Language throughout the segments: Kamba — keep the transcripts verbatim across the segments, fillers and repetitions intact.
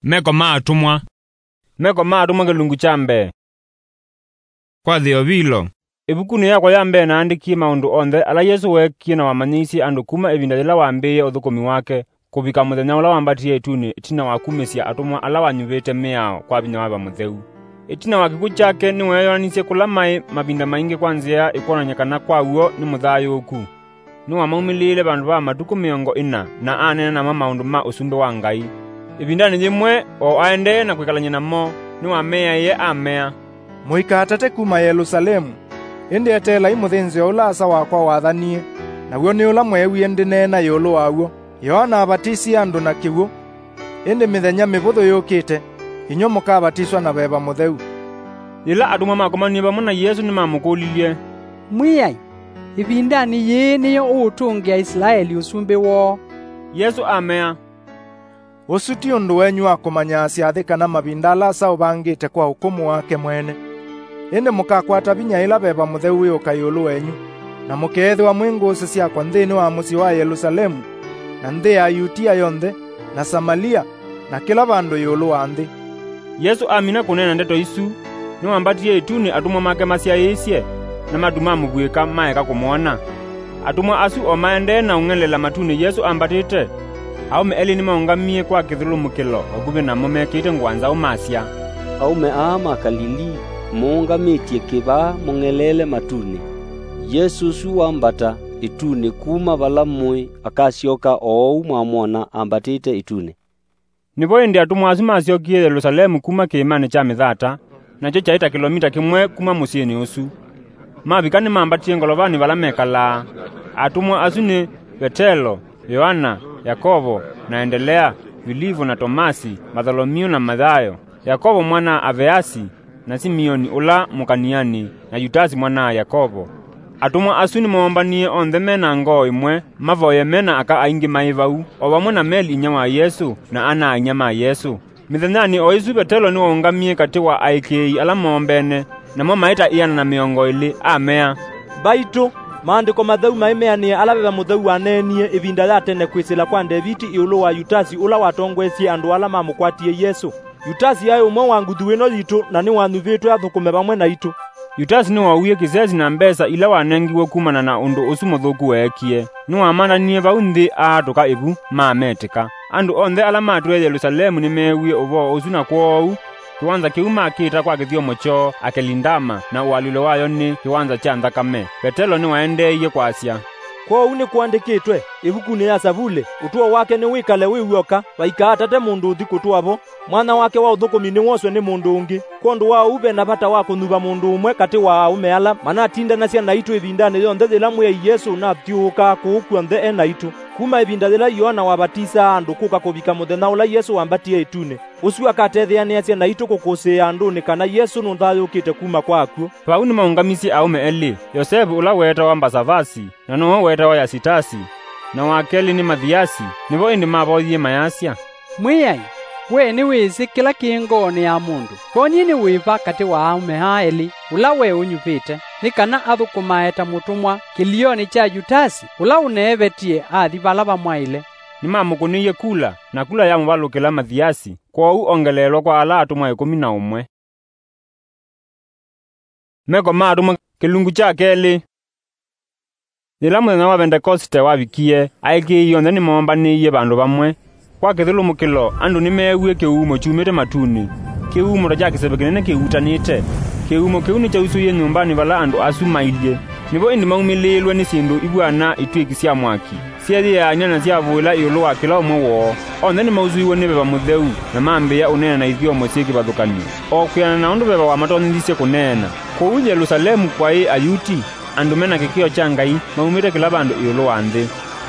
Meko ma Atũmwa. Meko ma Atũmwa kĩlungu kya mbee. Kwa Theovilo. Ĩvukunĩ yakwa ya mbee naandĩkie maũndũ onthe ala Yesũ weekie na wamanyĩisye andũ kuma ĩvinda yĩla wambĩĩe ũthũkũmi wake, kũvika mũthenya ũla wambatie ĩtunĩ ĩtina wa kumĩsya atũmwa ala wanyuvĩte mĩao kwa vinya wa Veva Mũtheu. Ĩtina wa kĩkw'ũ kyake, nĩweeyoonanisye kũla maĩ mavinda maingĩ kwa nzĩa ĩkwonany'a kana kwa w'o nĩ mũthayũũku. Nĩwamaumĩlĩĩle vandũ va matukũ mĩongo ĩna, na aneena namo maũndũ ma Ũsumbĩ wa Ngai. Ĩvindanĩ yĩmwe, o aendee na kwĩkalany'a namo, nĩwameaĩe amea, "Mũikaatate kuma Yelũsalemu, ĩndĩ eteelai mũthĩnzĩo ũla Asa wakwa wathanie, naw'o nĩ ũla mweewie ndĩneena ĩũlũ waw'o. Yoana avatisie andũ na kĩw'ũ, ĩndĩ mĩthenya mĩvũthũ yũkĩte, inyw'ĩ mũkavatiswa na Veva Mũtheu." Yĩla atũmwa makomanie vamwe na Yesũ, nĩmamũkũlilye, "Mwĩai, ĩvindanĩ yĩĩ nĩyo ũũtũngĩa Isilaeli ũsumbĩ woo?" Yesũ amea, "Ũsu ti ũndũ wenyu wa kũmanyaa syathĩ kana mavinda ala Asa ũvangĩte kwa ũkũmũ wake mwene. Ĩndĩ mũkakwata vinya ĩla Veva Mũtheu wĩũka ĩũlũ wenyu, na mũkeethĩwa mwĩ ngũsĩ syakwa nthĩnĩ wa mũsyĩ wa Yelũsalemu, na nthĩ ya Yutia yonthe, na Samalia, na kĩla vandũ ĩũlũ wa nthĩ." Yesũ amina kũneena ndeto isu, nĩwambatie ĩtunĩ atũmwa make masyaĩĩsye, na matu ma mũvuĩka maeka kũmwona. Atũmwa asu o maendee na ũng'elela matunĩ Yesũ ambatĩte, aũme elĩ nĩmaũngamie kwa kĩthũlũmũkĩlo vakuvĩ namo mekĩĩte ngũa nzaũ masya, "Aũme aa ma Kalilii mũũngamĩtye kĩ vaa mũng'eleele matunĩ? Yesũ ũsu wambata ĩtunĩ kuma vala mũĩ akasyoka o ũu mwamwona ambatĩte ĩtunĩ." Nĩvo ĩndĩ atũmwa asu masyokie Yelũsalemu kuma kĩĩmanĩ kya Mĩthata, nakyo kyaĩ ta kĩlomita kĩmwe kuma mũsyĩnĩ ũsu. Mavika nĩmambatie ngolovanĩ vala mekalaa. Atũmwa asu nĩ Vetelo, Yoana, Yakovo, na Endelea, Vilivu na Tomasi, Vatholomiu na Mathayo, Yakovo mwana-a-Aveasi, na Simioni ũla Mũkaniani, na Yutasi mwana-a-Yakovo. Atũmwa asu nĩmoombanie onthe me na ngoo ĩmwe, mavoye me na aka aingĩ maĩ vau, o vamwe na Meli inyia wa Yesũ, na ana-a-inyia ma Yesũ. Mĩthenyanĩ o ĩsu Vetelo nĩwaũngamie katĩ wa aĩkĩĩi ala moombene, namo maĩ ta ĩana na mĩongo ĩlĩ, amea, "Mbaitũ, Maandĩko Matheu maĩ meanĩe ala Veva Mũtheu waneenie ĩvinda ya tene kwĩsĩla kwa Ndeviti ĩũlũ wa Yutasi ũla watongoesye andũ ala mamũkwatie Yesũ. Yutasi aĩ ũmwe wa nguthu ĩno yitũ, na nĩwanyuvĩtwe athũkũme vamwe naitũ." Yutasi nĩwoowie kĩsesi na mbesa ila wanengiwe kumana na ũndũ ũsu mũthũku weekie. Nĩwamandanie vau nthĩ aatũka ĩvu, mametĩka. Andũ onthe ala matwĩe Yelũsalemu nĩmeewie ũvoo ũsu, na kwoou kĩwanza kĩu makĩĩta kwa kĩthyomo kyoo Akelindama, na ũalyũlo wayo nĩ kĩwanza kya nthakame. Vetelo nĩwaendeeie kwasya, "Kwoou nĩkũandĩkĩtwe ĩvukunĩ ya Savulĩ, 'Ũtũo wake nĩwĩkale wĩ w'oka, vaikaatate mũndũ ũthi kũtũa vo. Mwanya wake wa ũthũkũmi nĩwoswe nĩ mũndũ ũngĩ.' Kwondũ wa ũu, ve na vata wa kũnyuva mũndũ ũmwe katĩ wa aũme ala manatindanasya naitũ ĩvindanĩ yonthe yĩla Mwĩai Yesũ ũnathyũũkaa kũũ kw'onthe e naitũ, kuma ĩvinda yĩla Yoana wavatisaa andũ kũka kũvika mũthenya ũla Yesũ wambatie ĩtunĩ. Ũsu akatetheanĩasya naitũ kũkũsĩĩa andũnĩ kana Yesũ nũthayũũkĩte kuma kwa akw'ũ." Vau nĩmaũngamisye aũme elĩ, Yosevu ũla weetawa Mbasavasi, na nowe weetawa Yasitasi, na wa kelĩ nĩ Mathiasi. Nĩvo ĩndĩ mavoyie mayasya, "Mwĩai, we nĩwĩsĩ kĩla kĩ ngoonĩ ya mũndũ. Kwonyie nĩ wĩva katĩ wa aũme aa elĩ ũla we ũnyuvĩte, nĩ kana athũkũmae ta mũtũmwa kĩlionĩ kya Yutasi, ũla ũneevetie athi vala vamwaĩle?" Nĩmamũkũnĩie kula, na kula yamũvalũkĩla Mathiasi, kwoou ongeleelwa kwa ala atũmwa ĩkũmi na ũmwe. Meko ma Atũmwa, kĩlungu kya kelĩ. Yĩla mũthenya wa Vendekoste wavikie, aĩkĩĩi onthe nĩmoombanĩie vandũ vamwe. Kwa kĩthũlũmũkĩlo, andũ nĩmeewie kĩhuumo kyumĩte matunĩ, kĩhuumo ta kya kĩseve kĩnene kĩhutanĩte. Kĩhuumo kĩu nĩkyausũie nyũmbanĩ vala andũ asu mailyĩ. Nĩvo ĩndĩ maumĩlĩĩlwe nĩ syĩndũ ivw'ana itw'ĩki sya mwaki, syeeyĩaany'a na syavũĩla ĩũlũ wa kĩla ũmwe woo. Onthe nĩmausũiwe nĩ Veva Mũtheu, na mambĩĩa ũneena na ithyomo syĩ kĩvathũkany'o, o kwĩanana na ũndũ Veva wamatonyethisye kũneena. Kũu Yelũsalemu kwaĩ Ayuti, andũ me na kĩkĩo kya Ngai maumĩte kĩla vandũ ĩũlũ wa nthĩ.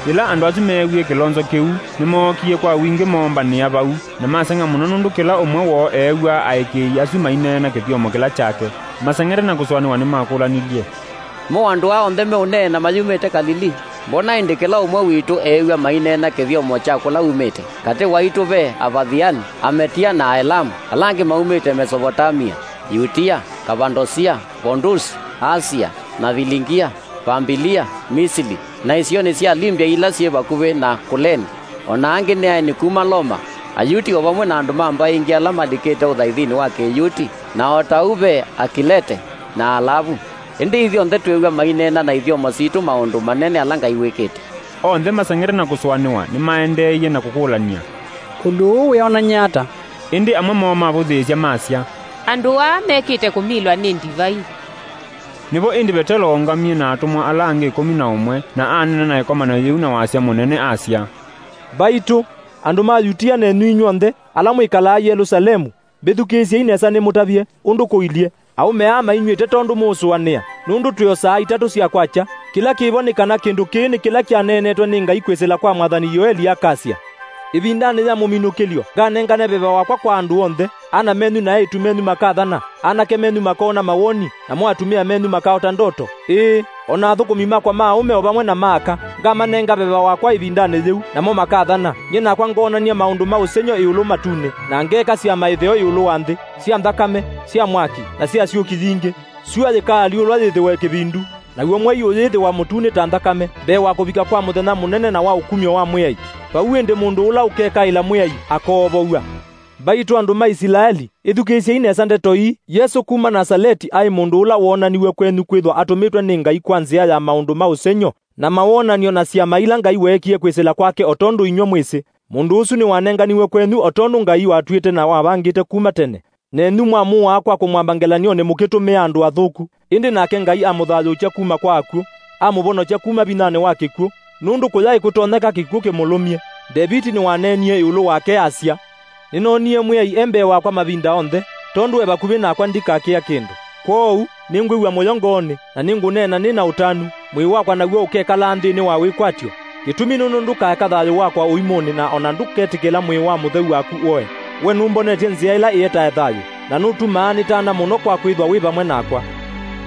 Yĩla andũ asu meewie kĩlonzo kĩu, nĩmookie kwa wingĩ moombanĩa vau, na maseng'a mũno nũndũ kĩla ũmwe woo eew'aa aĩkĩĩi asu maineena kĩthyomo kĩla kyake. Maseng'ete na kũsũanĩwa nĩmakũlanilye, "Mo andũ aa onthe meũneena mayumĩte Kalilii? Mbona ĩndĩ kĩla ũmwe witũ eew'a maineena kĩthyomo kya kũla umĩte? Katĩ waitũ ve Avathiani, Ametia na Aelamu, ala angĩ maumĩte Mesovotamia, Yutia, Kavadosia, Pondusi, Asia, na Viligia, Vambilia, Misili, na isionĩ sya Libya ila syĩ vakuvĩ na Kuleni, o na angĩ nĩ aeni kuma Loma, Ayuti o vamwe na andũ ma mbaĩ ingĩ ala malikĩte ũthaithinĩ wa Kĩyuti, na o ta ũu ve Akilete na Alavu. Ĩndĩ ithyonthe twĩw'a maineena na ithyomo sitũ maũndũ manene ala Ngai wĩkĩte. Onthe maseng'ete na kũsũanĩwa nĩmaendeeie na kũkũlany'a, "Ũndũ ũũ wĩonany'a ata?" Ĩndĩ amwe moo mavũthĩĩsya masya, "Andũ aa mekĩte kũmilwa nĩ ndivai." Nĩvo ĩndĩ Vetelo waũngamie na atũmwa ala angĩ ĩkũmi na ũmwe, na aneena na ĩkomano yĩu na wasya mũnene, asya, "Mbaitũ, andũ ma Yutia nenyu inyw'onthe ala mwĩkalaa Yelũsalemu, mbĩthukĩĩsyei nesa nĩmũtavye ũndũ kũilyĩ. Aũme aa mainyw'ĩte tondũ mũũsũanĩa, nũndũ twĩosaa itatũ sya kwakya. Kĩla kĩvo nĩ kana kĩndũ kĩĩ nĩ kĩla kyaneenetwe nĩ Ngai kwĩsĩla kwa mwathani Yoeli akasya, 'Ĩvindanĩ ya mũminũkĩlyo, nganengane veva wakwa kwa andũ onthe. Ana menyu na eĩtu menyu makathana, anake menyu makoona mawoni, namo atumĩa menyu makaota ndoto. Ĩĩ, o na athũkũmi makwa ma aũme o vamwe na ma aka, ngamanenga veva wakwa ĩvindanĩ yĩu, namo makathana. Nyie nakwa ngoonany'a maũndũ ma ũsengy'o ĩũlũ matunĩ, na ngeeka syama ĩtheo ĩũlũ wa nthĩ, sya nthakame, sya mwaki, na sya syũki yingĩ. Syũa yĩkaalyũlwa yĩthĩwe kĩvindu, naw'o mwei ũyĩthĩwa mũtunĩ ta nthakame, mbee wa kũvika kwa mũthenya mũnene na wa ũkumyo wa Mwĩai. Vau ĩndĩ mũndũ ũla ũkekaĩla Mwĩai akoovow'a.' Mbaitũ andũ ma Isilaeli, ĩthukĩĩsyei nesa ndeto ii. Yesũ kuma Nasaleti aĩ mũndũ ũla woonaniw'e kwenyu kwĩthwa atũmĩtwe nĩ Ngai kwa nzĩa ya maũndũ ma ũsengy'o, na mawonany'o na syama ila Ngai weekie kwĩsĩla kwake o tondũ inyw'ĩ mwĩsĩ. Mũndũ ũsu nĩwanenganiw'e kwenyu o tondũ Ngai watw'ĩte na wavangĩte kuma tene. Nenyu mwamũaa kwa kũmwamba ngelany'onĩ mũkĩtũmĩa andũ athũku, ĩndĩ nake Ngai amũthayũũkya kuma kwa akw'ũ, amũvonokya kuma vinyanĩ wa kĩkw'ũ, nũndũ kũyaĩ kũtonyeka kĩkw'ũ kĩmũlũmye. Ndeviti nĩwaneenie ĩũlũ wake asya, 'Nĩnoonie Mwĩai e mbee wakwa mavinda onthe, tondũ e vakuvĩ nakwa ndikakĩa kĩndũ. Kwoou nĩngwĩw'a mũyo ngoonĩ, na nĩngũneena nĩ na ũtanu, mwĩĩ wakwa naw'o ũkekalaa nthĩnĩ wa wĩkwatyo. Kĩtumi nũndũ ndũkaeka thayũ wakwa ũimũnĩ, na o na ndũketĩkĩla mwĩĩ wa mũtheu waku ũe. We nũmbonetye nzĩa ĩla ĩetae thayũ, na nũtumaa nĩtana mũno kwa kwĩthwa wĩ vamwe nakwa.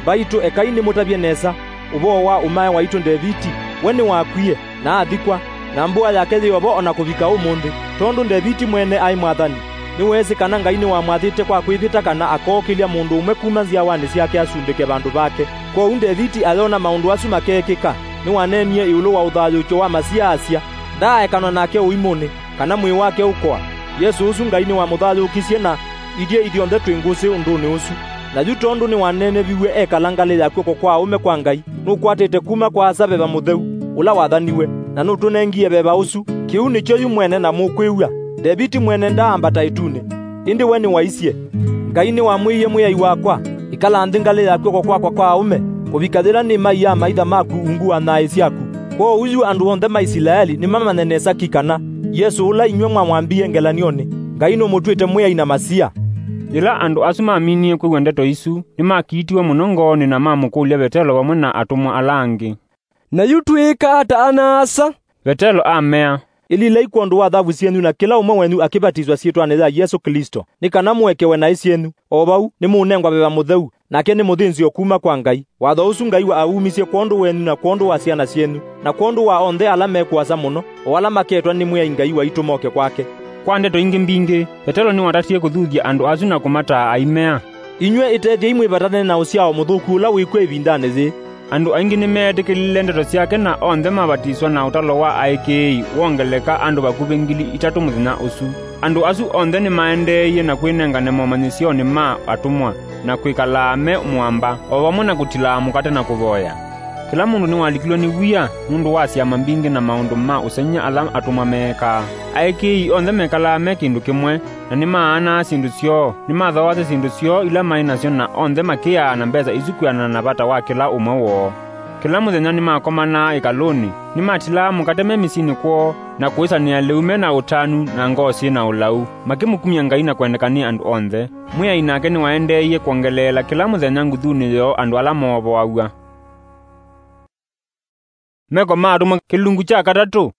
Mbaitũ, ekai nĩmũtavye nesa ũvoo wa ũmae waitũ Ndeviti. We nĩwakwie, na athikwa, na mbũa yake yĩ o vo o na kũvika ũmũnthĩ. Tondũ Ndeviti mwene aĩ mwathani, nĩweesĩ kana Ngai nĩwamwathĩte kwa kwĩvĩta kana akookĩlya mũndũ ũmwe kuma nzyawanĩ syake asumbĩke vandũ vake. Kwoou Ndeviti ayona maũndũ asu makeekĩka, nĩwaneenie ĩũlũ wa ũthayũũkyo wa Masia asya, 'Ndaaekanwa nake ũimũnĩ, kana mwĩĩ wake ũkoa.' Yesũ ũsu Ngai nĩwamũthayũũkisye, na ithyĩ ithyonthe twĩ ngũsĩ ũndũnĩ ũsu. Na yu tondũ nĩwaneeneviw'e ekala ngalĩ ya kw'oko kwa aũme kwa Ngai, nũkwatĩte kuma kwa Asa veva mũtheu ũla wathaniw'e, na nũtũnengie veva ũsu. Kĩu nĩkyo yu mwene na mũkwĩw'a. Ndeviti mwene ndaambata ĩtunĩ, ĩndĩ we nĩwaisye, 'Ngai nĩwamwĩie Mwĩai wakwa, "Ĩkala nthĩ ngalĩ ya kw'oko kwakwa kwa aũme, kũvika yĩla nĩmaia amaitha maku ungu wa nyaĩ syaku." Kwoou yu andũ onthe ma Isilaeli nĩmamanye nesa ki kana Yesũ ũla inyw'ĩ mwamwambie ngelany'onĩ, Ngai nũmũtw'ĩte Mwĩai na Masia. Yĩla andũ asu maminie kwĩw'a ndeto isu, nĩmakiitiwe mũno ngoonĩ na mamũkũlya Vetelo vamwe na atũmwa ala angĩ, "Na yu twĩĩka ata ana-a-asa?" Vetelo amea, "Ĩlilai kwondũ wa thavu syenyu na kĩla ũmwe wenyu akĩvatiswa syĩtwanĩ ya Yesũ Klĩsto, nĩ kana mũekewe naĩ syenyu. O vau, nĩmũũnengwa veva mũtheu, nake nĩ mũthĩnzĩo kuma kwa Ngai. Watho ũsu Ngai wa aumisye kwondũ wenyu na kwondũ wa syana syenyu, na kwondũ wa onthe ala me kũasa mũno, o ala maketwa nĩ Mwĩai Ngai waitũ moke kwake." Kwa ndeto ingĩ mbingĩ, Vetelo nĩwatatie kũthuthya andũ asu na kũmataa aimea, "Inyw'ĩ ĩtethyei mwĩvatane na ũsyao mũthũku ũla wĩ kw'o ĩvindanĩ yĩĩ." Andũ aingĩ nĩmeetĩkĩlile ndeto syake, na onthe mavatiswa, na ũtalo wa aĩkĩĩi wongeleka andũ vakuvĩ ngili itatũ mũthenya ũsu. Andũ asu onthe nĩmaendeeie na kwĩnengane momanyĩsyonĩ ma atũmwa, na kwĩkalaa me mũamba, o vamwe na kũtilaa mũkate na kũvoya. Kĩla mũndũ nĩwalikilwe nĩ wia nũndũ wa syama mbingĩ na maũndũ ma ũsengy'a ala atũmwa meekaa. Aĩkĩĩi onthe mekalaa me kĩndũ kĩmwe, na nĩmaanaa syĩndũ syoo, nĩmathooasya syĩndũ syoo ila maĩ nasyo, na onthe makĩaa na mbesa isu kwĩanana na vata wa kĩla ũmwe woo. Kĩla mũthenya nĩmakomanaa ĩkalũnĩ, nĩmatilaa mũkate me mĩsyĩnĩ kwoo, na kũĩsanĩa lĩu me na ũtanu na ngoo syĩ na ũlau, makĩmũkumya Ngai na kwendeka nĩ andũ onthe. Mwĩai nake nĩwaendeeie kwongeleela kĩla mũthenya nguthunĩ yoo andũ ala moovoaw'a. Meko ma Atũmwa, kĩlungu kya katatũ.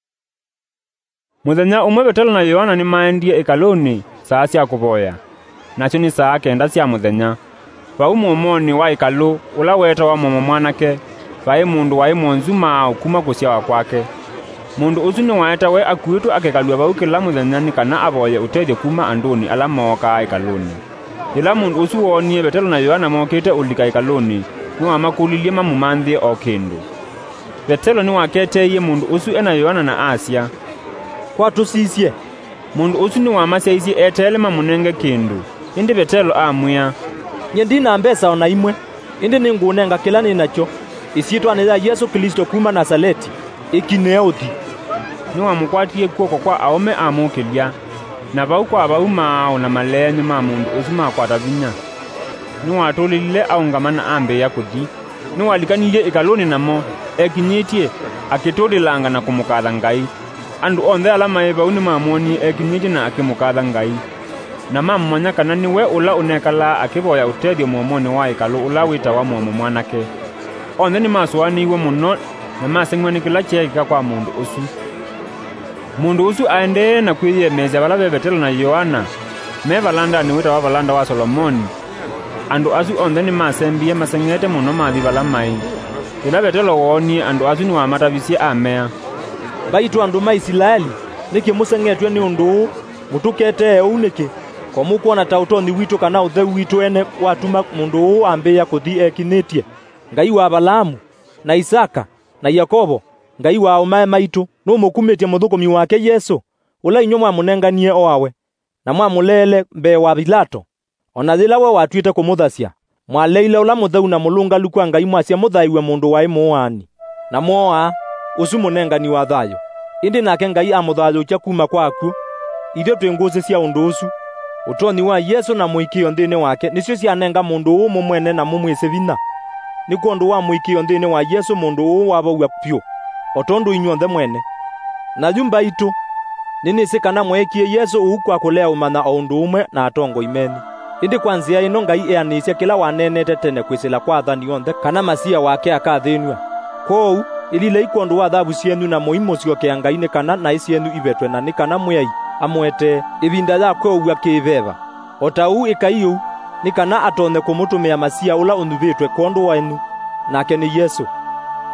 Mũthenya ũmwe Vetelo na Yoana nĩmaendie ĩkalũnĩ saa sya kũvoya, nasyo nĩ saa kenda sya mũthenya. Vau mũomonĩ wa ĩkalũ, ũla weetawa Mũomo Mwanake, vaĩ mũndũ waĩ mwonzu maaũ kuma kũsyawa kwake. Mũndũ ũsu nĩwaetawe akuĩtwe akekalw'a vau kĩla mũthenya nĩ kana avoye ũtethyo kuma andũnĩ ala mookaa ĩkalũnĩ. Yĩla mũndũ ũsu woonie Vetelo na Yoana mokĩte ũlika ĩkalũnĩ, nĩwamakũlilye mamũmanthĩe o kĩndũ. Vetelo nĩwaketeeie mũndũ ũsu e na Yoana na asya, "Kwa tũsisye." Mũndũ ũsu nĩwamasyaisye eteele mamũnenge kĩndũ, ĩndĩ Vetelo amwĩa, "Nyie ndi na mbesa o na imwe, ĩndĩ nĩngũũnenga kĩla nĩ nakyo. Ĩsyĩtwanĩ ya Yesũ Klĩsto kuma Nasaleti, ĩkinĩe ũthi." Nĩwamũkwatie kw'oko kwa aũme amũkĩlya, na vau kwa vau maaũ na maleenyũ ma mũndũ ũsu makwata vinya. Nĩwatũlĩlile aũngama na ambĩĩa kũthi. Nĩwalikanilyĩ ĩkalũnĩ namo, ekinyĩtye, akĩtũlĩlanga na kũmũkatha Ngai. Andũ onthe ala maĩ vau nĩmamwonie ekinyĩtye na akĩmũkatha Ngai, na mamũmanya kana nĩwe ũla ũnekalaa akĩvoya ũtethyo mũomonĩ wa ĩkalũ ũla wĩtawa Mũomo Mwanake. Onthe nĩmasũanĩiw'e mũno na maseng'w'a nĩ kĩla kyeekĩka kwa mũndũ ũsu. Mũndũ ũsu aendee na kwĩyĩemeesya vala ve Vetelo na Yoana me valandanĩ wĩtawa Valanda wa Solomoni. Andũ asu onthe nĩmasembie maseng'ete mũno mathi vala maĩ. Yĩla Vetelo woonie andũ asu nĩwamatavisye amea, "Mbaitũ andũ ma Isilaeli, nĩkĩ mũseng'etw'e nĩ ũndũ ũũ? Mũtũketee ũu nĩkĩ? Ko mũkwona ta ũtonyi witũ kana ũtheu witũ ene watuma mũndũ ũũ ambĩĩa kũthi ekinĩtye? Ngai wa Avalaamu, na Isaka, na Yakovo, Ngai wa aũmae maitũ, nũmũkumĩtye mũthũkũmi wake Yesũ, ũla inyw'ĩ mwamũnenganie oawe, na mwamũleele mbee wa Vilato, o na yĩla we watw'ĩte kũmũthasya. Mwaleile ũla mũtheu na mũlũngalu kwa Ngai mwasya mũthaĩw'e mũndũ waĩ mũaani, na mwooa ũsu mũnengani wa thayũ. Ĩndĩ nake Ngai amũthayũũkya kuma kwa akw'ũ. Ithyĩ twĩ ngũsĩ sya ũndũ ũsu. Ũtonyi wa Yesũ na mũĩkĩĩo nthĩnĩ wake nĩsyo syanenga mũndũ ũũ mũmwene na mũmwĩsĩ vinya. Nĩ kwondũ wa mũĩkĩĩo nthĩnĩ wa Yesũ mũndũ ũũ wavow'a vyũ, o tondũ inyw'onthe mwene. Na yu mbaitũ, nĩnĩsĩ kana mweekie Yesũ ũu kwa kũlea ũmanya o ũndũ ũmwe na atongoi menyu. Ĩndĩ kwa nzĩa ĩno Ngai eanĩisye kĩla waneenete tene kwĩsĩla kwa athani onthe kana Masia wake akathĩnw'a. Kwoou, ĩlilei kwondũ wa thavu syenyu na mũimũsyokea Ngai nĩ kana naĩ syenyu ivetwe na nĩ kana Mwĩai amũetee ĩvinda ya kweũw'a kĩ-veva. O ta ũu ĩkai ũu, nĩ kana atonye kũmũtũmĩa Masia ũla ũnyuvĩtwe kwondũ wenyu, nake nĩ Yesũ.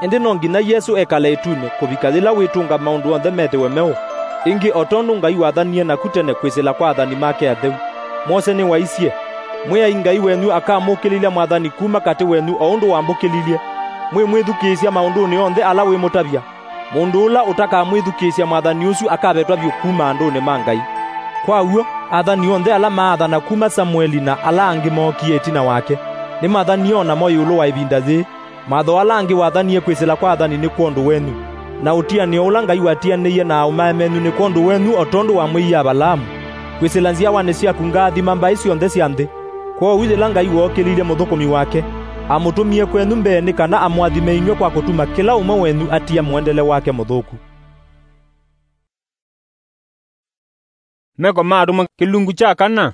Ĩndĩ no nginya Yesũ ekale ĩtunĩ kũvika yĩla wĩtũnga maũndũ onthe methĩwe meũ, ĩngĩ o tondũ Ngai wathanie naku tene kwĩsĩla kwa athani make atheu. Mose nĩwaisye, "Mwĩai Ngai wenyu akamũkĩlilya mwathani kuma katĩ wenyu o ũndũ wambũkĩlilye. Mwĩmwĩthukĩĩsya maũndũnĩ onthe ala wĩmũtavya." Mũndũ ũla ũtakamwĩthukĩĩsya mwathani ũsu akavetwa vyũ kuma andũnĩ ma Ngai. Kwa w'o, athani onthe ala maathana kuma Samueli na ala angĩ mookie ĩtina wake, nĩmathanie o namo ĩũlũ wa ĩvinda yĩĩ. Mawatho ala angĩ wathanie kwĩsĩla kwa athani nĩ kwondũ wenyu, na ũtianĩo ũla Ngai watianĩie na aũmae menyu nĩ kwondũ wenyu, o tondũ wamwĩie Avalaamu, "Kwĩsĩla nzyawanĩ syaku ngaathima mbaĩ syonthe sya nthĩ." Kwoou yĩla Ngai wookĩlilye mũthũkũmi wake, amũtũmie kwenyu mbee nĩ kana amũathime inyw'ĩ kwa kũtuma kĩla ũmwe wenyu atia mũendele wake mũthũku. Meko ma Atũmwa kĩlungu kya kana.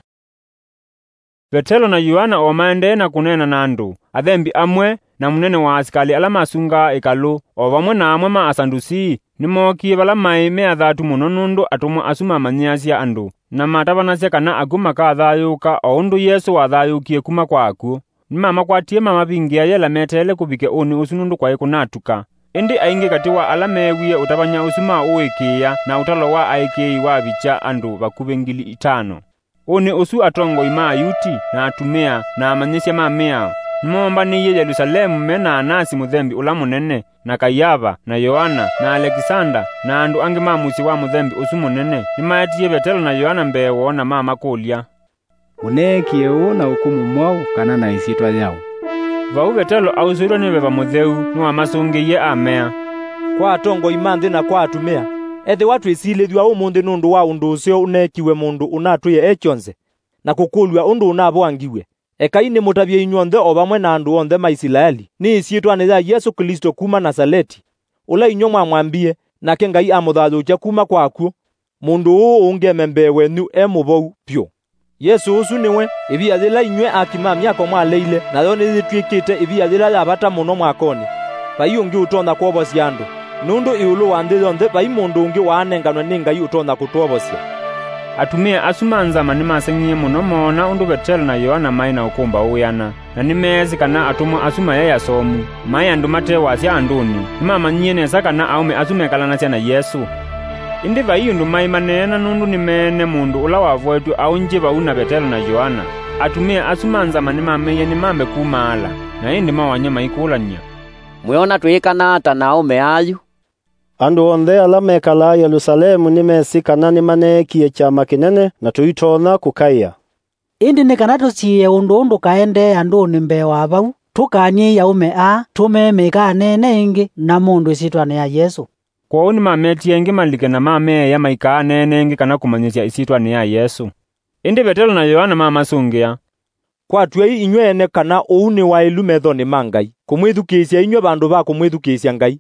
Vetelo na Yoana o maendee na kũneena na andũ, athembi amwe, na mũnene wa asikalĩ ala masungaa ĩkalũ, o vamwe na amwe ma Asadusii, nĩmookie vala maĩ me athatu mũno nũndũ atũmwa asu mamanyĩasya andũ, na matavanasya kana akw'ũ makathayũũka o ũndũ Yesũ wathayũũkie kuma kwa akw'ũ. Nĩmamakwatie mamavingĩa yela meteele kũvike ũnĩ ũsu nũndũ kwaĩ kũnatuka. Ĩndĩ aingĩ katĩ wa ala meewie ũtavany'a ũsu maũĩkĩĩa na ũtalo wa aĩkĩĩi wavikya andũ vakuvĩ ngili itano. Ũnĩ ũsu atongoi ma Ayuti, na atumĩa, na amanyĩsya ma mĩao nĩmoombanĩie Yelusalemu me na Anasi mũthembi ũla mũnene, na Kaiava, na Yoana, na Alekisanda, na andũ angĩ ma mũsyĩ wa mũthembi ũsu mũnene. Nĩmaetie Vetelo na Yoana mbee woo na mamakũlya, "Mũneekie ũũ na ũkũmũ mwaũ kana na ĩsyĩtwa yaũ?" Vau Vetelo ausũĩtwe nĩ Veva Mũtheu, nĩwamasũngĩie amea, "Kwa atongoi ma nthĩ na kwa atumĩa, ethĩwa twĩsilĩthw'a ũmũnthĩ nũndũ wa ũndũ ũseo ũneekiw'e mũndũ ũnatwĩe e kyonthe, na kũkũlw'a ũndũ ũnavoangiw'e, ekai nĩmũtavye inyw'onthe o vamwe na andũ onthe ma Isilaeli, nĩ ĩsyĩtwanĩ ya Yesũ Klĩsto kuma Nasaleti, ũla inyw'ĩ mwamwambie, nake Ngai amũthayũũkya kuma kwa akw'ũ, mũndũ ũũ ũngeme mbee wenyu e mũvou vyũ. Yesũ ũsu nĩwe, ĩvia yĩla inyw'ĩ aaki ma myako mwaleile, nayo nĩyĩtw'ĩkĩte ĩvia yĩla ya vata mũno mwakonĩ. Vai ũngĩ ũtonya kwovosya andũ, nũndũ ĩũlũ wa nthĩ yonthe vai mũndũ ũngĩ waanenganwe nĩ Ngai ũtonya kũtwovosya." Atumĩa asu ma nzama nĩmaseng'ie mũno moona ũndũ Vetelo na Yoana maĩ na ũkũmbaũ wĩana. Na nĩmeesĩ kana atũmwa asu mayaĩ asomu, maĩ andũ mate wasya andũnĩ. Nĩmamanyie nesa kana aũme asu mekalanasya na Yesũ. Ĩndĩ vai ũndũ maĩ maneena, nũndũ nĩmeene mũndũ ũla wavoetw'e aũngye vau na Vetelo na Yoana. Atumĩa asu ma nzama nĩmameie nĩmambe kumaala, na ĩndĩ mawaany'a maikũlany'a, "Mwĩona twĩĩkana ata na aũme ayu?" Andũ onthe ala mekalaa Yelũsalemu nĩmesĩ kana nĩmaneekie kyama kĩnene, na tũitonya kũkaĩa. Ĩndĩ nĩ kana tũsiĩĩe ũndũ ũũ ndũkaendee andũnĩ mbee wa vau, tũkany'ei aũme aa, tũmee maikaaneene ĩngĩ na mũndũ ĩsyĩtwanĩ ya Yesũ. Kwoou nĩmametie ĩngĩ malike na mameea maikaaneene ĩngĩ kana kũmanyĩsya ĩsyĩtwanĩ ya Yesũ. Ĩndĩ Vetelo na Yoana mamasũngĩa, "Kwatw'ai inyw'ĩ ene kana ũu nĩ waĩlu methonĩ ma Ngai, kũmwĩthukĩĩsya inyw'ĩ vandũ va kũmwĩthukĩĩsya Ngai.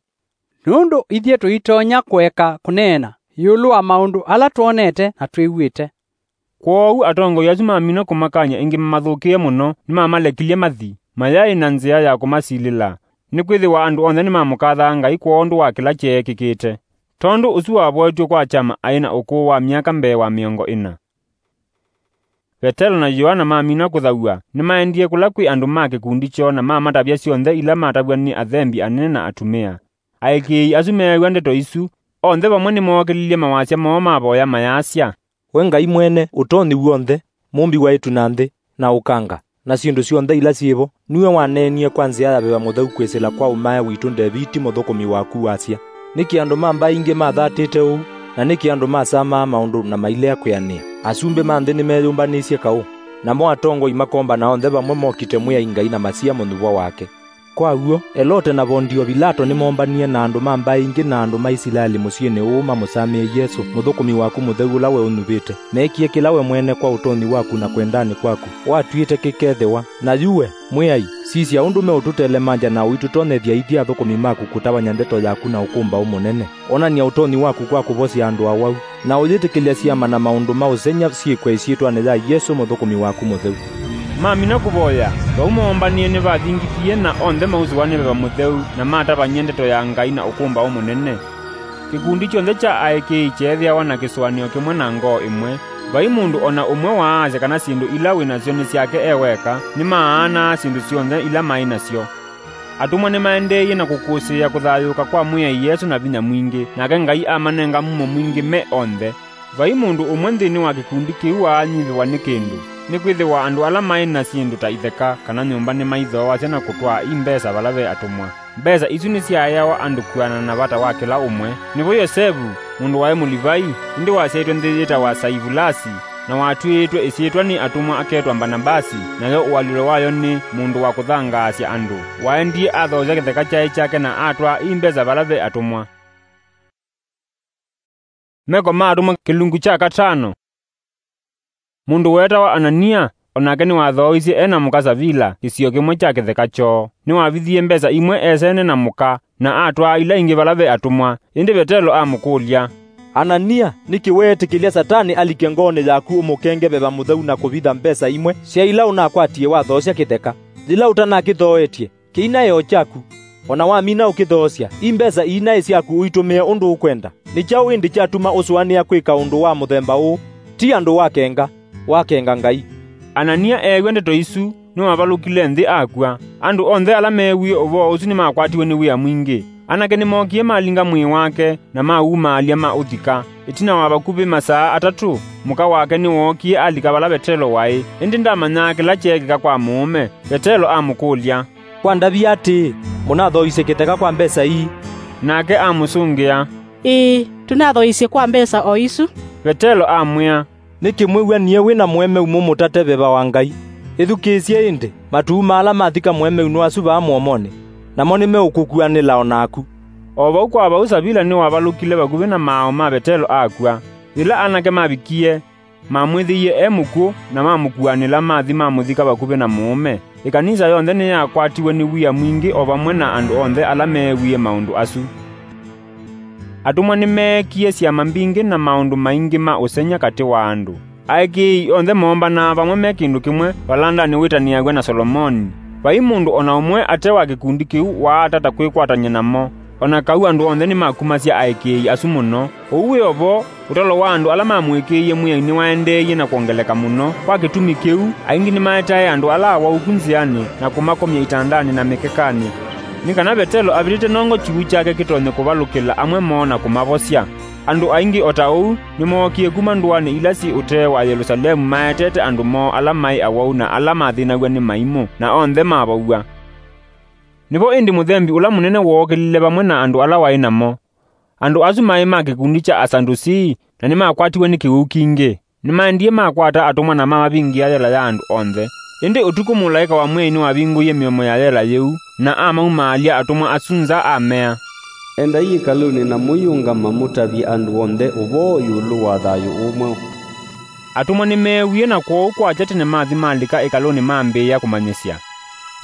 Nũndũ ithyĩ tũitonya kũeka kũneena ĩũlũ wa maũndũ ala twonete na twĩw'ĩte." Kwoou atongoi asu mamina kũmakany'a ĩngĩ mamathũkĩe mũno, nĩmamalekilye mathi, mayaĩ na nzĩa ya kũmasilĩla, nĩkwĩthĩwa andũ onthe nĩmamũkathaa Ngai kwondũ wa kĩla kyeekĩkĩte. Tondũ ũsu wavoetw'e kwa kyama aĩ na ũkũũ wa myaka mbee wa mĩongo ĩna. Vetelo na Yoana mamina kũthaw'a, nĩmaendie kũla kwĩ andũ ma kĩkundi kyoo na mamatavya syonthe ila matavw'a nĩ athembi anene na atumĩa. Aĩkĩĩi asu meew'a ndeto isu, onthe vamwe nĩmookĩlilye mawasya moo mavoya mayasya, "We Ngai Mwene Ũtonyi W'onthe, Mũmbi wa ĩtu na nthĩ, na ũkanga, na syĩndũ syonthe ila syĩ vo, nue waneenie kwa nzĩa ya Veva Mũtheu kwĩsĩla kwa ũmae witũ Ndeviti mũthũkũmi waku, wasya, 'Nĩkĩ andũ ma mbaĩ ingĩ mathatĩte ũu, na nĩkĩ andũ masamaa maũndũ na mailea kwĩanĩa? Asumbĩ ma nthĩ nĩmeyũmbanĩisye kaũ, namo atongoi makombana onthe vamwe mokite Mwĩai Ngai na masia mũnyuvwa wake.'" Kwa w'o, Elote na Vondio Vilato nĩmoombanie na andũ ma mbaĩ ingĩ na andũ ma Isilaeli mũsyĩnĩ ũũ mamũsamĩe Yesũ, mũthũkũmi waku mũtheu ũla we ũnyuvĩte. Meekie kĩla we mwene kwa ũtonyi waku na kwendanĩ kwaku watw'ĩte kĩkethĩwa. Na yu we, Mwĩai, sisya ũndũ meũtũtelemangya na ũitũtonyethya ithyĩ athũkũmi maku kũtavany'a ndeto yaku na ũkũmbaũ mũnene. Onany'a ũtonyi waku kwa kũvosya andũ awau, na ũyĩtĩkĩlya syama na maũndũ ma ũsengy'a syĩkwe ĩsyĩtwanĩ ya Yesũ mũthũkũmi waku mũtheu. Mamina kũvoya, vau moombanie nĩvathingithie, na onthe mausũwa nĩ Veva Mũtheu, na matavany'a ndeto ya Ngai na ũkũmbaũ mũnene. Kĩkundi kyonthe kya aĩkĩĩi kyeethĩawa na kĩsũanĩo kĩmwe na ngoo ĩmwe. Vai mũndũ o na ũmwe waasya kana syĩndũ ila wĩ nasyo nĩ syake e weka, nĩmaanaa syĩndũ syonthe ila maĩ nasyo. Atũmwa nĩmaendeeie na kũkũsĩĩa kũthayũũka kwa Mwĩai Yesũ na vinya mwingĩ, nake Ngai amanenga mumo mwingĩ me onthe. Vai mũndũ ũmwe nthĩnĩ wa kĩkundi kĩu waanyivĩwa nĩ kĩndũ, nĩkwĩthĩwa andũ ala maĩ na syĩndũ ta itheka kana nyũmba nĩmaithooasya na kũtwaa i mbesa vala ve atũmwa. Mbesa isu nĩsyaaĩawa andũ kwĩanana na vata wa kĩla ũmwe. Nĩvo Yosevu, mũndũ waĩ Mũlivai, ĩndĩ wasyaĩtwe nthĩ yĩtawa Saivulasi, na watw'ĩĩtwe ĩsyĩtwa nĩ atũmwa aketwa Mbanavasi, nayo ũalyũlo wayo nĩ Mũndũ wa Kũthangaasya Andũ, waendie athoosya kĩtheka kyaĩ kyake na atwaa i mbesa vala ve atũmwa. Meko ma Atũmwa kĩlungu kya katano. Mũndũ weetawa Anania, o nake nĩwathooisye e na mũka Savila kĩsio kĩmwe kya kĩtheka kyoo. Nĩwavithie mbesa imwe esene na mũka, na atwaa ila ingĩ vala ve atũmwa. Ĩndĩ Vetelo amũkũlya, "Anania, nĩkĩ weetĩkĩlya Satani alike ngoonĩ yaku ũmũkenge Veva Mũtheu na kũvitha mbesa imwe sya ila ũnakwatie wathoosya kĩtheka, yĩla ũtanakĩthooetye? Kĩinaĩ o kyaku, o na wamina ũkĩthoosya, i mbesa ii naĩ syaku ũitũmĩe ũndũ ũkwenda. Nĩ kyaũ ĩndĩ kyatuma ũsũanĩa kwĩka ũndũ wa mũthemba ũũ? Ti andũ wakenga, wakenga Ngai." Anania eew'a ndeto isu, nĩwavalũkile nthĩ akw'a. Andũ onthe ala meewie ũvoo ũsu nĩmakwatiwe nĩ wia mwingĩ. Anake nĩmookie malinga mwĩĩ wake na mawumaalya maũthika. Ĩtina wa vakuvĩ masaa atatũ, mũka wake nĩwookie alika vala Vetelo waĩ, ĩndĩ ndamanyaa kĩla kyeekĩka kwa mũũme. Vetelo amũkũlya, "Wandavya atĩĩ, mũnathooisye kĩtheka kwa mbesa ii?" Nake amũsũngĩa, "Ĩĩ, tũnathooisye kwa mbesa o isu." Vetelo amwĩa, "Nĩkĩ mwĩw'anie wĩ na mũemeu mũmũtate Veva wa Ngai? Ĩthukĩĩsye ĩndĩ, matuu ma ala mathika mũemeu nĩ asu vaa mũomonĩ, namo nĩmeũkũkuanĩla o naku." O vau kwa vau Savila nĩwavalũkile vakuvĩ na maaũ ma Vetelo akw'a. Yĩla anake mavikie, mamwĩthĩie e mũkw'ũ, na mamũkuanĩla mathi mamũthika vakuvĩ na mũũme. Ĩkanisa yonthe nĩyakwatiwe nĩ wia mwingĩ o vamwe na andũ onthe ala meewie maũndũ asu. Atũmwa nĩmeekie syama mbingĩ na maũndũ maingĩ ma ũsengy'a katĩ wa andũ. Aĩkĩĩi onthe moombanaa vamwe me kĩndũ kĩmwe valandanĩ wĩtanĩaw'a na Solomoni. Vai mũndũ o na ũmwe ate wa kĩkundi kĩu waatata kwĩkwatany'a namo, o na kau andũ onthe nĩmakumasya aĩkĩĩi asu mũno. Ũu wĩ o vo, ũtalo wa andũ ala mamũĩkĩĩie Mwĩai nĩwaendeeie na kwongeleka mũno. Kwa kĩtumi kĩu, aingĩ nĩmaetae andũ ala awau ku nzĩanĩ na kũmakomya itandanĩ na mĩkekanĩ, nĩ kana Vetelo avĩtĩte nongo kyuvu kyake kĩtonye kũvalũkĩla amwe moo na kũmavosya. Andũ aingĩ o ta ũu nĩmookie kuma ndũanĩ ila syĩ ũtee wa Yelũsalemu maetete andũ moo ala maĩ awau na ala mathĩnaw'a nĩ maimũ, na onthe mavow'a. Nĩvo ĩndĩ mũthembi ũla mũnene wookĩlile vamwe na andũ ala waĩ namo. Andũ asu maĩ ma kĩkundi kya Asadusii, na nĩmakwatiwe nĩ kĩwĩu kingĩ. Nĩmaendie makwata atũmwa na mamavingĩa yela ya andũ onthe. Ĩndĩ ũtukũ mũlaĩka wa Mwĩai nĩwavingũie mĩomo ya yela yĩu, na amaumaalya atũmwa asu nza amea, "Endai ĩkalũnĩ na mũiũngama mũtavye andũ onthe ũvoo ĩũlũ wa thayũ ũũ mweũ." Atũmwa nĩmeewie, na kwoou kwakya tene mathi malika ĩkalũnĩ mambĩĩa kũmanyĩsya.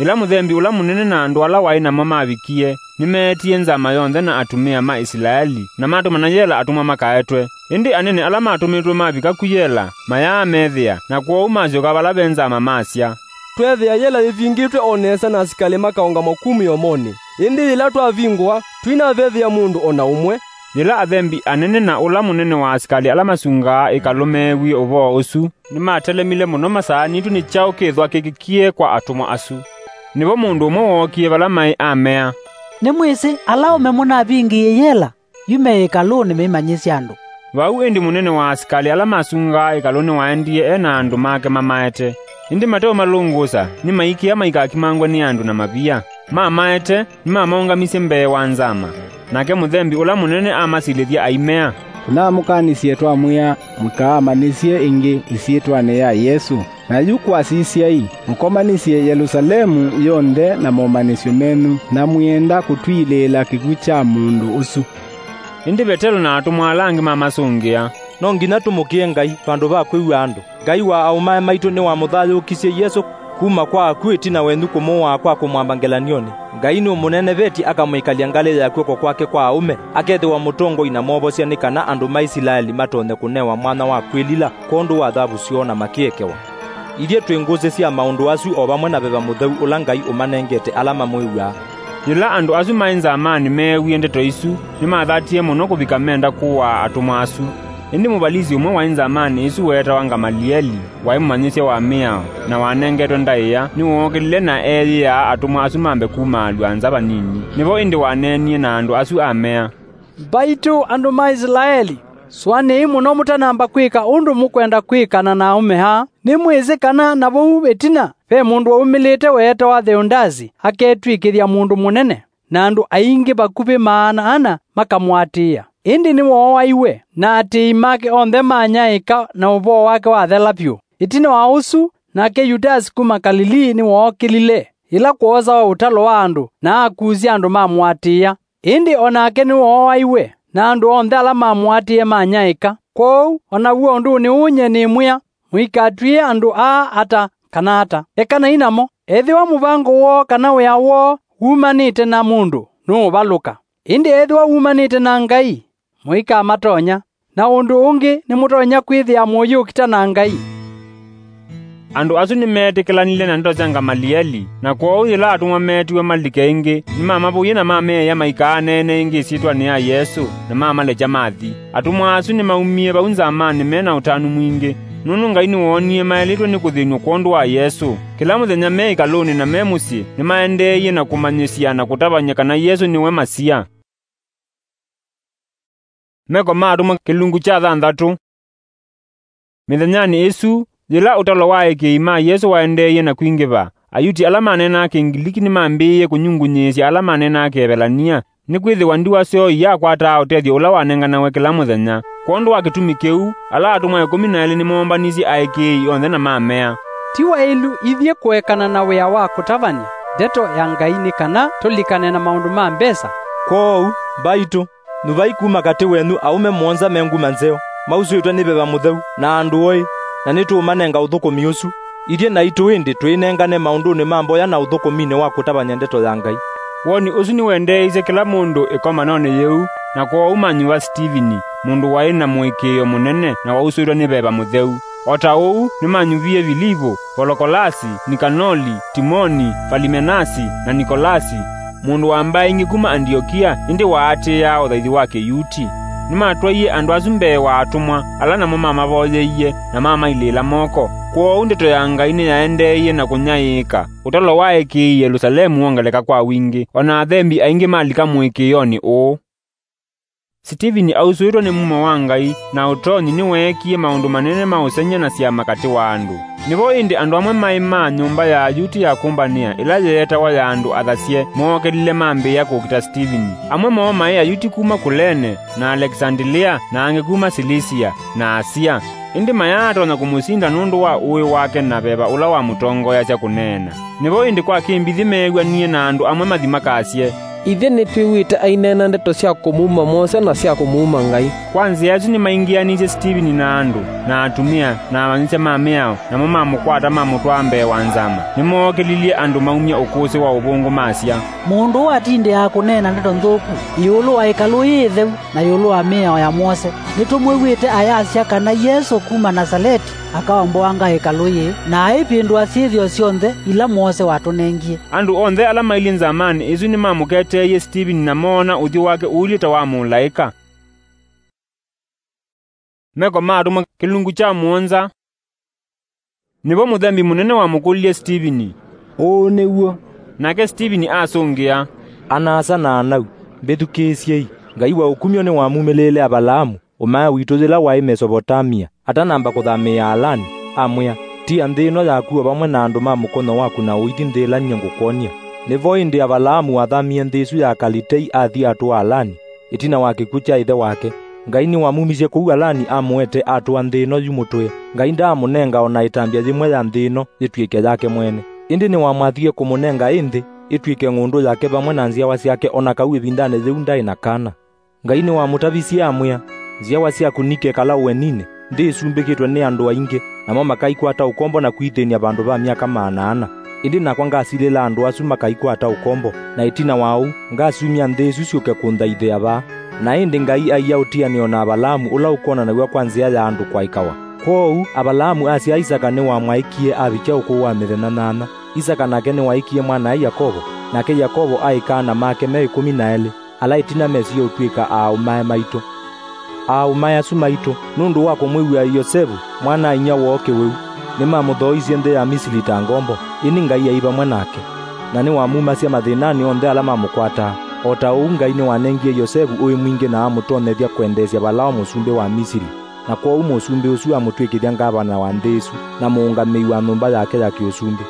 Yĩla mũthembi ũla mũnene na andũ ala waĩ namo mavikie, nĩmeetie nzama yonthe na atumĩa ma Isilaeli, na matũmana yela atũmwa makaetwe. Ĩndĩ anene ala matũmĩtwe mavika ku yela, mayaamethĩa, na kwoou masyoka vala ve nzama masya, "Tweethĩa yela yĩvingĩtwe o nesa na asikalĩ makaũngamwa ku mĩomonĩ. Ĩndĩ yĩla twavingũa, tũinavethĩa mũndũ o na ũmwe." Yĩla athembi anene na ũla mũnene wa asikalĩ ala masungaa ĩkalũ meewie ũvoo ũsu, nĩmatelemile mũno masaanĩtw'e nĩ kyaũ kĩthwa kĩkĩkie kwa atũmwa asu. Nĩvo mũndũ ũmwe wookie vala maĩ amea, "Nĩmwĩsĩ ala aũme mũnavingĩie yela yu me ĩkalũnĩ meimanyĩsya andũ." Vau ĩndĩ mũnene wa asikalĩ ala masungaa ĩkalũ nĩwaendie e na andũ make mamaete. Ĩndĩ mateũmalũngũsa, nĩmaikĩa maikakimangwe nĩ andũ na mavia. Mamaete, nĩmamaũngamisye mbee wa nzama. Nake mũthembi ũla mũnene amasilĩthya aimea, "Tũnamũkanisye twamwĩa, mũikaamanyĩsye ĩngĩ ĩsyĩtwanĩ ya Yesũ. Na yu kwasisyai, mũkomanyĩsye Yelũsalemu yonthe na momanyĩsyo menyu, na mwĩenda kũtwilĩĩla kĩkw'ũ kya mũndũ ũsu." Ĩndĩ Vetelo na atũmwa ala angĩ mamasũngĩa, "No nginya tũmũkĩe Ngai vandũ va kwĩw'a andũ. Ngai wa aũmae maitũ nĩwamũthayũũkisye Yesũ kuma kwa akw'ũ ĩtina wenyu kũmũaa kwa kũmwamba ngelany'onĩ. Ngai nũmũnenevetye akamwĩkalya ngalĩ ya kw'oko kwake kwa aũme, akethĩwa mũtongoi na mwovosya, nĩ kana andũ ma Isilaeli matonye kũnewa mwanya wa kwĩlila kwondũ wa thavu syoo na makĩekewa. Ithyĩ twĩ ngũsĩ sya maũndũ asu o vamwe na Veva Mũtheu ũla Ngai ũmanengete ala mamwĩw'aa." Yĩla andũ asu maĩ nzamanĩ meewie ndeto isu, nĩmathatie mũno kũvika menda kũaa atũmwa asu. Ĩndĩ mũvalisi ũmwe waĩ nzamanĩ ĩsu weetawa Ngamalieli, waĩ mũmanyĩsya wa mĩao, na wanengetwe ndaĩa, nĩwookĩlile na eeyĩaa atũmwa asu mambe kumaalw'a nza vanini. Nĩvo ĩndĩ waneenie na andũ asu amea, "Mbaitũ andũ ma Isilaeli, sũanĩai mũno mũtanamba kwĩka ũndũ mũkwenda kwĩkana na aũme aa. Nĩmwĩsĩ kana na vau ĩtina ve mũndũ waumĩlĩte weetawa Theondasi aketw'ĩkĩthya mũndũ mũnene, na andũ aingĩ vakuvĩ maana ana makamũatĩĩa. Ĩndĩ nĩwooaiwe, na aatĩĩi make onthe manyaĩĩka na ũvoo wake wathela vyũ. Ĩtina wa ũsu, nake Yudasi kuma Kalilii nĩwookĩlile, yĩla kwoosawa ũtalo wa andũ, na akusya andũ mamũatĩĩa. Ĩndĩ o nake nĩwooaiwe, na andũ onthe ala mamũatĩĩe manyaĩĩka. Kwoou, o naw'o ũndũnĩ ũũ nyie nĩmwĩa, mũikatw'ĩe andũ aa ata kana ata. Ekanai namo. Ethĩwa mũvango woo kana wĩa woo wumanĩte na mũndũ, nũũvalũka. Ĩndĩ ethĩwa wumanĩte na Ngai, mũikamatonya. Na ũndũ ũngĩ, nĩmũtonya kwĩthĩa mũyĩũkita na Ngai." Andũ asu nĩmeetĩkĩlanile na ndeto sya Ngamalieli, na kwoou yĩla atũmwa meetiwe malike ĩngĩ, nĩmamavũie na mameea maikaaneenee ĩngĩ ĩsyĩtwanĩ ya Yesũ, na mamalekya mathi. Atũmwa asu nĩmaumie vau nzamanĩ me na ũtanu mwingĩ, nũndũ Ngai nĩwoonie maĩlĩtwe nĩ kũthĩnw'a kwondũ wa Yesũ. Kĩla mũthenya me ĩkalũnĩ na me mũsyĩ, nĩmaendeeie na kũmanyĩsya na kũtavany'a kana Yesũ nĩwe Masia. Meko ma Atũmwa kĩlungu kya thanthatũ. Mĩthenyanĩ ĩsu, yĩla ũtalo wa aĩkĩĩi ma Yesũ waendeeie na kwingĩva, Ayuti ala maneenaa Kĩngiliki nĩmambĩĩie kũnyungunyĩĩsya ala maneenaa Kĩevelania, nĩkwĩthĩwa ndiwa syoo iyakwataa ũtethyo ũla wanenganawe kĩla mũthenya. Kwondũ wa kĩtumi kĩu, ala atũmwa ĩkũmi na elĩ nĩmoombanisye aĩkĩĩi onthe na mamea, "Ti waĩlu ithyĩ kũekana na wĩa wa kũtavany'a ndeto ya Ngai nĩ kana tũlikane na maũndũ ma mbesa? Kwoou, mbaitũ, nyuvai kuma katĩ wenyu aũme mũonza me nguma nzeo, mausũĩtwe nĩ Veva Mũtheu, na andũ oĩ, na nĩtũũmanenga ũthũkũmi ũsu. Ithyĩ naitũ ĩndĩ twĩnengane maũndũnĩ ma mboya na ũthũkũminĩ wa kũtavany'a ndeto ya Ngai." Woni ũsu nĩwendeeisye kĩla mũndũ ĩkomanonĩ yĩu, na kwoou manyuva Sitivini, mũndũ waĩ na mũĩkĩĩo mũnene na wausũĩtwe nĩ Veva Mũtheu. O ta ũu nĩmanyuvie Vilivu, Volokolasi, Nikanoli, Timoni, Valimenasi, na Nikolasi, mũndũ wa mbaĩ ingĩ kuma Andiokia, ĩndĩ waatĩĩaa ũthaithi wa Kĩyuti. Nĩmatwaie andũ asu mbee wa atũmwa, ala namo mamavoyeie, na mamailĩĩla moko. Kwoou ndeto ya Ngai nĩyaendeeie na kũnyaĩĩka. Ũtalo wa aĩkĩĩi Yelũsalemu wongeleka kwa wingĩ, o na athembi aingĩ malika mũĩkĩĩonĩ ũũ. Sitivini ausũĩtwe nĩ mumo wa Ngai na ũtonyi nĩweekie maũndũ manene ma ũsengy'a na syama katĩ wa andũ. Nĩvo ĩndĩ andũ amwe maĩ ma nyũmba ya Ayuti ya kũmbanĩa, ĩla yeetawa ya andũ athasye, mookelile mambĩĩa kũkita Sitiveni. Amwe moo maĩ Ayuti kuma Kulene, na Alekisandilia, na angĩ kuma Silisia, na Asia. Ĩndĩ mayaatonya kũmũsinda nũndũ wa ũĩ wake na veva ũla wamũtongoeasya kũneena. Nĩvo ĩndĩ kwa kĩmbithi meew'anie na andũ amwe mathi makasye, "Ithyĩ nĩtwĩw'ĩte aineena ndeto sya kũmuma Mose na sya kũmuma Ngai." Kwa nzĩa ĩsu nĩmaingĩanĩisye Sitiveni na andũ, na atumĩa, na amanyĩsya ma mĩao, namo mamũkwata mamũtwaa mbee wa nzama. Nĩmookelilye andũ maumye ũkũsĩ wa ũvũngũ masya, "Mũndũ ũũ atindĩaa kũneena ndeto nthũku ĩũlũ wa ĩkalũ yĩĩ ĩtheu, na ĩũlũ wa mĩao ya Mose. Nĩtũmwĩw'ĩte ayasya kana Yesũ kuma Nasaleti akaomboanga ĩkalũ yĩĩ, na aivĩndũa syĩthĩo syonthe ila Mose watũnengie." Andũ onthe ala mailyĩ nzamanĩ ĩsu nĩmamũketeeie Sitiveni na moona ũthyũ wake ũilyĩ ta wa mũlaĩka. Meko ma Atũmwa kĩlungu kya mũonza. Nĩvo mũthembi mũnene wamũkũlilye Sitiveni, "Ũũ nĩw'o?" Nake Sitiveni asũngĩa, "Ana-a-asa na anau, mbĩthukĩĩsyei! Ngai wa ũkumyo nĩwamumĩlĩĩle Avalaamu, ũmae witũ yĩla waĩ Mesovotamia, atanamba kũthamĩĩa Alani, amwĩa, 'Tia nthĩ ĩno yaku o vamwe na andũ ma mũkonyo waku na ũithi nthĩ ĩla nyie ngũkwony'a.' Nĩvo ĩndĩ Avalaamu wathamie nthĩ ĩsu ya Akalitei athi atũa Alani, ĩtina wa kĩkw'ũ kya ĩthe wake. Ngai nĩwamumisye kũu Alani amũete atũa nthĩ ĩno yu mũtũe. Ngai ndaamũnenga o na ĩtambya yĩmwe ya nthĩ ĩno yĩtw'ĩke yake mwene. Ĩndĩ nĩwamwathie kũmũnenga ĩ nthĩ ĩtw'ĩke ng'ũndũ yake vamwe na nzyawa syake o na kau ĩvindanĩ yĩu ndaĩ na kana. Ngai nĩwamũtavisye amwĩa, 'Nzyawa syaku nikekala ũeninĩ, nthĩ ĩsumbĩkĩtwe nĩ andũ aingĩ, namo makaikwata ũkombo na kwĩthĩny'a vandũ va myaka maana ana. Ĩndĩ nakwa ngasilĩla andũ asu makaikwata ũkombo, na ĩtina wa ũu, ngasumya nthĩ ĩsu syũke kũnthaithĩa vaa.' Na ĩndĩ Ngai aia ũtianĩo na Avalaamu ũla ũkwonanaw'a kwa nzĩa ya andũ kwaĩkawa. Kwoou Avalaamu asyaa Isaka nĩwamwaĩkie avikya ũkũũ wa mĩthenya nyanya. Isaka nake nĩwaĩkie mwana-a-ĩthe Yakovo, nake Yakovo aĩka ana make me ĩkũmi na elĩ, ala ĩtina mesie ũtw'ĩka aaũmae maitũ. Aaũmae asu maitũ, nũndũ wa kũmwĩw'a Yosevu, mwana-a-inyia woo kĩwĩu, nĩmamũthooisye nthĩ ya Misili ta ngombo, ĩndĩ Ngai aĩ vamwe nake, na nĩwamumasya mathĩnanĩ onthe ala mamũkwataa. O ta ũu Ngai nĩwanengie Yosevu ũĩ mwingĩ na amũtonyethya kwendeesya Valao mũsumbĩ wa Misili, na kwoou mũsumbĩ ũsu amũtw'ĩkĩthya ngavana wa nthĩ ĩsu, na mũũngamĩi wa nyũmba yake ya kĩũsumbĩ.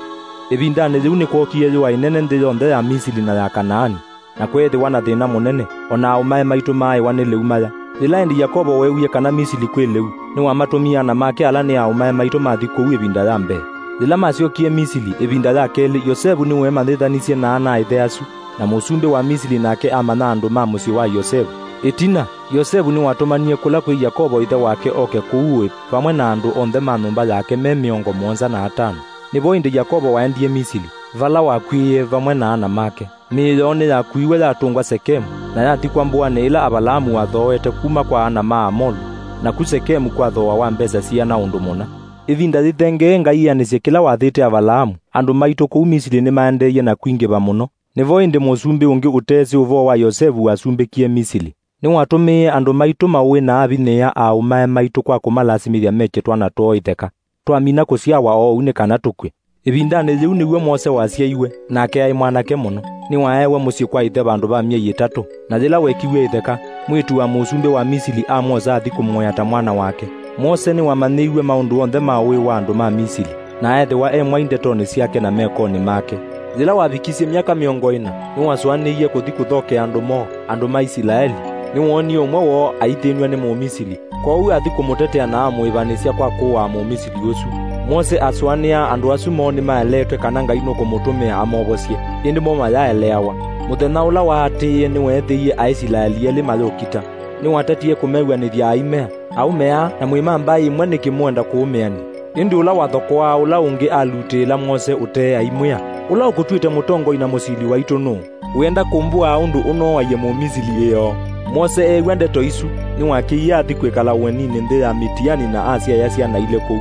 Ĩvindanĩ yĩu nĩkwookie yũa ĩnene nthĩ yonthe ya Misili na ya Kanaani, na kweethĩwa na thĩna mũnene, o na aaũmae maitũ maaĩwa nĩ lĩu maya. Yĩla ĩndĩ Yakovo weewie kana Misili kwĩ lĩu, nĩwamatũmie ana make ala nĩ aaũmae maitũ mathi kũu ĩvinda ya mbee. Yĩla masyokie Misili ĩvinda ya kelĩ, Yosevu nĩweemanyĩthanisye na ana-a-ĩthe asu, na mũsumbĩ wa Misili nake amanya andũ ma mũsyĩ wa Yosevu. Ĩtina, Yosevu nĩwatũmanie kũla kwĩ Yakovo ĩthe wake oke kũu ũĩ vamwe na andũ onthe ma nyũmba yake me mĩongo mũonza na atano. Nĩvo ĩndĩ Yakovo waendie Misili, vala wakw'ĩĩe vamwe na ana make. Mĩĩ yoo nĩyakuiwe yatũngwa Sekemu, na yathikwa mbũanĩ ĩla Avalaamu wathooete kuma kwa ana ma Amolu, naku Sekemu kwathooawa mbesa siana ũndũ mũna. Ĩvinda yĩthengee Ngai eanĩsye kĩla wathĩte Avalaamu, andũ maitũ kũu Misili nĩmaendeeie na kwingĩva mũno. Nĩvo ĩndĩ mũsumbĩ ũngĩ ũteesĩ ũvoo wa Yosevu wasumbĩkie Misili. Nĩwatũmĩie andũ maitũ maũĩ na avinyĩĩa aaũmae maitũ kwa kũmalasimĩthya mekye twana twoo itheka. Twamina kũsyawa oou nĩ kana tũkw'e. Ĩvindanĩ yĩu nĩw'o Mose wasyaiwe, nake aĩ mwanake mũno. Nĩwaeewe mũsyĩ kwa ĩthe vandũ va myei ĩtatũ, na yĩla wekiw'e ĩtheka, mwĩĩtu wa mũsumbĩ wa Misili amwosa athi kũmũea ta mwana wake. Mose nĩwamanyĩiw'e maũndũ onthe ma ũĩ wa andũ ma Misili, na eethĩwa e mwai ndetonĩ syake na mekonĩ make. Yĩla wavikisye myaka mĩongo ĩna, nĩwasũanĩie kũthi kũthokea andũ moo, andũ ma Isilaeli. Nĩwoonie ũmwe woo aithĩnw'a nĩ Mũmisili. Kwoou athi kũmũtetea na amũĩvanĩsya kwa kũaa Mũmisili ũsu. Mose asũanĩaa andũ asu moo nĩmaeleetwe kana Ngai nũkũmũtũmĩa amovosye, ĩndĩ mo mayaeleawa. Mũthenya ũla waatĩĩe nĩweethĩie Aisilaeli elĩ mayũkita. Nĩwatatie kũmew'anĩthya aimea, aũme aa, na mwĩ ma mbaĩ ĩmwe nĩkĩ mwenda kũũmĩany'a? Ĩndĩ ũla wathokoaa ũla ũngĩ alutĩĩla Mose ũtee aimwĩa, "Ũla ũkũtw'ĩte mũtongoi na mũsili waitũ nũũ? Wĩenda kũmbũaa ũndũ ũnooaie Mũmisili ĩoo?" Mose eew'a ndeto isu, nĩwakĩie athi kwĩkala ũeninĩ nthĩ ya Mitiani na asyaĩa syana ilĩ kũu.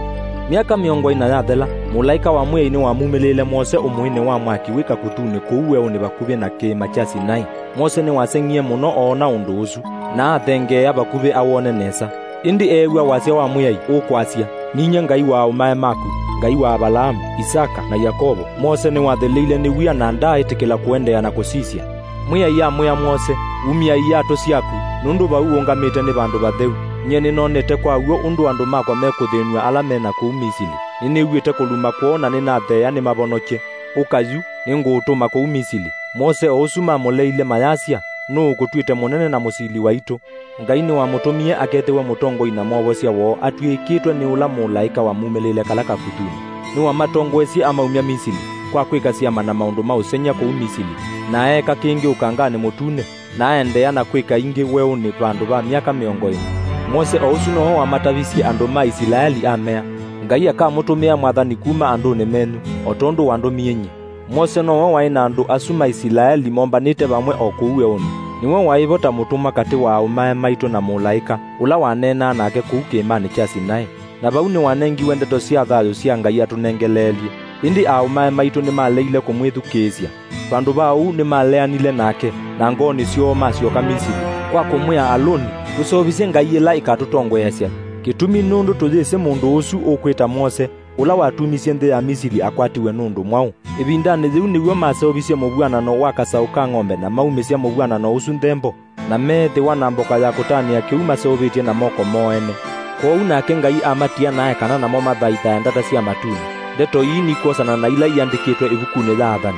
Myaka mĩongo ĩna yathela, mũlaĩka wa Mwĩai nĩwamumĩlĩĩle Mose ũmũĩnĩ wa mwaki wĩ kakũthunĩ kũu weũnĩ vakuvĩ na kĩĩma kya Sinai. Mose nĩwaseng'ie mũno oona ũndũ ũsu, na athengeea vakuvĩ awone nesa. Ĩndĩ eew'a wasya wa Mwĩai ũkwasya, "Ninyie Ngai wa aaũmae maku, Ngai wa Avalaamu, Isaka, na Yakovo." Mose nĩwatheleile nĩ wia na ndaaĩtĩkĩla kũendeea na kũsisya. Mwĩai amwĩa Mose, "Umya iatũ syaku, nũndũ vau ũũngamĩte nĩ vandũ vatheu. Nyie nĩnonete kwa w'o ũndũ andũ makwa mekũthĩnw'a ala me na kũu Misili. Nĩnĩw'ĩte kũluma kwoo na nĩnatheea nĩmavonokye. Ũka yu, nĩngũũtũma kũu Misili." Mose o ũsu mamũleile mayasya, "Nũũ ũkũtw'ĩte mũnene na mũsili waitũ?" Ngai nĩwamũtũmie akethĩwe mũtongoi na mwovosya woo atw'ĩkĩtwe nĩ ũla mũlaĩka wamumĩlĩĩle kala kakuthunĩ. Nĩwamatongoesye amaumya Misili, kwa kwĩka syama na maũndũ ma ũsengy'a kũu Misili, na eeka kĩngĩ Ũkanganĩ Mũtune, na aendeea na kwĩka ingĩ weũnĩ vandũ va myaka mĩongo ĩna. Mose o ũsu nowe wamatavisye andũ ma Isilaeli amea, "Ngai akamũtũmĩa mwathani kuma andũnĩ menyu, o tondũ wandũmie nyie." Mose nowe waĩ na andũ asu ma Isilaeli mombanĩte vamwe o kũu weũnĩ. Nĩwe waĩ vo ta mũtũmwa katĩ wa aaũmae maitũ na mũlaĩka, ũla waneenaa nake kũu kĩĩmanĩ kya Sinai. Na vau nĩwanengiwe ndeto sya thayũ sya Ngai atũnengeleelye. Ĩndĩ aaũmae maitũ nĩmaleile kũmwĩthukĩĩsya. Vandũ va ũu nĩmaleanile nake, na ngoonĩ syoo masyoka Misili, kwa kũmwĩa Alũni, "Tũseũvisye ngai ĩla ĩkatũtongoeasya. Kĩtumi nũndũ tũyĩsĩ mũndũ ũsu ũkwĩta Mose, ũla watumisye nthĩ ya Misili akwatiwe nũndũ mwaũ." Ĩvindanĩ yĩu nĩw'o maseũvisye mũvw'anano wa kasaũ ka ng'ombe na maumĩsya mũvw'anano ũsu nthembo, na meethĩwa na mboka ya kũtanĩa kĩu maseũvĩtye na moko moo ene. Kwoou nake Ngai amatia na ekana namo mathaithae ndata sya matunĩ. Ndeto ii nikwosana na ila iandĩkĩtwe ĩvukunĩ ya Athani.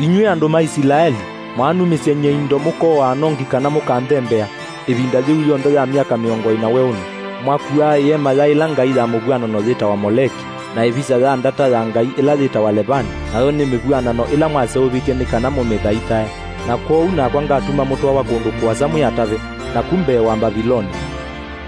Inyw'ĩ andũ ma Isilaeli, mwaanumĩsya nyie indo mũkooaa nongi kana mũkanthembea, ĩvinda yĩu yonthe ya myaka mĩongo ĩna weũnĩ, mwakuaa ĩema ya ĩla ngai ya mũvw'anano yĩtawa Moleki, na ĩvisa ya ndata ya ngai ĩla yĩtawa Levani, nayo nĩ mĩvw'anano ĩla mwaseũvĩtye nĩ kana mũmĩthaithae. Na kwoou nakwa ngatuma mũtwawa kũndũ kũasa mwĩ atavĩ, naku mbee wa Mbaviloni.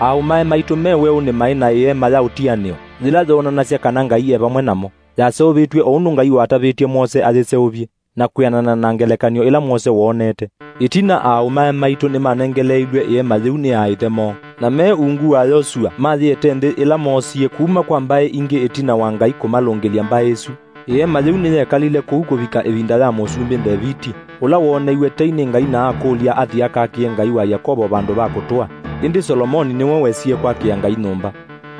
Aaũmae maitũ me weũnĩ maĩ na ĩema ya ũtianĩo, yĩla yoonanasya kana Ngai e vamwe namo. Yaseũvĩtw'e o ũndũ Ngai watavĩtye Mose ayĩseũvye, na kwĩanana na ngelekany'o ĩla Mose woonete. Ĩtina aaũmae maitũ nĩmanengeleeilw'e ĩema yĩu nĩ aaĩthe moo, na me ungu wa Yosua mayĩete nthĩ ĩla moosie kuma kwa mbaĩ ingĩ ĩtina wa Ngai kũmalũngĩlya mbaĩ ĩsu. Ĩema yĩu nĩyekalile kũu kũvika ĩvinda ya Mũsumbĩ Ndeviti, ũla wooneiwe tei nĩ Ngai na akũlya athi akakĩe Ngai wa Yakovo vandũ va kũtũa. Ĩndĩ Solomoni nĩwe wesie kwakĩa Ngai nyũmba.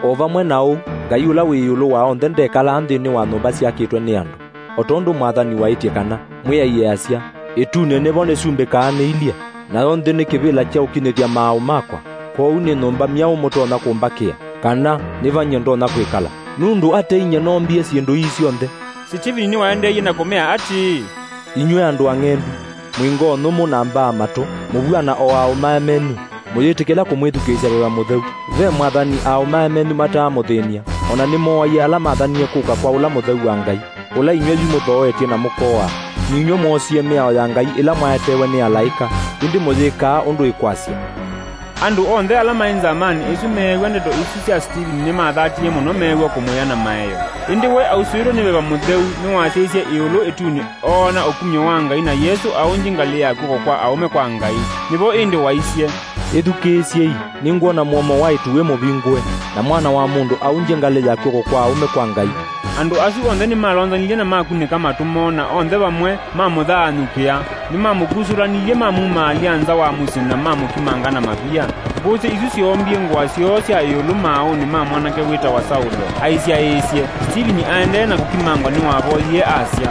O vamwe na ũu, Ngai ũla wĩ ĩũlũ wa onthe ndekalaa nthĩnĩ wa nyũmba syakĩtwe nĩ andũ. O tondũ mwathani waĩtye kana, Mwĩai easya, "Ĩtunĩ nĩvo nĩsumbĩkaa nĩilye, nayo nthĩ nĩ kĩvĩla kya ũkinyĩthya maaũ makwa, kwoou nĩ nyũmba myaũ mũtonya kũmbakĩa, kana nĩ va nyie ndonya kwĩkala? Nũndũ ate inyie noombie syĩndũ ii syonthe?" Sitivini nĩwaendeeie na kũmea atĩĩ, Inyw'ĩ andũ ang'endu, mwĩ ngoo nyũmũ na mbaa matũ, mũvw'ana o aaũmae menyu, mũyĩtĩkĩla kũmwĩthukĩĩsya Veva Mũtheu. Ve mwathani aaũmae menyu mataamũthĩny'a, o na nĩmooaie ala mathanie kũka kwa ũla mũtheu wa Ngai, ũla inyw'ĩ yu mũthooetye na mũkooa. Ninyw'ĩ mwoosie mĩao ya Ngai ĩla mwaetewe nĩ alaĩka, ĩndĩ mũyĩkaa ũndũ ĩkwasya. Andũ onthe ala maĩ nzamanĩ ĩsu meew'a ndeto isu sya Sitivini nĩmathatie mũno, meew'a kũmwĩa na maeo. Ĩndĩ we ausũĩtwe nĩ Veva Mũtheu nĩwasyaisye ĩũlũ ĩtunĩ, oona ũkumyo wa Ngai, na Yesũ aũngye ngalĩ ya kw'oko kwa aũme kwa Ngai. Nĩvo ĩndĩ waisye, "Ĩthukĩĩsyei, nĩngwona mũomo wa ĩtu wĩ mũvingũe, na Mwana wa Mũndũ aũngye ngalĩ ya kw'oko kwa aũme kwa Ngai." Andũ asu onthe nĩmalonzanilye na makunĩka matũ moo, na onthe vamwe mamũthaanyũkĩa. Nĩmamũkusũlanilye, mamumaalya nza wa mũsyĩ, na mamũkimanga na mavia. Mbũsĩ isu syoombie ngũa syoo sya ĩũlũ maaũnĩ ma mwanake wĩtawa Saulo, aisyaĩĩsye. Sitivini aendee na kũkimangwa nĩwavoyie asya,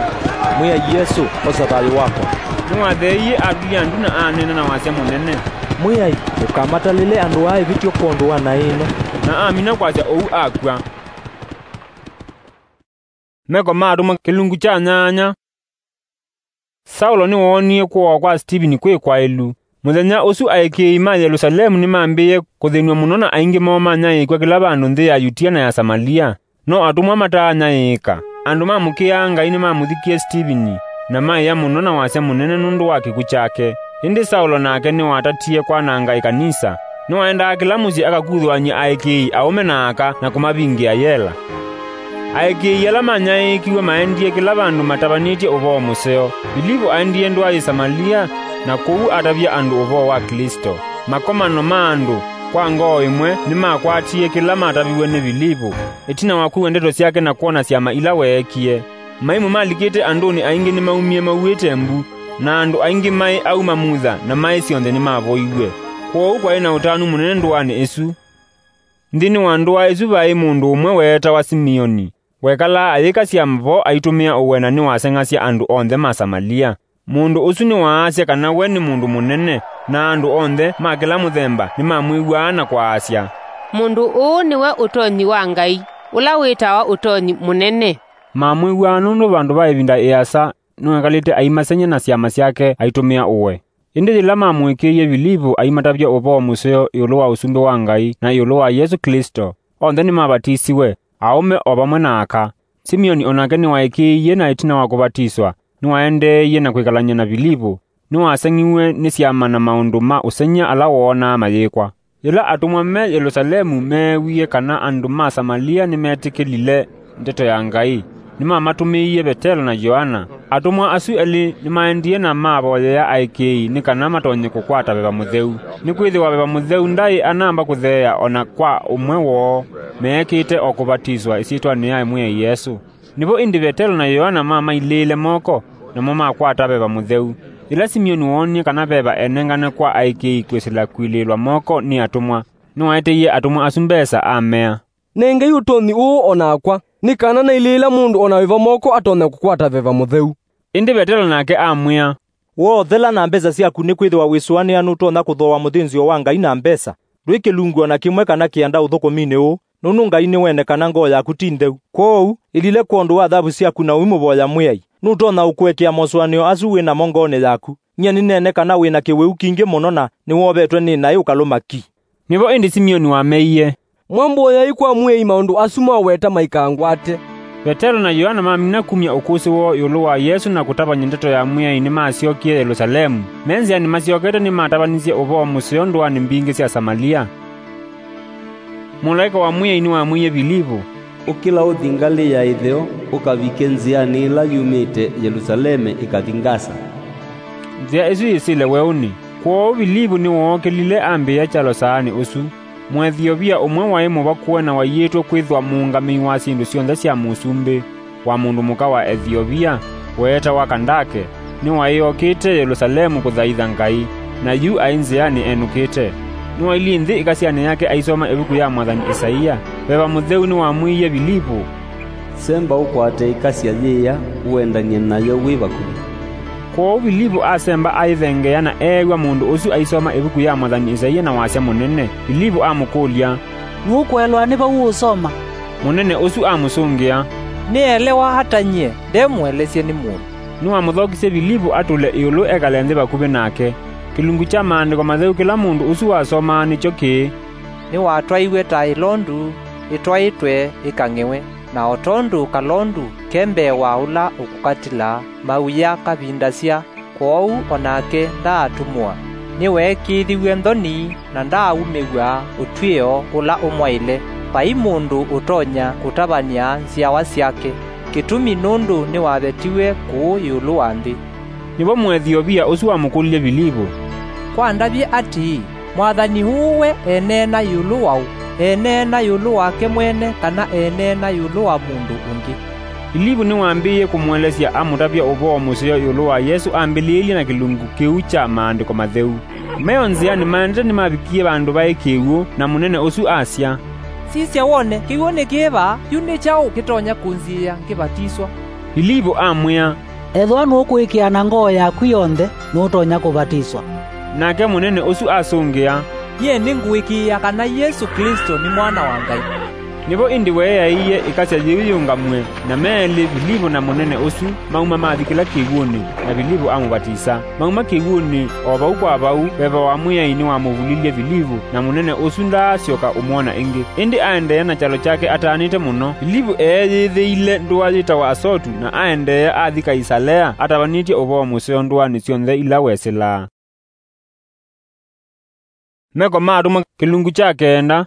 "Mwĩai Yesũ, osa thayũ wakwa." Nĩwatheeie atulya ndu na aneena na wasya mũnene, "Mwĩai, ndũkamatalĩle andũ aa ĩvĩtyo kwondũ wa naĩ ĩno." Na amina kwasya ũu akw'a. Meko ma Atũmwa kĩlungu kya nyanya. Saulo nĩwoonie kũawa kwa Sitivini kwĩ kwaĩlu. Mũthenya ũsu aĩkĩĩi ma Yelũsalemu nĩmambĩĩe kũthĩnw'a mũno, na aingĩ moo manyaĩĩkw'a kĩla vandũ nthĩ ya Yutia na ya Samalia. No atũmwa mataanyaĩĩka. Andũ mamũkĩaa Ngai nĩmamũthikie Sitivini, na maĩa mũno na wasya mũnene nũndũ wa kĩkw'ũ kyake. Ĩndĩ Saulo nake nĩwatatie kwananga ĩkanisa. Nĩwaendaa kĩla mũsyĩ akakuthũany'a aĩkĩĩi aũme na aka na kũmavingĩa yela. Aĩkĩĩi ala manyaĩĩkiw'e maendie kĩla vandũ matavanĩtye ũvoo mũseo. Vilivu aendie ndũa yĩ Samalia, na kũu atavya andũ ũvoo wa Klĩsto. Makomano ma andũ kwa ngoo ĩmwe nĩmakwatie kĩla mataviw'e nĩ Vilivu. Ĩtina wa kwĩw'a ndeto syake na kwona syama ila weekie, maimũ malikĩte andũnĩ aingĩ nĩmaumie mauĩte mbu, na andũ aingĩ maĩ au mamutha na maĩ syonthe nĩmavoiw'e. Kwoou kwaĩ na ũtanu mũnene ndũanĩ ĩsu. Nthĩnĩ wa ndũa ĩsu vaĩ mũndũ ũmwe weetawa Simioni. Wekalaa ayĩkasya vo aitũmĩa ũwena nĩwaseng'asya andũ onthe ma Samalia. Mũndũ ũsu nĩwaasya kana we nĩ mũndũ mũnene, na andũ onthe ma kĩla mũthemba nĩmamwĩw'aa na kwaasya, "Mũndũ ũũ nĩwe ũtonyi wa Ngai." ũla wĩtawa Ũtonyi Mũnene. Mamwĩw'aa nũndũ vandũ va ĩvinda ĩasa nĩwekalĩte aimaseng'ya na syama syake aitũmĩa ũwe. Ĩndĩ yĩla mamũĩkĩĩie Vilivu aimatavya ũvoo mũseo ĩũlũ wa Ũsumbĩ wa Ngai na ĩũlũ wa Yesũ Klĩsto, onthe nĩmavatisiwe, aũme o vamwe na aka. Simioni o nake nĩwaĩkĩĩie, na ĩtina wa kũvatiswa, nĩwaendeeie na kwĩkalany'a na Vilivu. Nĩwaseng'iw'e nĩ syama na maũndũ ma ũseng'ya ala woonaa mayĩkwa. Yĩla atũmwa me Yelusalemu meewie kana andũ ma Samalia nĩmetĩkĩlile ndeto ya Ngai, nĩmamatũmĩie Vetelo na Yoana. Atũmwa asu elĩ nĩmaendie na mavoyea aĩkĩĩi nĩ kana matonye kũkwata Veva Mũtheu, nĩkwĩthĩwa Veva Mũtheu ndaĩ anamba kũtheea o na kwa ũmwe woo, meekĩte o kũvatiswa ĩsyĩtwanĩ ya Mwĩai Yesũ. Nĩvo ĩndĩ Vetelo na Yoana mamailĩĩle moko, namo makwata Veva Mũtheu. Yĩla Simioni woonie kana Veva enengane kwa aĩkĩĩi kwĩsĩla kũilĩĩlwa moko nĩ atũmwa, nĩwaeteie atũmwa asu mbesa, amea, "Nengei ũtonyi ũũ o nakwa, nĩ kana nailĩĩla mũndũ o na wĩva moko atonya kũkwata Veva Mũtheu." Ĩndĩ Vetelo nake amwĩa, "Woothela na mbesa syaku, nĩkwĩthĩwa wĩsũanĩa nũtonya kũthooa mũthĩnzĩo wa Ngai na mbesa. Ndwĩ kĩlungu o na kĩmwe kana kĩanda ũthũkũminĩ ũũ, nũndũ Ngai nĩwene kana ngoo yaku ti ntheu. Kwoou, ĩlile kwondũ wa thavu syaku na ũimũvoya Mwĩai. Nũtonya ũkũekea mosũanĩo asu wĩ namo ngoonĩ yaku. Nyie nĩneene kana wĩ na kĩwĩu kingĩ mũno na nĩwovetwe nĩ naĩ ũkalũma ki." Nĩvo ĩndĩ Simioni wameie, "Mwambũĩai kwa Mwĩai maũndũ asu mwaweta maikangwate." Vetelo na Yoana mamina kumya ũkũsĩ woo ĩũlũ wa Yesũ na kũtavany'a ndeto ya Mwĩai, nĩmasyokie Yelusalemu. Me nzĩanĩ masyokete, nĩmatavanisye ũvoo mũseo ndũanĩ mbingĩ sya Samalia. Mũlaĩka wa Mwĩai nĩwamwĩie Vilivu, "Ũkĩla ũthi ngalĩ ya ĩtheo, ũkavike nzĩanĩ ĩla yumĩte Yelusaleme ĩkathi Ngasa." Nzĩa ĩsu yĩsĩle weũnĩ. Kwoou Vilivu nĩwookĩlile ambĩĩa kyalo saanĩ ũsu. Mũethiovia ũmwe waĩ mũvakũe na waiĩtwe kwĩthwa mũũngamĩi wa syĩndũ syonthe sya mũsumbĩ wa mũndũ mũka wa Ethiovia weetawa Kandake, nĩwaĩ okĩte Yelusalemu kũthaitha Ngai, na yu aĩ nzĩanĩ enũkĩte. Nĩwailyĩ nthĩ ĩkasyanĩ yake aisoma ĩvuku ya mwathani Isaia. Veva Mũtheu nĩwamwĩie Vilivu, "Semba ũkwate ĩkasya yĩĩa, ũendany'e nayo wĩ vakuvĩ." Kwoou Vilivu asemba ayĩthengeea na eew'a mũndũ ũsu aisoma ĩvuku ya mwathani Isaia na wasya mũnene. Vilivu amũkũlya, "Nũkũelewa nĩ vau ũũsoma?" Mũnene ũsu amũsũngĩa, "Nĩelewa ata nyie nde mũelesye nĩ mũndũ?" Nĩwamũthokisye Vilivu atũle ĩũlũ ekale nthĩ vakuvĩ nake. Kĩlungu kya Maandĩko Matheu kĩla mũndũ ũsu wasomaa nĩkyo kĩĩ, "Nĩwatwaiwe ta ĩlondu ĩtwaĩtwe ĩkang'ĩwe, na o tondũ kalondu ke mbee wa ũla ũkũkatila mawia kavindasya, kwoou o nake ndaatũmũa. Nĩweekĩĩthiw'e nthoni na ndaaumĩw'a ũtw'ĩo ũla ũmwaĩle. Vai mũndũ ũtonya kũtavany'a nzyawa syake, kĩtumi nũndũ nĩwavetiwe kũũ ĩũlũ wa nthĩ." Nĩvo Mũethiovia ũsu wamũkũlilye Vilivu, "Kwandavye atĩĩ, Mwathani ũũ we eneena ĩũlũ waũ? Eneena ĩũlũ wake mwene kana eneena ĩũlũ wa mũndũ ũngĩ?" Vilivu nĩwambĩĩie kũmũelesya amũtavya ũvoo mũseo ĩũlũ wa Yesũ ambĩlĩĩlye na kĩlungu kĩu kya Maandĩko Matheu. Me o nzĩanĩ maendete nĩmavikie vandũ vaĩ kĩw'ũ, na mũnene ũsu asya, "Sisya wone, kĩw'ũ nĩ kĩĩ vaa, yu nĩ kyaũ kĩtonya kũnziĩa ngĩvatiswa?" Vilivu amwĩa, "Ethĩwa nũkũĩkĩĩa na ngoo yaku yonthe, nũtonya kũvatiswa." Nake mũnene ũsu asũngĩa, "Nyie nĩngũĩkĩĩa kana Yesũ Klĩsto nĩ Mwana wa Ngai." Nĩvo ĩndĩ weeaĩie ĩkasya yĩu yĩũngamw'e, na me elĩ, Vilivu na mũnene ũsu, mauma mathi kĩla kĩw'ũnĩ, na Vilivu amũvatisa. Mauma kĩw'ũnĩ, o vau kwa vau, veva wa Mwĩai nĩwamũvulilye Vilivu, na mũnene ũsu ndaasyoka ũmwona ĩngĩ. Ĩndĩ aendeea na kyalo kyake ataanĩte mũno. Vilivu eeyĩthĩile ndũa yĩtawa Asotu, na aendeea athi Kaisalea, atavanĩtye ũvoo mũseo ndũanĩ syonthe ila wesĩlaa. Meko ma Atũmwa, kĩlungu kya kenda.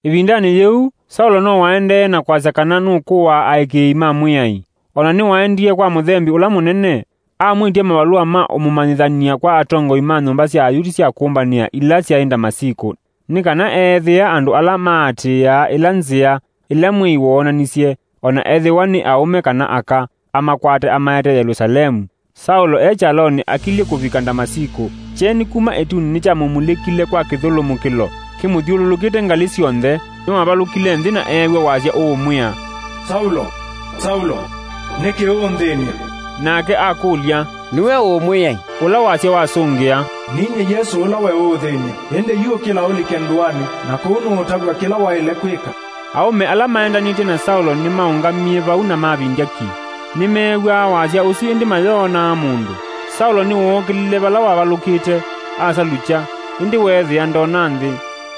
Ĩvindanĩ yĩu, Saulo no waendee na kwasya kana nũkũaa aĩkĩĩi ma Mwĩai. O na nĩwaendie kwa mũthembi ũla mũnene, amwĩtya mavalũa ma ũmũmanyĩthany'a kwa atongoi ma nyũmba sya Ayuti sya kũmbanĩa ila syaĩ Ndamasikũ, nĩ kana eethĩe andũ ala maatĩĩaa ĩla nzĩa ĩla Mwĩai woonanisye, o na ethĩwa nĩ aũme kana aka, amakwate amaete Yelũsalemu. Saulo e kyalonĩ akilye kũvika Ndamasikũ, kyeni kuma ĩtunĩ nĩkyamũmulĩkile kwa kĩthũlũmũkĩlo kĩmũthyũlũlũkĩte ngalĩ syonthe. Nĩwavalũkile nthĩ na eew'a wasya ũũmwĩa, "Saulo, Saulo, nĩkĩ ũũnthĩny'a?" Nake akũlya, "Nĩwe ũ, Mwĩai?" Ũla wasya wasũngĩa, "Ninyie Yesũ ũla we ũũthĩny'a. Ĩndĩ yu ũkĩla ũlike ndũanĩ, na kũu nũũtavw'a kĩla waĩle kwĩka." Aũme ala maendanĩtye na Saulo nĩmaũngamie vau na mavindya ki. Nĩmeew'aa wasya ũsu, ĩndĩ mayoonaa mũndũ. Saulo nĩwookĩlile vala wavalũkĩte, asalukya, ĩndĩ weethĩa ndona nthĩ.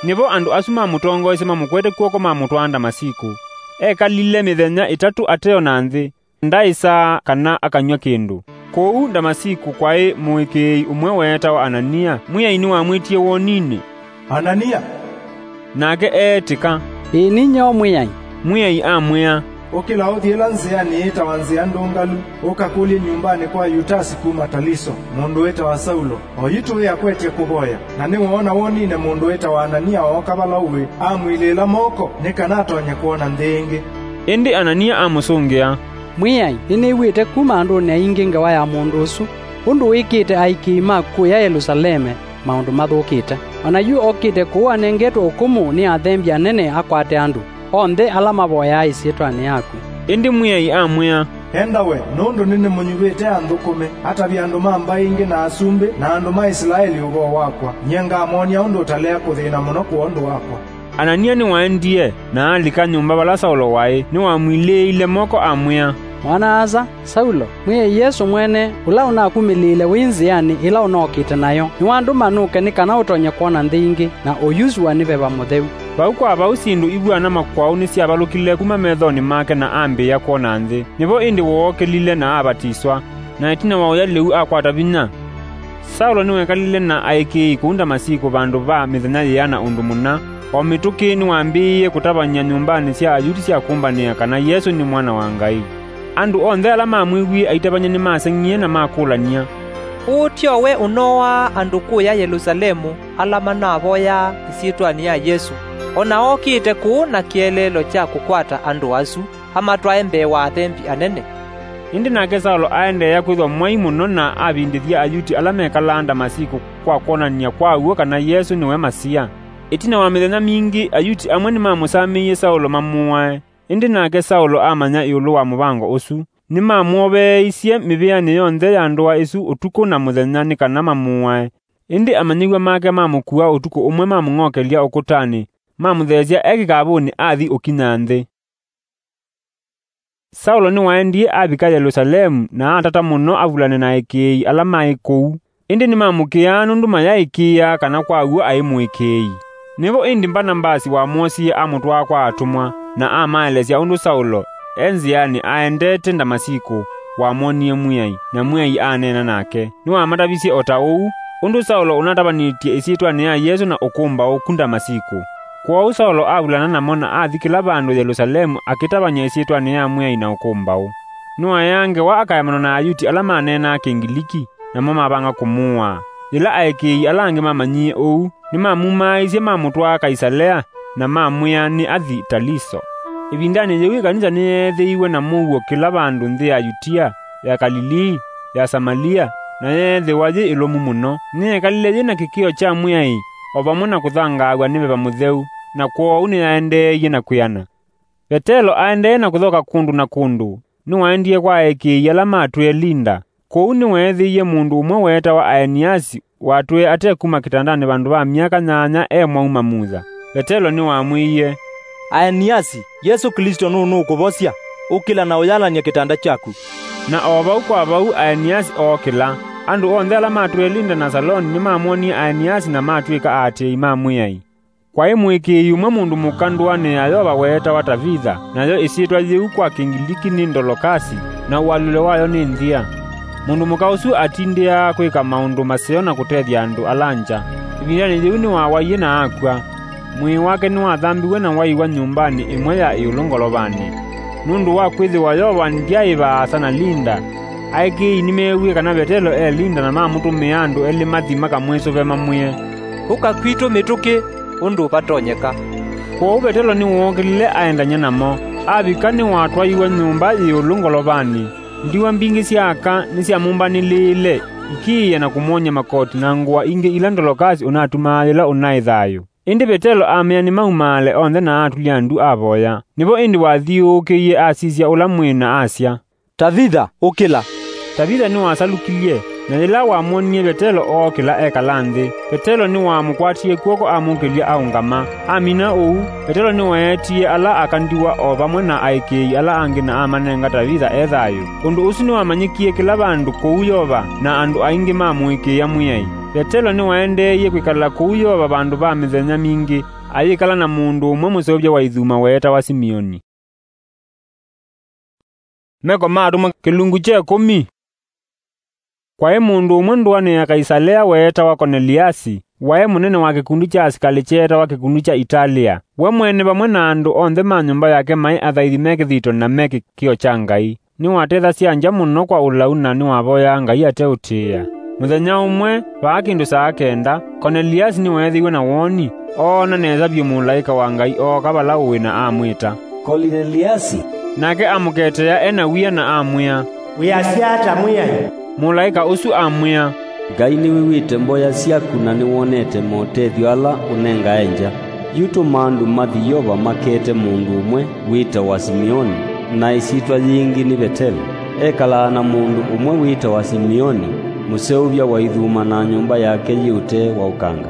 Nĩvo andũ asu mamũtongoesye mamũkwete kw'oko mamũtwaa Ndamasiku. Ekalile mĩthenya ĩtatũ ateona nthĩ, ndaĩsaa kana akanyw'a kĩndũ. Kũu Ndamasiku kwaĩ mũĩkĩĩi ũmwe weetawa Anania. Mwĩai nĩwamwĩtie woninĩ, "Anania!" Nake eetĩka, "Ĩĩ, ninyie o Mwĩai." Mwĩai amwĩa, "Ũkĩla ũthi ĩla nzĩanĩ yĩtawa Nzĩa Ndũngalu, ũkakũlye nyũmbanĩ kwa Yutasi kuma Taliso, mũndũ wĩtawa Saulo. Oyu tũĩ akwetye kũvoya, na nĩwoona woninĩ mũndũ wĩtawa Anania ooka vala ũĩ, amwilĩĩla moko, nĩ kana atonye kwona nthĩ ĩngĩ." Ĩndĩ Anania amũsũngĩa, "Mwĩai, nĩnĩw'ĩte kuma andũnĩ aingĩ ngewa ya mũndũ ũsu, ũndũ wĩkĩte aĩkĩĩi ma kũya Yelusaleme maũndũ mathũkĩte. O na yu okĩte kũu anengetwe ũkũmũ nĩ athembi anene akwate andũ onthe ala mavoyaa ĩsyĩtwanĩ yaku." Ĩndĩ Mwĩai amwĩa, "Enda we, nũndũ nĩnĩmũnyuvĩte anthũkũme, atavye andũ ma mbaĩ ingĩ na asumbĩ na andũ ma Isilaeli ũvoo wakwa. Nyie ngamwony'a ũndũ ũtalea kũthĩna mũno kwondũ wakwa." Anania nĩwaendie, na alika nyũmba vala Saulo waĩ, nĩwamwilĩĩile moko amwĩa, "Mwana-a-asa Saulo, Mwĩai Yesũ mwene, ũla ũnakumĩlĩĩle wĩ nzĩanĩ ĩla ũnookĩte nayo, nĩwandũma nũke nĩ kana ũtonye kwona nthĩ ingĩ, na ũyusũwa nĩ Veva Mũtheu." Vau kwa vau syĩndũ ivw'ana makwaũ nĩsyavalũkile kuma methonĩ make na ambĩĩa kwona nthĩ. Nĩvo ĩndĩ wookĩlile na avatiswa, na ĩtina wa ũya lĩu akwata vinya. Saulo nĩwekalile na aĩkĩĩi kũu Ndamasiku vandũ va mĩthenya yĩana ũndũ mũna. O mĩtũkĩ nĩwambĩĩie kũtavany'a nyũmbanĩ sya Ayuti sya kũmbanĩa kana Yesũ nĩ Mwana wa Ngai. Andũ onthe ala mamwĩw'ie aitavany'a nĩmaseng'ie na makũlany'a, "Ũũ tyo we ũnooaa andũ kũya Yelusalemu ala manavoyaa ĩsyĩtwanĩ ya Yesũ? O na okĩte kũu na kĩeleelo kya kũkwata andũ asu amatwae mbee wa athembi anene." Ĩndĩ nake Saulo aendeea kwĩthwa mwai mũno na avindĩthya Ayuti ala mekalaa Ndamasiku kwa kwonany'a kwa w'o kana Yesũ nĩwe Masia. Ĩtina wa mĩthenya mingĩ, Ayuti amwe nĩmamũsamĩie Saulo mamũae. Ĩndĩ nake Saulo amanya ĩũlũ wa mũvango ũsu. Nĩmamwoveeisye mĩvĩanĩ yonthe ya ndũa ĩsu ũtukũ na mũthenya nĩ kana mamũae. Ĩndĩ amanyĩw'a make mamũkua ũtukũ ũmwe mamũng'okelya ũkũtanĩ, mamũtheesya e kĩkavũnĩ athi ũkinya nthĩ. Saulo nĩwaendie avika Yelusalemu na atata mũno avulane na aĩkĩĩi ala maĩ kũu. Ĩndĩ nĩmamũkĩaa nũndũ mayaĩkĩĩaa kana kwa w'o aĩ mũĩkĩĩi. Nĩvo ĩndĩ Mbanavasi wamwosie amũtwaa kwa atũmwa, na amaelesya ũndũ Saulo, e nzĩanĩ aendete Ndamasiku, wamwonie Mwĩai, na Mwĩai aneena nake. Nĩwamatavisye o ta ũu, ũndũ Saulo ũnatavanĩtye ĩsyĩtwanĩ ya Yesũ na ũkũmbaũ ku Ndamasiku. Kwoou Saulo avulana namo na athi kĩla vandũ Yelusalemu akĩtavany'a ĩsyĩtwanĩ ya Mwĩai na ũkũmbaũ. Nĩwaeaa ngewa akaemanwa na Ayuti ala maneenaa Kĩngiliki, namo mavanga kũmũaa. Yĩla aĩkĩĩi ala angĩ mamanyie ũu, nĩmamumaaisye mamũtwaa Kaisalea, na mamwĩa nĩ athi Taliso. Ĩvindanĩ yĩu ĩkanisa nĩyeethĩiwe na mũuo kĩla vandũ nthĩ ya Yutia, ya Kalilii, ya Samalia, na yeethĩwa yĩ ĩlũmu mũno. Nĩyekalile yĩ na kĩkĩo kya Mwĩai, o vamwe na kũthangaaw'a nĩ Veva Mũtheu, na kwoou nĩyaendeeie na kwĩana. Vetelo aendee na kũthoka kũndũ na kũndũ, nĩwaendie kwa aĩkĩĩi ala matwĩe Linda. Kũu nĩweethĩie mũndũ ũmwe weetawa Aeniasi, watwĩe ate kuma kĩtandanĩ vandũ va myaka nyanya e mwau mamutha. Vetelo nĩwamwĩie, "Aeniasi, Yesũ Klĩsto nũnũkũvosya. Ũkĩla na ũyalany'e kĩtanda kyaku." Na o vau kwa vau Aeniasi ookĩla. Andũ onthe ala matwĩe Linda na Saloni nĩmamwonie Aeniasi na matw'ĩka aatĩĩi ma Mwĩai. Kwaĩ mũĩkĩĩi ũmwe mũndũ mũka ndũanĩ ya Yeova weetawa Tavitha, nayo ĩsyĩtwa yĩu kwa Kĩngiliki nĩ Ndolokasi, na ũalyũlo wayo nĩ Nthĩa. Mũndũ mũka ũsu atindĩaa kwĩka maũndũ maseo na kũtethya andũ ala ngya. Ĩvindanĩ yĩu nĩwawaie na akw'a. Mwĩĩ wake nĩwathambiw'e na waiwa nyũmbanĩ ĩmwe ya ĩũlũ ngolovanĩ. Nũndũ wa kwĩthĩwa Yeova ndyaĩ vaasa na Linda, aĩkĩĩi nĩmeewie kana Vetelo e Linda na mamũtũmĩa andũ elĩ mathi makamwĩsũve mamwĩe, "Ũka kwitũ mĩtũkĩ ũndũ vatonyeka." Kwoou Vetelo nĩwookĩlile aendany'a namo. Avika nĩwatwaiwe nyũmba yĩ ĩũlũ ngolovanĩ. Ndiwa mbingĩ sya aka nĩsyamũmbanĩlĩĩle, ikiĩa na kũmwony'a makoti na ngũa ingĩ ila Ndolokasi ũnatumaa yĩla ũnaĩ thayũ. Ĩndĩ Vetelo amea nĩmaumaale onthe na atulya ndu avoya. Nĩvo ĩndĩ wathiũũkĩie asisya ũla mwĩĩ na asya, "Tavitha, ũkĩla!" Tavitha nĩwasalukilye, Na yĩla wamwonie Vetelo ookĩla ekala nthĩ, Vetelo nĩwamũkwatie kw'oko amũkĩlya aũngama. Amina ũu, Vetelo nĩweetie ala aka ndiwa o vamwe na aĩkĩĩi ala angĩ na amanenga Tavitha e thayũ. Ũndũ ũsu nĩwamanyĩkie kĩla vandũ kũu Yova, na andũ aingĩ mamũĩkĩĩa Mwĩai. Vetelo nĩwaendeeie kwĩkala kũu Yova vandũ va mĩthenya mingĩ, ayĩkala na mũndũ ũmwe mũseũvya wa ithuma weetawa Simioni. Meko ma Atũmwa kĩlungu kya ĩkũmi. Kwaĩ mũndũ ũmwe ndũanĩ ya Kaisalea weetawa Koneliasi, waĩ mũnene wa kĩkundi kya asikalĩ kyeetawa kĩkundi kya Italia. We mwene vamwe na andũ onthe ma nyũmba yake maĩ athaithi me kĩthito na me kĩkĩo kya Ngai. Nĩwatethasya ngya mũno kwa ũlau na nĩwavoyaa Ngai ateũtĩĩa. Mũthenya ũmwe, vaa kĩndũ saa kenda, Koneliasi nĩweethĩiwe na woni, oona nesa vyũ mũlaĩka wa Ngai ooka vala ũĩ na amwĩta, "Kolineliasi!" Nake amũketea e na wia na amwĩa, "Wĩasya ata, Mwĩai?" Mũlaĩka ũsu amwĩa, "Ngai nĩwĩw'ĩte mboya syaku na nĩwonete motethyo ala ũnengae ngya. Yu tũma andũ mathi Yova makete mũndũ ũmwe wĩtawa Simioni, na ĩsyĩtwa yĩngĩ nĩ Vetelo. Ekalaa na mũndũ ũmwe wĩtawa Simioni, mũseũvya wa ithuma na nyũmba yake yĩ ũtee wa ũkanga."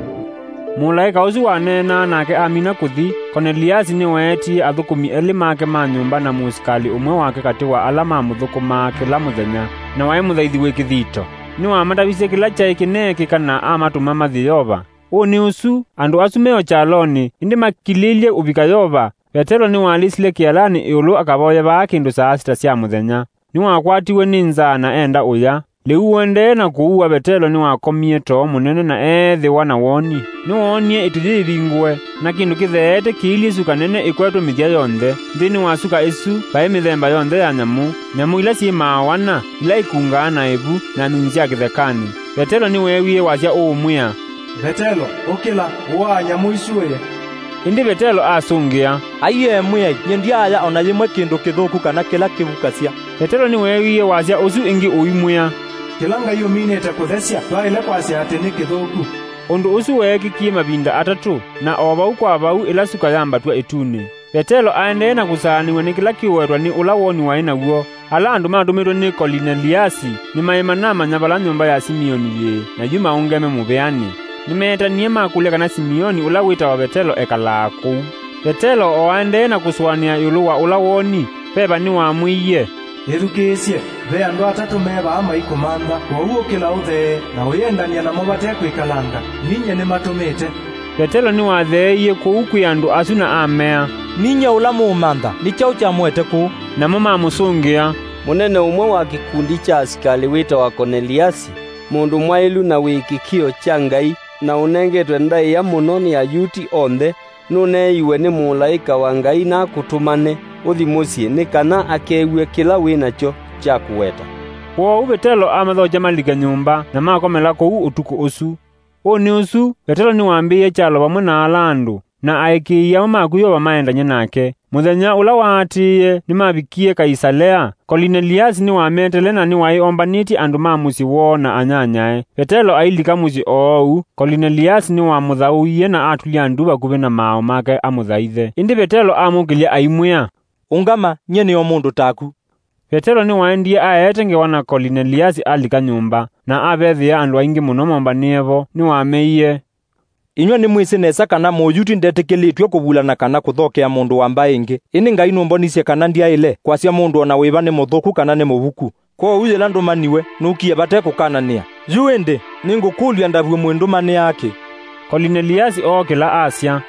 Mũlaĩka ũsu waneenaa nake amina kũthi, Koneliasi nĩweetie athũkũmi elĩ make ma nyũmba na mũsikalĩ ũmwe wake katĩ wa ala mamũthũkũmaa kĩla mũthenya, na waĩ mũthaithi wĩ kĩthito. Nĩwamatavisye kĩla kyaĩ kĩneekĩka na amatũma mathi Yova. Ũnĩ ũsu, andũ asu me o kyalonĩ, ĩndĩ makilĩlye ũvika Yova, Vetelo nĩwalĩsile kĩalanĩ ĩũlũ akavoye vaa kĩndũ saa sita sya mũthenya. Nĩwakwatiwe nĩ nzaa na enda ũya. Lĩu ũendee na kũua Vetelo nĩwakomie too mũnene na eethĩwa na woni. Nĩwoonie ĩtu yĩivingũe, na kĩndũ kĩtheete kĩilyĩ suka nene ĩkwetwe mĩthya yonthe. Nthĩnĩ wa suka ĩsu vaĩ mĩthemba yonthe ya nyamũ, nyamũ ila syĩmaa wana, ila ikungaa na ĩvu, na nyunyi sya kĩthekanĩ. Vetelo nĩweewie wasya ũũmwĩa, "Vetelo, ũkĩla, ũaa nyamũ isu ũye." Ĩndĩ Vetelo asũngĩa, "Aiee Mwĩai, nyie ndyaaya o na yĩmwe kĩndũ kĩthũku kana kĩla kĩvukasya." Vetelo nĩweewie wasya ũsu ĩngĩ ũimwĩa, "Kĩla Ngai ũminĩte kũthesya, ndwaĩle kwasya atĩ nĩ kĩthũku." Ũndũ ũsu weekĩkie mavinda atatũ, na o vau kwa vau ĩla suka yambatw'a ĩtunĩ. Vetelo aendee na kũsaanĩw'a nĩ kĩla kĩũwetwa nĩ ũla woni waĩ naw'o. Ala andũ matũmĩtwe nĩ Kolineliasi nĩmaĩ manamanya vala nyũmba ya Simioni yĩĩ, na yu maũngeme mũvĩanĩ. Nĩmeetanie makũlya kana Simioni ũla wĩtawa Vetelo ekalaa kũu. Vetelo o aendee na kũsũanĩa ĩũlũ wa ũla woni, veva nĩwamwĩie, "Ĩthukĩĩsye, ve andũ atatũ me vaa maikũmantha, kwoou ũkĩla ũthee na ũyĩendany'a namo vate kwĩkalanga. Ninyie nĩmatũmĩte." Vetelo nĩwatheeie kũu kwĩ andũ asu na amea, "Ninyie ũla mũũmantha, nĩ kyaũ kyamũete kũu?" Namo mamũsũngĩa, "Mũnene ũmwe wa kĩkundi kya asikalĩ wĩtawa Koneliasi, mũndũ mwaĩlu na wĩ kĩkĩo kya Ngai, na ũnengetwe ndaĩa mũno nĩ Ayuti onthe, nũneeiwe nĩ mũlaĩka wa Ngai nakũtũmane ũthi mũsyĩ nĩ kana akew'e kĩla wĩ nakyo kya kũweta." Kwoou Vetelo amathokya malike nyũmba, na makomela kũu ũtukũ ũsu. Ũnĩ ũsu, Vetelo nĩwambĩĩe kyalo vamwe na ala andũ, na aĩkĩĩi amwe maku Yeova maendany'e nake. Mũthenya ũla waatĩĩe, nĩmavikie Kaisalea. Kolineliasi nĩwametele na nĩwaĩ ombanĩtye andũ ma mũsyĩ woo na anyanyae. Vetelo ailika mũsyĩ oou, Kolineliasi nĩwamũthaũie na atulya ndu vakuvĩ na maaũ make amũthaithe. Ĩndĩ Vetelo amũkĩlya aimwĩa, "Ũngama, nyie nĩ o mũndũ taku." Vetelo nĩwaendie aete ngewa na Kolineliasi alika nyũmba, na avethĩa andũ aingĩ mũno mombanĩe vo. Nĩwameie, "Inyw'ĩ nĩmwĩsĩ nesa kana Mũyuti ndetĩkĩlĩtw'e kũvulana kana kũthokea mũndũ wa mbaĩ ĩngĩ. Ĩndĩ Ngai nũmbonisye kana ndyaĩle kwasya mũndũ o na wĩva nĩ mũthũku kana nĩ mũvuku. Kwoou yĩla ndũmaniwe, nũkie vate kũkananĩa. Yu ĩndĩ, nĩngũkũlya ndavw'e mwĩndũmanĩaa kĩ?" Kolineliasi ookĩla asya,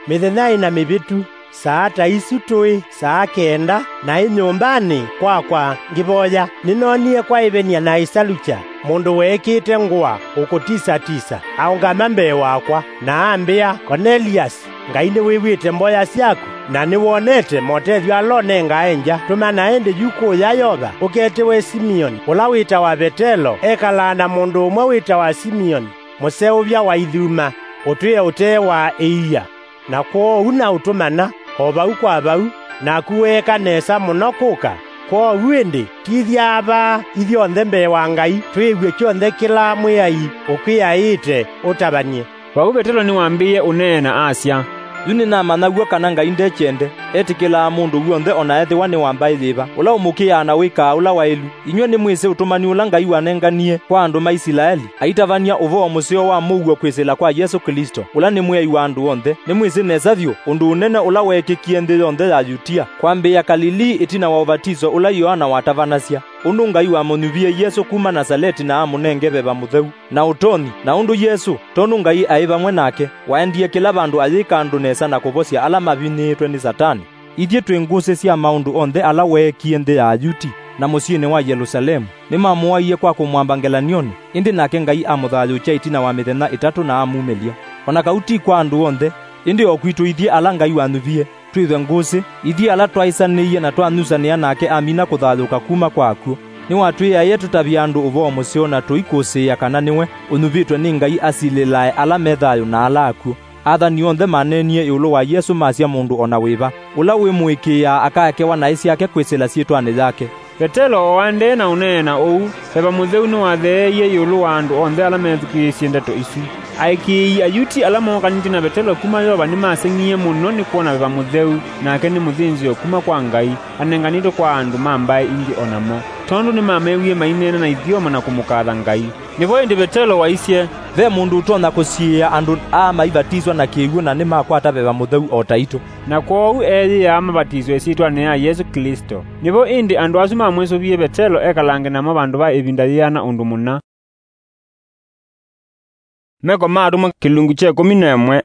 "Mĩthenya ĩna mĩvĩtu, saa ta isu tũĩ saa kenda, naĩ nyũmbanĩ kwakwa ngĩvoya, nĩnoonie kwaĩvenia na Isalucha, mũndũ weekĩte ngũa ũkũtisa-tisa, aũngama mbee wakwa, na ambĩa, 'Koneliasi, Ngai nĩwĩw'ĩte mboya syaku, na nĩwonete motethyo ala ũnengae ngya. Tũmana ĩndĩ yu kũũya Yopa, ũketĩwe Simioni, ũla wĩtawa Vetelo, ekalaa na mũndũ ũmwe wĩtawa Simioni, mũseũvya wa ithuma, ũtwĩe ũtee wa ĩia. Na kwoou naũtũmana o vau kwa vau, naku weeka nesa mũno kũka. Kwoou ĩndĩ, tithya vaa ithyonthe mbee wa Ngai, twĩw'e kyonthe kĩla Mwĩai ũkwĩaĩte ũtavany'e.'" Vau Vetelo nĩwambĩĩe ũneena asya, Yu nĩnamanya w'o kana Ngai ndekyende, etĩkĩlaa mũndũ w'onthe o na ethĩwa nĩ wa mbaĩ yĩva, ũla ũmũkĩaa na wĩkaa ũla waĩlu. Inyw'ĩ nĩmwĩsĩ ũtũmani ũla Ngai wanenganie kwa andũ ma Isilaeli, aitavany'a ũvoo mũseo wa mũuo kwĩsĩla kwa Yesũ Klĩsto, ũla nĩ Mwĩai wa andũ onthe. Nĩmwĩsĩ nesa vyũ ũndũ ũnene ũla weekĩkie nthĩ yonthe ya Yutia, kwambĩĩa Kalilii ĩtina wa ũvatiso ũla Yoana watavanasya, ũndũ Ngai wamũnyuvie Yesũ kuma Nasaleti na amũnenge Veva Mũtheu na ũtonyi, na ũndũ Yesũ, tondũ Ngai aĩ vamwe nake, waendie kĩla vandũ ayĩka andũ nesa na kũvosya ala mavinyĩĩtwe nĩ Satani. Ithyĩ twĩ ngũsĩ sya maũndũ onthe ala weekie nthĩ ya Ayuti na mũsyĩnĩ wa Yelũsalemu. Nĩmamũaie kwa kũmwamba ngelany'onĩ, ĩndĩ nake Ngai amũthayũũkya ĩtina wa mĩthenya ĩtatũ na amumĩlya. O na kau ti kwa andũ onthe, ĩndĩ o kwitũ ithyĩ ala Ngai wanyuvie, twĩthwe ngũsĩ, ithyĩ ala twaĩsanĩie na twanyusanĩa nake amina kũthayũũka kuma kwa akw'ũ. Nĩwatwĩaĩe tũtavye andũ ũvoo mũseo na tũikũsĩĩa kana nĩwe ũnyuvĩtwe nĩ Ngai asilĩlae ala me thayũ na ala akw'ũ. Athani onthe maneenie ĩũlũ wa Yesũ masya mũndũ o na wĩva ũla wĩmũĩkĩĩaa akaekewa naĩ syake kwĩsĩla syĩtwanĩ yake. Vetelo o aendee na ũneena ũu, Veva Mũtheu nĩwatheeie ĩũlũ wa andũ onthe ala methukĩĩsye ndeto isu. Aĩkĩĩi Ayuti ala mookanĩtye na Vetelo kuma Yova nĩmaseng'ie mũno nĩ kwona Veva Mũtheu, nake nĩ mũthĩnzĩo kuma kwa Ngai, anenganĩtwe kwa andũ ma mbaĩ ingĩ o namo, tondũ nĩmamewie maineena na ithyomo na kũmũkatha Ngai. Nĩvo ĩndĩ Vetelo waisye, "Ve mũndũ ũtonya kũsiĩĩa andũ aa maivatiswa na kĩw'ũ na nĩmakwata Veva Mũtheu o taitũ." Na kwoou eeyĩaa mavatiswe ĩsyĩtwanĩ ya Yesũ Klĩsto. Nĩvo ĩndĩ andũ asu mamwĩsũvie Vetelo ekalange namo vandũ va ĩvinda yĩana ũndũ mũna. Meko ma Atũmwa, kĩlungu kya ĩkũmi na ĩmwe.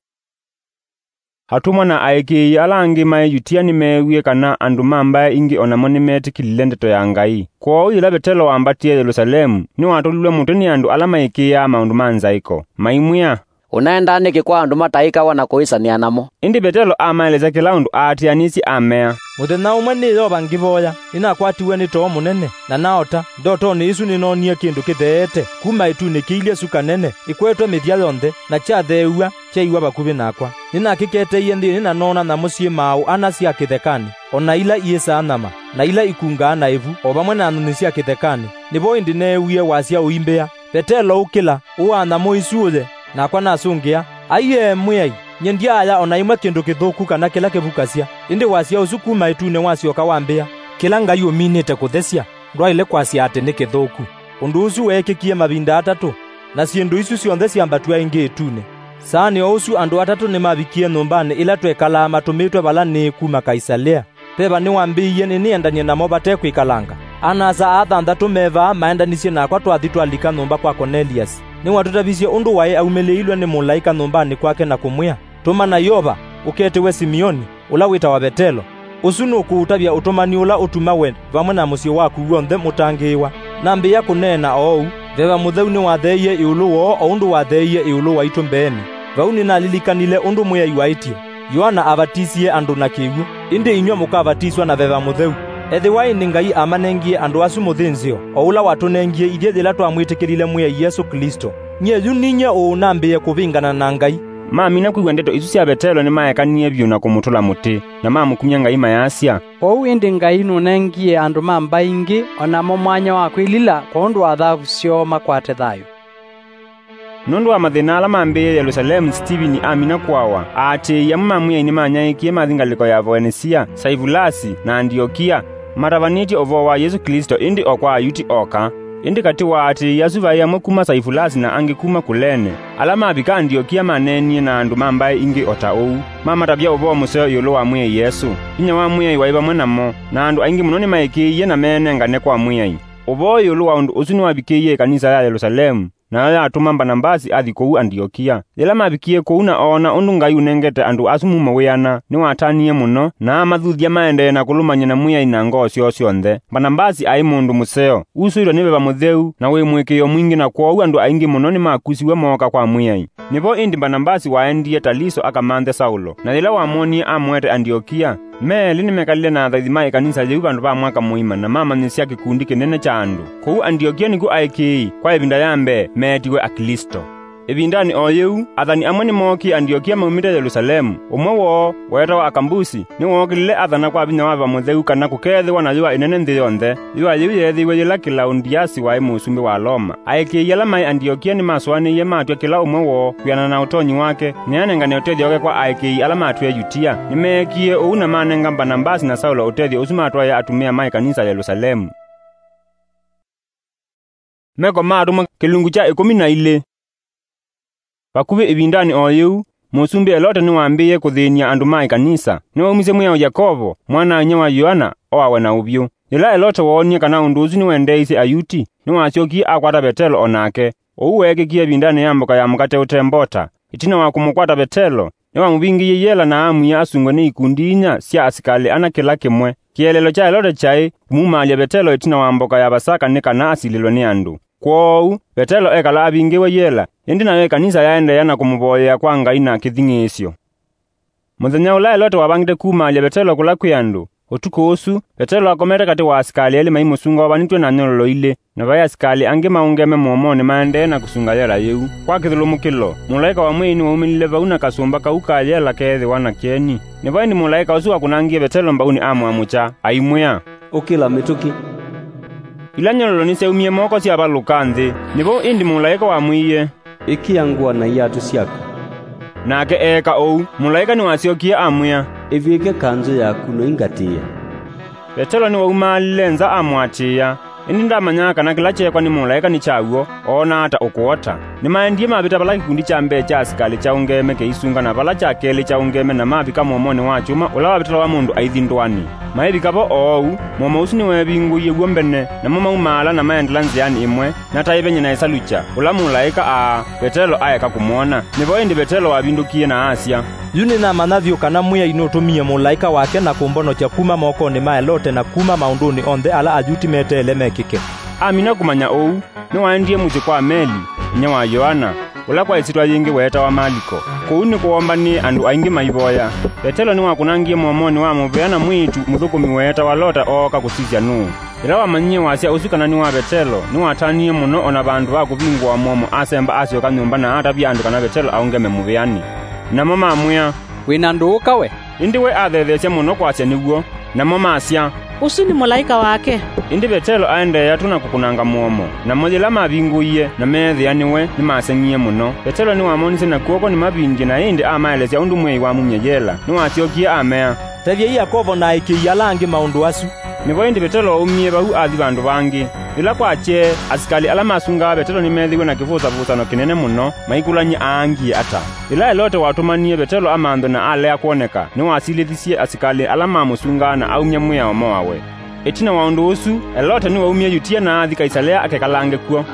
Atũmwa na aĩkĩĩi ala angĩ maĩ Yutia nĩmeewie kana andũ ma mbaĩ ingĩ o namo nĩmetĩkĩlile ndeto ya Ngai. Kwoou yĩla Vetelo wambatie Yelũsalemu, nĩwatũlilwe mũtĩ nĩ andũ ala maĩkĩĩaa maũndũ ma nzaĩko, maimwĩa, "Ũnaendaa nĩkĩ kwa andũ mataĩkawa na kũĩsanĩa namo?" Ĩndĩ Vetelo amaelesya kĩla ũndũ aatĩanĩsye, amea, "Mũthenya ũmwe nĩ Yova ngĩvoya, nĩnakwatiwe nĩ too mũnene, na naota. Ndotonĩ ĩsu nĩnoonie kĩndũ kĩtheete kuma ĩtunĩ kĩilye suka nene, ĩkwetwe mĩthya yonthe, na kyatheew'a, kyaiwa vakuvĩ nakwa. Nĩnakĩketeie nthĩnĩ na noona nyamũ syĩ maaũ ana sya kĩthekanĩ, o na ila iĩsaa nyama, na ila ikungaa na ĩvu, o vamwe na nyũnyi sya kĩthekanĩ. Nĩvo ĩndĩ neewie wasya ũimbĩa, 'Vetelo, ũkĩla, ũaa nyamũ isu ũye.' Nakwa nasũngĩa, 'Aiee, Mwĩai, nyie ndyaaya o na ĩmwe kĩndũ kĩthũku kana kĩla kĩvukasya.' Ĩndĩ wasya ũsu kuma ĩtunĩ wasyoka wambĩa, 'Kĩla Ngai ũminĩte kũthesya, ndwaĩle kwasya atĩ nĩ kĩthũku.'" Ũndũ ũsu weekĩkie mavinda atatũ, na syĩndũ isu syonthe syambatw'a ĩngĩ ĩtunĩ. Saanĩ o ũsu andũ atatũ nĩmavikie nyũmbanĩ ĩla twekalaa matũmĩtwe vala nĩĩ kuma Kaisalea. Veva nĩwambĩĩie nĩnĩendany'e namo vate kwĩkalanga. Ana-a-asa aa thanthatũ me vaa maendanisye nakwa twathi twalika nyũmba kwa Koneliasi. Nĩwatũtavisye ũndũ waĩ aumĩlĩilwe nĩ mũlaĩka nyũmbanĩ kwake na kũmwĩa, "Tũmana Yova, ũketĩwe Simioni, ũla wĩtawa Vetelo. Ũsu nũkũũtavya ũtũmani ũla ũtuma we vamwe na mũsyĩ waku w'onthe mũtangĩĩwa." Nambĩĩa kũneena oou, Veva Mũtheu nĩwatheeie ĩũlũ woo o ũndũ watheeie ĩũlũ waitũ mbeenĩ. Vau nĩnalilikanile ũndũ Mwĩai waĩtye, "Yoana avatisie andũ na kĩw'ũ, ĩndĩ inyw'ĩ mũkavatiswa na Veva Mũtheu." Ethĩwa ĩndĩ Ngai amanengie andũ asu mũthĩnzĩo, o ũla watũnengie ithyĩ yĩla twamwĩtĩkĩlile Mwĩai Yesũ Klĩsto, nyie yu ninyie ũũ nambĩĩe kũvĩngana na Ngai? Mamina kwĩw'a ndeto isu sya Vetelo, nĩmaekanie vyũ na kũmũtũla mũtĩ, na mamũkumya Ngai mayasya, "Kwoou ĩndĩ Ngai nũnengie andũ ma mbaĩ ingĩ o namo mwanya wa kwĩlila kwondũ wa thavu syoo makwate thayũ." Nũndũ wa mathĩna ala mambĩĩe Yelũsalemu, Sitivini amina kũawa, aatĩĩi amwe ma Mwĩai nĩmanyaĩĩkie mathi ngalĩko ya Voenisia, Saivulasi, na Andiokia, matavanĩtye ũvoo wa Yesũ Klĩsto, ĩndĩ o kwa Ayuti oka. Ĩndĩ katĩ wa aatĩĩi asu vaĩ amwe kuma Saivulasi na angĩ kuma Kulene. Ala mavika Andiokia maneenie na andũ ma mbaĩ ingĩ o ta ũu. Mamatavya ũvoo mũseo ĩũlũ wa Mwĩai Yesũ. Vinya wa Mwĩai waĩ vamwe namo, na andũ aingĩ mũno nĩmaĩkĩĩie na meenengane kwa Mwĩai. Ũvoo ĩũlũ wa ũndũ ũsu nĩwavikĩie ĩkanisa ya Yelũsalemu, nayo yatũma Mbanavasi athi kũu Andiokia. Yĩla mavikie kũu na oona ũndũ Ngai ũnengete andũ asu mumo wĩana, nĩwatanie mũno, na amathuthya maendee na kũlũmany'a na Mwĩai na ngoo syoo syonthe. Mbanavasi aĩ mũndũ mũseo, usũĩtwe nĩ Veva Mũtheu, na wĩ mũĩkĩĩo mwingĩ, na kwoou andũ aingĩ mũno nĩmakusiw'e mooka kwa Mwĩai. Nĩvo ĩndĩ Mbanavasi waendie Taliso akamanthe Saulo, na yĩla wamwonie amũete Andiokia. Me elĩ nĩmekalile na athaithi ma ĩkanisa yĩu vandũ va mwaka mũima na mamanyĩsya kĩkundi kĩnene kya andũ. Kũu Andiokia nĩkw'o aĩkĩĩi kwa ĩvinda ya mbee meetiwe Aklĩsto. Ĩvindanĩ o yĩu, athani amwe nĩmookie Andiokia maumĩte Yelũsalemu. Ũmwe woo, weetawa Akambusi, nĩwookĩlile athana kwa vinya wa Veva Mũtheu kana kũkeethĩwa na yũa ĩnene nthĩ yonthe. Yũa yĩu yeethĩiwe yĩla Kĩlaundiasi waĩ mũsumbĩ wa Loma. Aĩkĩĩi ala maĩ Andiokia nĩmasũanĩie matw'a kĩla ũmwe woo kwĩanana na ũtonyi wake, nĩanengane ũtethyo wake kwa aĩkĩĩi ala matwĩe Yutia. Nĩmeekie ũu na manenga Mbanambasi na Saulo ũtethyo ũsu matwaĩe atumĩa ma ĩkanisa Yelũsalemu. Meko ma Atũmwa kĩlungu kya ĩkũmi na ilĩ. Vakuvĩ ĩvindanĩ o yĩu, Mũsumbĩ Elote nĩwambĩĩe kũthĩny'a andũ ma ĩkanisa. Nĩwaumisye mwĩao Yakovo, mwana-a-inyia wa Yoana, oawe na ũvyũ. Yĩla Elote woonie kana ũndũ ũsu nĩwendeeisye Ayuti, nĩwasyokie akwata Vetelo o nake. Ũu weekĩkie ĩvindanĩ ya mboka ya Mũkate Ũte Mbota. Ĩtina wa kũmũkwata Vetelo, nĩwamũvingĩie yela na amwia asungwe nĩ ikundi inya sya asikalĩ ana kĩla kĩmwe. Kĩeleelo kya Elote kyaĩ kũmumaalya Vetelo ĩtina wa mboka ya Vasaka nĩ kana asilĩlwe nĩ andũ. Kwoou, Vetelo ekala avingĩwe yela, ĩndĩ nayo ĩkanisa yaendeea na kũmũvoyea kwa Ngai na kĩthing'ĩĩsyo. Mũthenya ũla Elote wavangĩte kumaalya Vetelo kũla kwĩ andũ, ũtukũ ũsu, Vetelo akomete katĩ wa asikalĩ elĩ maimũsunga wavanĩtw'e na nyololo ilĩ, na vaĩ asikalĩ angĩ maũngeme mũomonĩ maendee na kũsunga yela yĩu. Kwa kĩthũlũmũkĩlo, mũlaĩka wa Mwĩai nĩwaumĩlile vau na kasũmba kau ka yela keethĩwa na kĩeni. Nĩvo ĩndĩ mũlaĩka ũsu wakũnangie Vetelo mbaunĩ amũamũkya, aimwĩa, "Ũkĩla mĩtũkĩ." Ila nyololo nĩsyaumie moko syavalũka nthĩ. Nĩvo ĩndĩ mũlaĩka wamwĩie, "Ĩkĩa ngũa na iatũ syaku." Nake eeka ũu. Mũlaĩka nĩwasyokie amwĩa, "Ĩvĩke kanzũ yaku na ũingatĩĩe." Vetelo nĩwaumaalile nza amũatĩĩa, ĩndĩ ndamanyaa kana kĩla kyeekwa nĩ mũlaĩka nĩ kya w'o, oonaa ta ũkũota. Nĩmaendie mavĩta vala kĩkundi kya mbee kya asikalĩ kyaũngeeme kĩisunga na vala kya kelĩ kyaũngeeme na mavika mũomonĩ wa kyũma ũla wavĩtalawa mũndũ aithi ndũanĩ. Maivika vo oou, mũomo ũsu nĩweevingũie w'o mbene, namo maumaala na maendela nzĩanĩ ĩmwe, na ta ĩvenye na ĩsalukya, ũla mũlaĩka aa Vetelo aeka kũmwona. Nĩvo ĩndĩ Vetelo wavindũkie na asya, "Yu nĩnamanya vyũ kana Mwĩai nũtũmie mũlaĩka wake na kũmbonokya kuma mokonĩ ma Elote na kuma maũndũnĩ onthe ala Ayuti meteele mekĩke." Amina kũmanya ũu, nĩwaendie mũsyĩ kwa Meli, inyia wa Yoana, ũla kwa ĩsyĩtwa yĩngĩ weetawa Maliko. Kũu nĩkwoombanĩe andũ aingĩ maivoya. Vetelo nĩwakũnangie mũomonĩ wa mũvea na mwĩĩtu mũthũkũmi weetawa Lota ooka kũsisya nũũ. Yĩla wamanyie wasya ũsu kana nĩ wa Vetelo, nĩwatanie mũno, o na vandũ va kũvingũa mũomo asemba asyoka nyũmba na atavya andũ kana Vetelo aũngeme mũvĩanĩ. Namo mamwĩa, "Wĩ na ndũũka we?" Ĩndĩ we athetheesya mũno kwasya nĩ w'o. Namo masya, "Ũsu nĩ mũlaĩka wake." Ĩndĩ Vetelo aendeea tũ na kũkũnanga mũomo, namo yĩla mavingũie na meethĩa nĩwe, nĩmaseng'ie mũno. Vetelo nĩwamonisye na kw'oko nĩmavindye, na ĩndĩ amaelesya ũndũ Mwĩai wamumya yela. Nĩwasyokie amea, "Tevyai Yakovo na aĩkĩĩi ala angĩ maũndũ asu." Nĩvo ĩndĩ Vetelo waumie vau athi vandũ vangĩ. Yĩla kwakyee, asikalĩ ala masungaa Vetelo nĩmeethĩiwe na kĩvũsavũsano kĩnene mũno, maikũlany'a aangie ata. Yĩla Elote watũmanie Vetelo amanthwe na alea kwoneka, nĩwasilĩthisye asikalĩ ala mamũsungaa na aumya mwĩao moawe. Ĩtina wa ũndũ ũsu, Elote nĩwaumie Yutia na athi Kaisalea akekalange kw'o.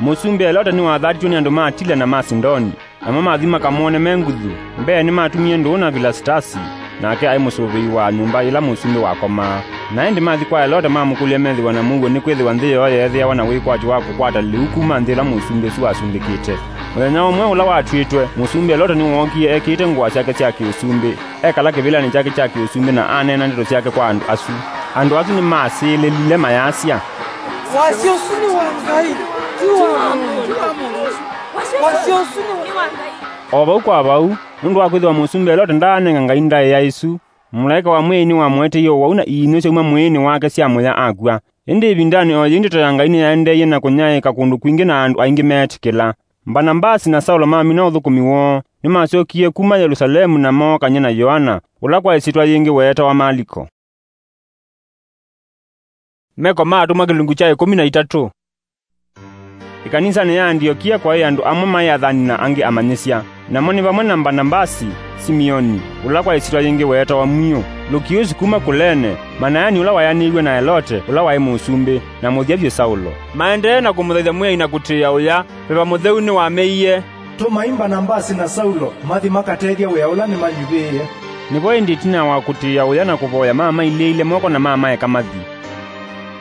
Mũsumbĩ Elote nĩwathatĩtwe nĩ andũ ma Tila na ma Sidoni. Namo mathi makamwone me nguthu. Mbee nĩmatumie ndũũ na Vilasitasi, nake aĩ mũsũvĩi wa nyũmba yĩla mũsumbĩ wakomaa. Na ĩndĩ mathi kwa Elote mamũkũlya methĩwa na mũuo, nĩkwĩthĩwa nthĩ yoo yeethĩawa na wĩkwatyo wa kũkwata lĩu kuma nthĩ ĩla mũsumbĩ ũsu wasumbĩkĩte. Mũthenya ũmwe ũla watw'ĩtwe, mũsumbĩ Elote nĩwookie ekĩĩte ngũa syake sya kĩũsumbĩ, ekala kĩvĩlanĩ kyake kya kĩũsumbĩ na aneena ndeto syake kwa andũ asu. Andũ asu nĩmasĩlĩlile mayasya, "Wasya ũsu nĩ wa Ngai, ti wa mũndũ. Wasya ũsu nĩ wa Ngai." O vau kwa vau, nũndũ wa kwĩthĩwa mũsumbĩ Elote ndaanenga Ngai ndaĩa ĩsu, mũlaĩka wa Mwĩai nĩwamũeteie ũwau na iinyũ syauma mwĩĩnĩ wake syamũya akw'a. Ĩndĩ ĩvindanĩ o yĩu ndeto ya Ngai nĩyaendeeie na kũnyaĩĩka kũndũ kwingĩ na andũ aingĩ meetĩkĩla. Mbanambasi na Saulo mamina ũthũkũmi woo, nĩmasyokie kuma Yelũsalemu na mookany'a na Yoana, ũla kwa ĩsyĩtwa yĩngĩ weetawa Maliko. Meko ma Atũmwa kĩlungu kya ĩkũmi na itatũ. Ĩkanisanĩ ya Andiokia kwaĩ andũ amwe maĩ athani na angĩ amanyĩsya, namo nĩ vamwe na Mbanambasi, Simioni, ũla kwa ĩsyĩtwa yĩngĩ weetawa Mwĩũ, Lukiusi kuma Kulene, Manaeni ũla wayanĩiw'e na Elote, ũla waĩ mũsumbĩ, na mũthya vyũ Saulo. Maendee na kũmũthaitha Mwĩai na kũtĩĩa ũya, Veva Mũtheu nĩwameie, "Tũmai Mbanambasi na Saulo mathi makatethye wĩa ũla nĩmanyuvĩĩe." Nĩvo ĩndĩ ĩtina wa kũtĩĩa ũya na kũvoya, mamailĩĩile moko na mamaeka mathi.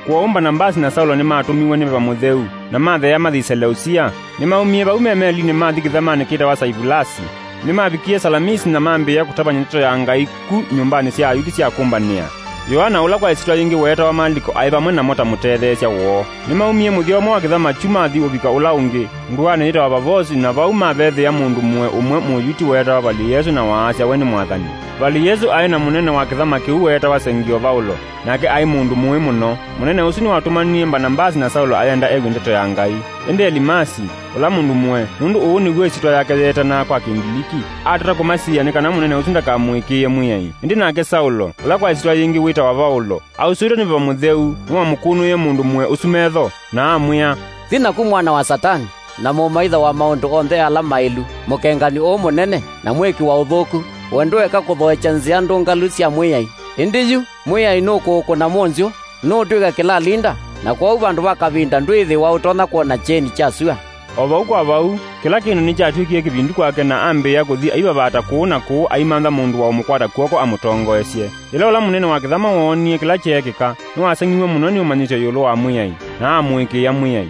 Kwoou Mbanambasi na Saulo nĩmatũmiwe nĩ Veva Mũtheu, na matheea mathi Seleusia. Nĩmaumie vau me melinĩ mathi kĩthamanĩ kĩtawa Saivulasi. Nĩmavikie Salamisi na mambĩĩa kũtavany'a ndeto ya Ngai ku nyũmbanĩ sya Ayuti sya kũmbanĩa. Yoana, ũla kwa ĩsyĩtwa yĩngĩ weetawa Maliko, aĩ vamwe namo ta mũtetheesya woo. Nĩmaumie mũthya ũmwe wa kĩthama kyu mathi ũvika ũla ũngĩ, ndũanĩ yĩtawa Vavosi, na vau mavethĩa mũndũ mũe ũmwe Mũyuti weetawa Vali-Yesũ, na waasya we nĩ Mwathani. Vali-Yesũ aĩ na mũnene wa kĩthama kĩu weetawa Sengio Vaulo, nake aĩ mũndũ mũĩ mũno. Mũnene ũsu nĩwatũmanie Mbanavasi na Saulo ayenda ew'e ndeto ya Ngai. Ĩndĩ Elimasi, ũla mũndũ mũe, nũndũ ũũ nĩw'o ĩsyĩtwa yake yeetanaa kwa Kĩngiliki, atata kũmasiĩĩa nĩ kana mũnene ũsu ndakamũĩkĩĩe Mwĩai. Ĩndĩ nake Saulo, ũla kwa ĩsyĩtwa yĩngĩ wĩtawa Vaulo, ausũĩtwe nĩ Veva Mũtheu, nĩwamũkũnũĩe mũndũ mũe ũsu metho, na amwĩa, "Thi naku, mwana wa Satani, na mũmaitha wa maũndũ onthe ala maĩlu, mũkengani ũũ mũnene, na mwĩki wa ũthũku, we ndũeka kũthoekya nzĩa ndũngalu sya Mwĩai. Ĩndĩ yu, Mwĩai nũkũũkũna mũnzyũ, nũũtw'ĩka kĩlalinda, na kwoou vandũ va kavinda ndwĩĩthĩwa ũtonya kwona kyeni kya sua." O vau kwa vau, kĩla kĩndũ nĩkyatw'ĩkie kĩvindu kwake, na ambĩĩa kũthi aivavaata kũũ na kũũ aimantha mũndũ wa ũmũkwata kw'oko amũtongoesye. Yĩla ũla mũnene wa kĩthama woonie kĩla kyeekĩka, nĩwaseng'iw'e mũno nĩ ũmanyĩsyo ĩũlũ wa Mwĩai, na amũĩkĩĩa Mwĩai.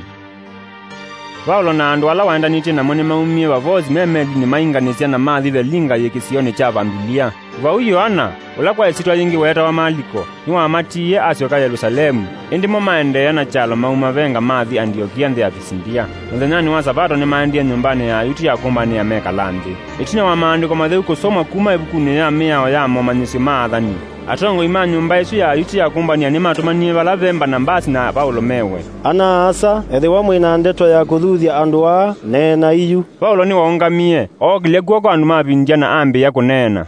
Vaulo na andũ ala waendanĩtye namo nĩmaumie Vavosi me melinĩ mainganĩsya na mathi Velinga yĩ kĩsionĩ kya Vambilia. Vau Yoana, ũla kwa ĩsyĩtwa yĩngĩ weetawa Maliko, nĩwamatiie asyoka Yelũsalemu, ĩndĩ mo maendeea na kyalo mauma Venga mathi Andiokia nthĩ ya Pisindia. Mũthenyanĩ wa Savato nĩmaendie nyũmbanĩ ya Ayuti ya kũmbanĩa mekala nthĩ. Ĩtina wa Maandĩko Matheu kũsomwa kuma ĩvukunĩ ya Mĩao ya Momanyĩsyo ma Athani, atongoi ma nyũmba ĩsu ya Ayuti ya kũmbanĩa nĩmatũmanie vala ve Mbanavasi na Vaulo mewe. Ana-a-asa, ethĩwa mwĩ na ndeto ya kũthuthya andũ aa, neenai yu. Vaulo nĩwaũngamie, ookĩlya kw'oko andũ mavindia na ambĩĩa kũneena.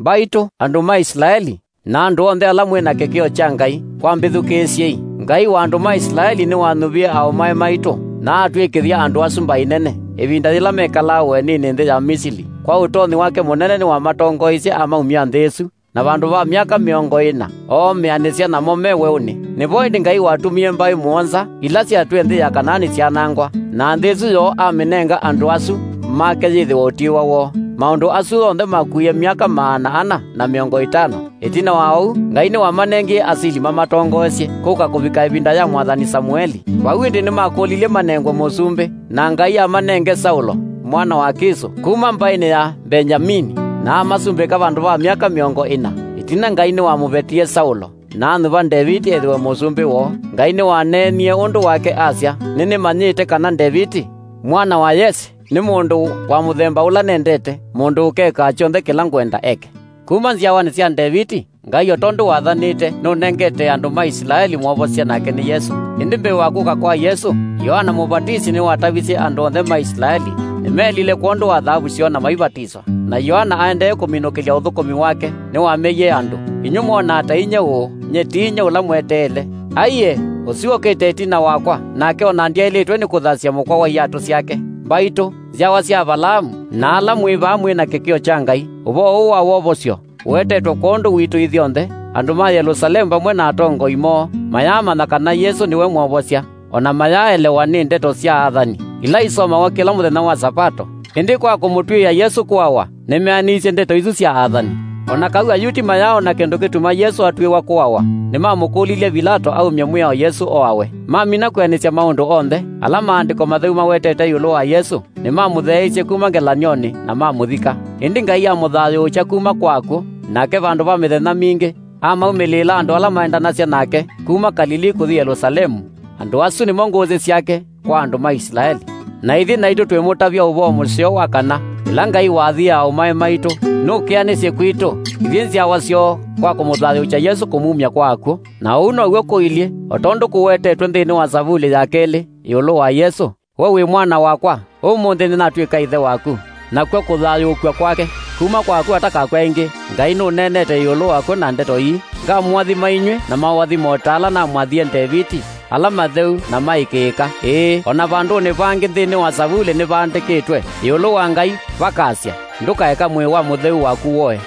Mbaitũ, andũ ma Isilaeli, na andũ onthe ala mwĩ na kĩkĩo kya Ngai, kwambĩthukĩĩsyei. Ngai wa andũ ma Isilaeli nĩwanyuvie aaũmae maitũ, na atw'ĩkĩthya andũ asu mbaĩ nene, ĩvinda yĩla mekalaa ũeninĩ nthĩ ya Misili. Kwa ũtonyi wake mũnene nĩwamatongoeisye amaumya nthĩ ĩsu, na vandũ va myaka mĩongo ĩna, oomĩanĩsya namo me weũnĩ. Nĩvo ĩndĩ Ngai watumie mbaĩ mũonza, ila syatwĩe nthĩ ya Kanaani syanangwa, na nthĩ ĩsu yoo amĩnenga andũ asu make yĩthĩwe ũtiĩwa woo. Maũndũ asu onthe makuie myaka maana ana na mĩongo ĩtano. Ĩtina wa ũu, Ngai nĩwamanengie asili mamatongoesye kũka kũvika ĩvinda ya mwathani Samueli. Vau ĩndĩ nĩmakũlilye manengwe mũsumbĩ, na Ngai amanenge Saulo, mwana wa Kisũ, kuma mbaĩnĩ ya Mbengyamini, na amasumbĩka vandũ va myaka mĩongo ĩna. Ĩtina Ngai nĩwamũvetie Saulo, na anyuva Ndeviti ethĩwe mũsumbĩ woo. Ngai nĩwaneenie ũndũ wake asya, "Nĩnĩmanyĩte kana Ndeviti, mwana wa Yese, nĩ mũndũ wa mũthemba ũla nendete, mũndũ ũkekaa kyonthe kĩla ngwenda eke." Kuma nzyawanĩ sya Ndeviti, Ngai o tondũ wathanĩte, nũnengete andũ ma Isilaeli mwovosya, nake nĩ Yesũ. Ĩndĩ mbee wa kũka kwa Yesũ, Yoana Mũvatisi nĩwatavisye andũ onthe ma Isilaeli nĩmelile kwondũ wa thaavu syoo na maivatiswa. Na Yoana aendee kũminũkĩlya ũthũkũmi wake, nĩwameie andũ, "Inyw'ĩ mwonaa ta inyie ũũ, nyie ti inyie ũla mweteele. Aiee, ũsu ũkĩte ĩtina wakwa, nake o na ndyaĩlĩtwe nĩ kũthasya mũkwa wa iatũ syake." Mbaitũ, nzyawa sya Avalaamu, na ala mwĩ vaa mwĩ na kĩkĩo kya Ngai, ũvoo ũũ wa wovosyo ũetetwe kwondũ witũ ithyonthe, andũ ma Yelũsalemu vamwe na atongoi moo mayaamanya kana Yesũ nĩwe Mwovosya, o na mayaaelewa nĩ ndeto sya athani ila isomawa kĩla mũthenya wa Savato. Ĩndĩ kwa kũmũtw'ĩĩa Yesũ kũawa, nĩmeanĩisye ndeto isu sya athani. O na kau Ayuti mayaaona kĩndũ kĩtuma Yesũ atw'ĩĩwa kũawa, nĩmamũkũlilye Vilato aumye mwĩao Yesũ oawe. Mamina kwĩanĩsya maũndũ onthe ala Maandĩko Matheu mawetete ĩũlũ wa Yesũ, nĩmamũtheeisye kuma ngelany'onĩ na mamũthika. Ĩndĩ Ngai amũthayũũkya kuma kwa akw'ũ, nake vandũ va mĩthenya mingĩ amaumĩlĩĩla andũ ala maendanasya nake kuma Kalilii kũthi Yelũsalemu. Andũ asu nĩmo ngũsĩ syake kwa andũ ma Isilaeli. Na ithyĩ naitũ twĩmũtavya ũvoo mũseo wa kana, ĩla Ngai wathie aaũmae maitũ, nũkeanĩsye kwitũ, ithyĩ nzyawa syoo, kwa kũmũthayũũkya Yesũ kũmumya kwa akw'ũ. Na ũu now'o kũilyĩ, o tondũ kũwetetwe nthĩnĩ wa Savulĩ ya kelĩ ĩũlũ wa Yesũ, "We wĩ mwana wakwa, ũmũnthĩ nĩnatw'ĩka ĩthe waku." Nakw'o kũthayũũkw'a kwake kuma kwa akw'ũ atakakw'a ĩngĩ. Ngai nũneenete ĩũlũ wakw'o na ndeto ii, "Ngamũathima inyw'ĩ na maũathimo o ta ala namwathie Ndeviti, ala matheu na maĩkĩĩka, ĩĩ, o na vandũnĩ vangĩ nthĩnĩ wa Savulĩ nĩvaandĩkĩtwe ĩũlũ wa Ngai, vakasya, 'Ndũkaeka mwĩĩ wa mũtheu waku woe.'"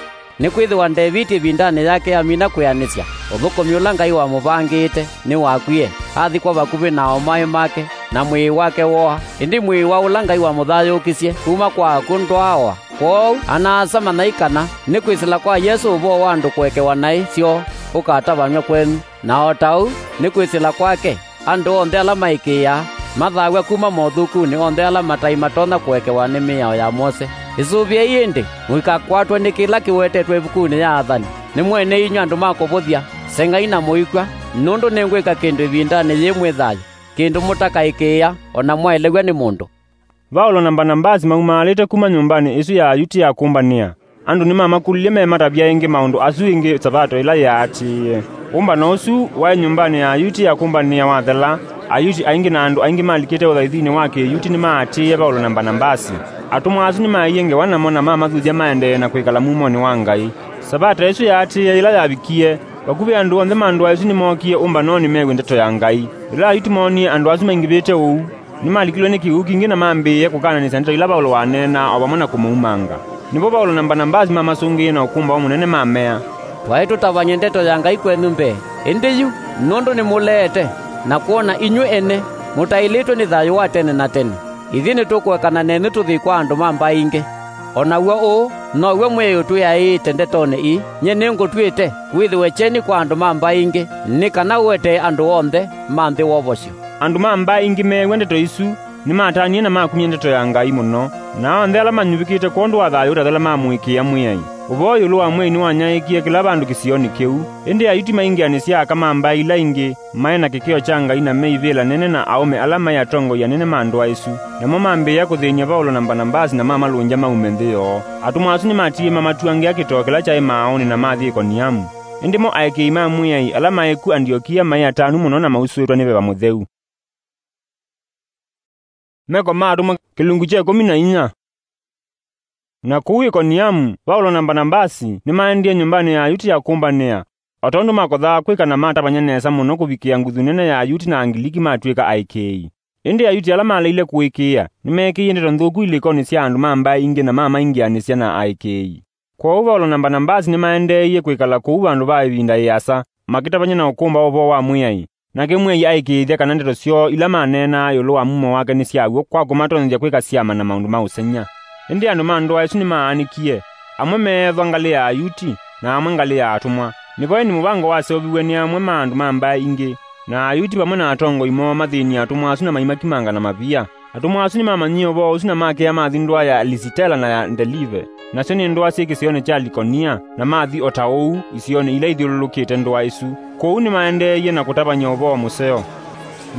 Nĩkwĩthĩwa Ndeviti ĩvindanĩ yake amina kwĩanĩsya, ũthũkũmi ũla Ngai wamũvangĩĩte nĩwakwie, athikwa vakuvĩ na aũmae make, na mwĩĩ wake wooa. Ĩndĩ mwĩĩ wa ũla Ngai wamũthayũũkisye kuma kwa akw'ũ ndwaawa. Kwoou, ana-a-asa, manyai kana nĩ kwĩsĩla kwa Yesũ ũvoo wa andũ kũekewa naĩ syoo ũkatavanw'a kwenyu, na o ta ũu nĩ kwĩsĩla kwake andũ onthe ala maĩkĩĩaa mathaaw'a kuma mothũkunĩ onthe ala mataĩ matonya kũekewa nĩ mĩao ya Mose. Ĩsũvĩei ĩndĩ mũikakwatwe nĩ kĩla kĩwetetwe ĩvukunĩ ya Athani, "Nĩ mwene inyw'ĩ andũ ma kũvũthya, Sengai na mũikw'a, nũndũ nĩngwĩka kĩndũ ĩvindanĩ yĩĩ mwĩ thayũ, kĩndũ mũtakaĩkĩĩa o na mwaelew'a nĩ mũndũ." Vaulo na Mbanavasi maumaalĩte kuma nyũmbanĩ ĩsu ya Ayuti ya kũmbanĩa. Andũ nĩmamakũlilye mematavya ĩngĩ maũndũ asu ĩngĩ Savato ĩla yaatĩĩe. Ũmbano ũsu waĩ nyũmbanĩ ya Ayuti ya kũmbanĩa wathela, Ayuti aingĩ na andũ aingĩ malikĩte ũthaithinĩ wa Kĩyuti nĩmaatĩĩe Vaulo na Mbanavasi. Atũmwa asu nĩmaaie ngewa namo na mamathuthya maendee na kwĩkala mumonĩ wa Ngai. Savato ĩsu yaatĩĩe yĩla yavikie, vakuvĩ andũ onthe ma ndũa ĩsu nĩmookie ũmbanonĩ mew'e ndeto ya Ngai. Yĩla Ayuti moonie andũ asu maingĩvĩte ũu, nĩmalikilwe nĩ kĩw'ũ kingĩ na mambĩĩe kũkananĩsya ndeto ila Vaulo waneenaa o vamwe na kũmaumanga. Nĩvo Vaulo na Mbanavasi mamasũngĩie na ũkũmbaũ mũnene mamea, "Twaĩ tũtavany'e ndeto ya Ngai kwenyu mbee, ĩndĩ yu, nũndũ nĩmũleete na kwona inyw'ĩ ene mũtaĩlĩtwe nĩ thayũ wa tene na tene, ithyĩ nĩtũkũekana nenyu tũthi kwa andũ ma mbaĩ ingĩ. O naw'o ũũ now'o mwĩĩ ũtwĩaĩĩte ndetonĩ ii, 'Nyie nĩngũtw'ĩte, wĩthĩwe kyeni kwa andũ ma mbaĩ ingĩ, nĩ kana ũetee andũ onthe ma nthĩ wovosyo.'" Andũ ma mbaĩ ingĩ meew'a ndeto isu, nĩmatanie na makumya ndeto ya Ngai mũno, na onthe ala manyuvĩkĩte kwondũ wa thayũ ũtathela mamũĩkĩĩa Mwĩai. Ũvoo ĩũlũ wa Mwĩai nĩwanyaĩĩkie kĩla vandũ kĩsionĩ kĩu, ĩndĩ Ayuti maingĩanĩsya aka ma mbaĩ ila ingĩ maĩ na kĩkĩo kya Ngai na meivĩla nene na aũme ala maĩ atongoi anene ma ndũa ĩsu, namo mambĩĩa kũthĩny'a Vaulo na Mbanavasi na mamalũngya maume nthĩ yoo. Atũmwa asu nĩmatiie mamatuangĩa kĩtoo kĩla kyaĩ maaũnĩ na mathi Ikoniamu. Ĩndĩ mo aĩkĩĩi ma Mwĩai ala maĩ ku Andiokia maĩ atanu mũno na mausũĩtwe nĩ Veva Mũtheu. Meko ma Atũmwa kĩlungu kya ĩkũmi na inya. Na kũu Ikoniamu, Vaulo na Mbanavasi nĩmaendie nyũmbanĩ ya Ayuti ya kũmbanĩa, o tondũ makothaa kwĩka na matavany'a nesa mũno kũvikĩa nguthu nene ya Ayuti na Angiliki matw'ĩka aĩkĩĩi. Ĩndĩ Ayuti ala maleile kũĩkĩĩa nĩmeekĩie ndeto nthũku ilĩkonĩ sya andũ ma mbaĩ ingĩ na mamaingĩanĩsya na aĩkĩĩi. Kwoou Vaulo na Mbanavasi nĩmaendeeie kwĩkala kũu vandũ va ĩvinda ĩasa, makĩtavany'a na ũkũmbaũ ũvoo wa Mwĩai. Nake Mwĩai aĩkĩĩthya kana ndeto syoo ila maneenaa ĩũlũ wa mumo wake nĩ sya w'o kwa kũmatonyethya kwĩka syama na maũndũ ma ũsengy'a. Ĩndĩ andũ ma ndũa ĩsu nĩmaanĩkie, amwe meethwa ngalĩ ya Ayuti, na amwe ngalĩ ya atũmwa. Nĩvo ĩndĩ mũvango waseũviw'e nĩ amwe ma andũ ma mbaĩ ingĩ, na Ayuti vamwe na atongoi moo mathĩnie atũmwa asu na maimakimanga na mavia. Atũmwa asu nĩmamanyie ũvoo ũsu na makĩa mathi ndũa ya Lisitela na ya Ndelive, nasyo nĩ ndũa syĩ kĩsionĩ kya Likonia, na mathi o ta ũu isionĩ ila ithyũlũlũkĩte ndũa ĩsu. Kũu nĩmaendeeie na kũtavany'a ũvoo mũseo.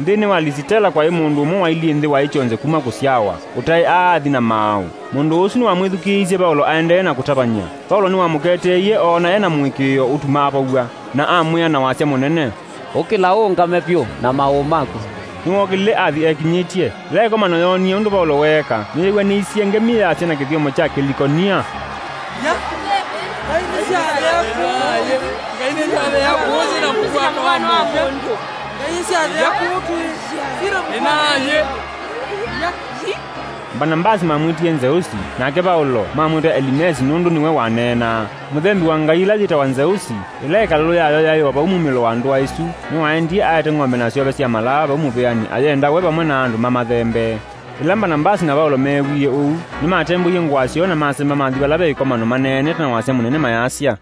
Nthĩnĩ wa Lisitela kwaĩ mũndũ ũmwe wailyĩ nthĩ waĩ kyonthe kuma kũsyawa, ũtaĩ aathi na maaũ. Mũndũ ũsu nĩwamwĩthukĩĩisye Vaulo aendee na kũtavany'a. Vaulo nĩwamũketeeie oona e na mũĩkĩĩo ũtumaa vaw'a, na amwĩa na wasya mũnene, "Ũkĩla ũũngame vyũ na maaũ maku." Nĩwookĩlile athi ekinyĩtye. Yĩla ĩkomano yoonie ũndũ Vaulo weeka, nĩyeew'anĩisye ngemi yasya na kĩthyomo kya Kĩlikonia, "Ngai nĩ syathea kũũ. Ngai nĩ syathea kũũ, sina mũkua mwana wa mũndũ. Ngai nĩ syathea kũũ twĩ. Sina mũkua." Mbanavasi mamwĩtie Nzeusi, nake Vaulo mamwĩta Elimesi nũndũ nĩwe waneenaa. Mũthembi wa ngai ĩla yĩtawa Nzeusi, ĩla ĩkalũlo yayo yaĩ o vau mumĩlo wa ndũa ĩsu, nĩwaendie aete ng'ombe na syove sya malaa vau mũvĩanĩ ayenda we vamwe na andũ mamathembee. Ĩla Mbanavasi na Vaulo meewie ũu, nĩmatembũie ngũa syoo na masemba mathi vala ve ĩkomano maneenete na wasya mũnene mayasya,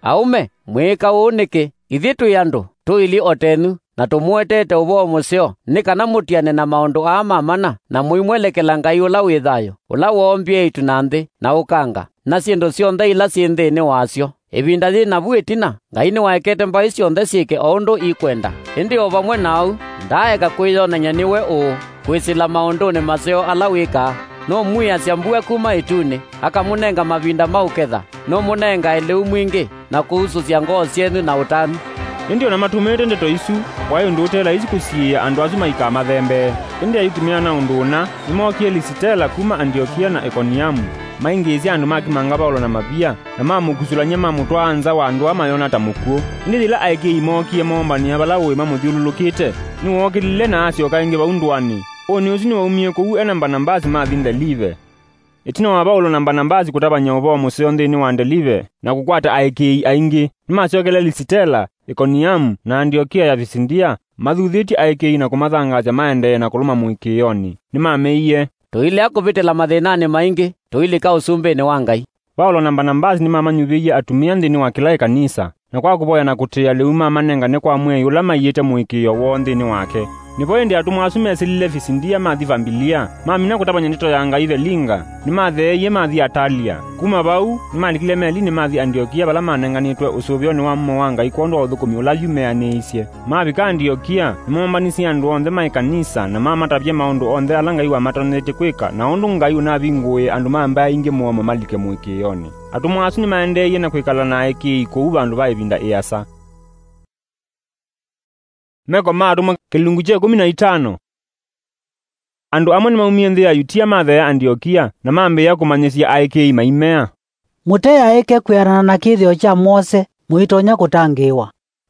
"Aũme, mwĩĩka ũu nĩkĩ? Ithyĩ twĩ andũ, tũilyĩ o tenyu, na tũmũeteete ũvoo mũseo, nĩ kana mũtiane na maũndũ aa ma mana, na mũimwelekela Ngai ũla wĩ thayũ, ũla woombie ĩtu na nthĩ, na ũkanga, na syĩndũ syonthe ila syĩ nthĩnĩ wasyo. Ĩvinda yĩ navu ĩtina, Ngai nĩwaekete mbaĩ syonthe syĩke o ũndũ ikwenda. Ĩndĩ o vamwe na ũu, ndaaeka kwĩyonany'a nĩwe ũũ, kwĩsĩla maũndũnĩ maseo ala wĩkaa. Nũmwiasya mbua kuma ĩtunĩ, akamũnenga mavinda ma ũketha, nũmũnengae lĩu mwingĩ, na kũusũsya ngoo syenyu na ũtanu." Ĩndĩ o na matũmĩĩte ndeto isu, kwaĩ ũndũ ũte laisi kũsiĩĩa andũ asu maikamathembee. Ĩndĩ Ayuti meona ũndũ ũna, nĩmookie Lisitela kuma Andiokia na Ikoniamu, maingĩĩsya andũ makimanga Vaulo na mavia, na mamũkusũlany'a mamũtwaa nza wa ndũa mayona ta mũkw'ũ. Ĩndĩ yĩla aĩkĩĩi mookie moombanĩa vala ũĩ mamũthyũlũlũkĩte, nĩwookĩlile na asyoka ĩngĩ vau ndũanĩ. Ũnĩ ũsu nĩwaumie kũu e na Mbanavasi mathi Ndelive. Ĩtina wa Vaulo na Mbanavasi kũtavany'a ũvoo mũseo nthĩnĩ wa Ndelive na kũkwata aĩkĩĩi aingĩ, nĩmasyokele Lisitela, Ikoniamu, na Andiokia ya Visindia, mathuthĩtye aĩkĩĩi na kũmathangaasya maendee na kũlũma mũĩkĩĩonĩ. Nĩmameie, "Tũilea kũvĩtĩla mathĩnanĩ maingĩ, tũilika ũsumbĩnĩ wa Ngai." Vaulo na Mbanavasi nĩmamanyuvĩie atumĩa nthĩnĩ wa kĩla ĩkanisa, na kwa kũvoya na kũtĩĩa lĩu mamanengane kwa Mwĩai ũla maiĩte mũĩkĩĩo woo nthĩnĩ wake. Nĩvo ĩndĩ atũmwa asu mesĩlile Visindia mathi Vambilia, mamina kũtavany'a ndeto ya Ngai Velinga, nĩmatheeie mathi Atalia. Kuma vau, nĩmalikile melinĩ mathi Andiokia, vala manenganĩtwe ũsũvĩonĩ wa mumo wa Ngai kwondũ wa ũthũkũmi ũla yu meanĩisye. Mavika Andiokia, nĩmoombanisye andũ onthe ma ĩkanisa, na mamatavya maũndũ onthe ala Ngai wamatoneetye kwĩka, na ũndũ Ngai ũnavingũĩe andũ ma mbaĩ ingĩ mũomo malike mũĩkĩĩonĩ. Atũmwa asu nĩmaendeeie na kwĩkala na aĩkĩĩi kũu vandũ va ĩvinda ĩasa. Meko ma Atũmwa, kĩlungu kya ĩkũmi na itano. Andũ amwe nĩmaumie nthĩ ya Yutia matheea Andiokia, na mambĩĩa kũmanyĩsya aĩkĩĩi maimea, "Mũteaĩke kwĩanana na kĩthĩo kya Mose, mũitonya kũtangĩĩwa."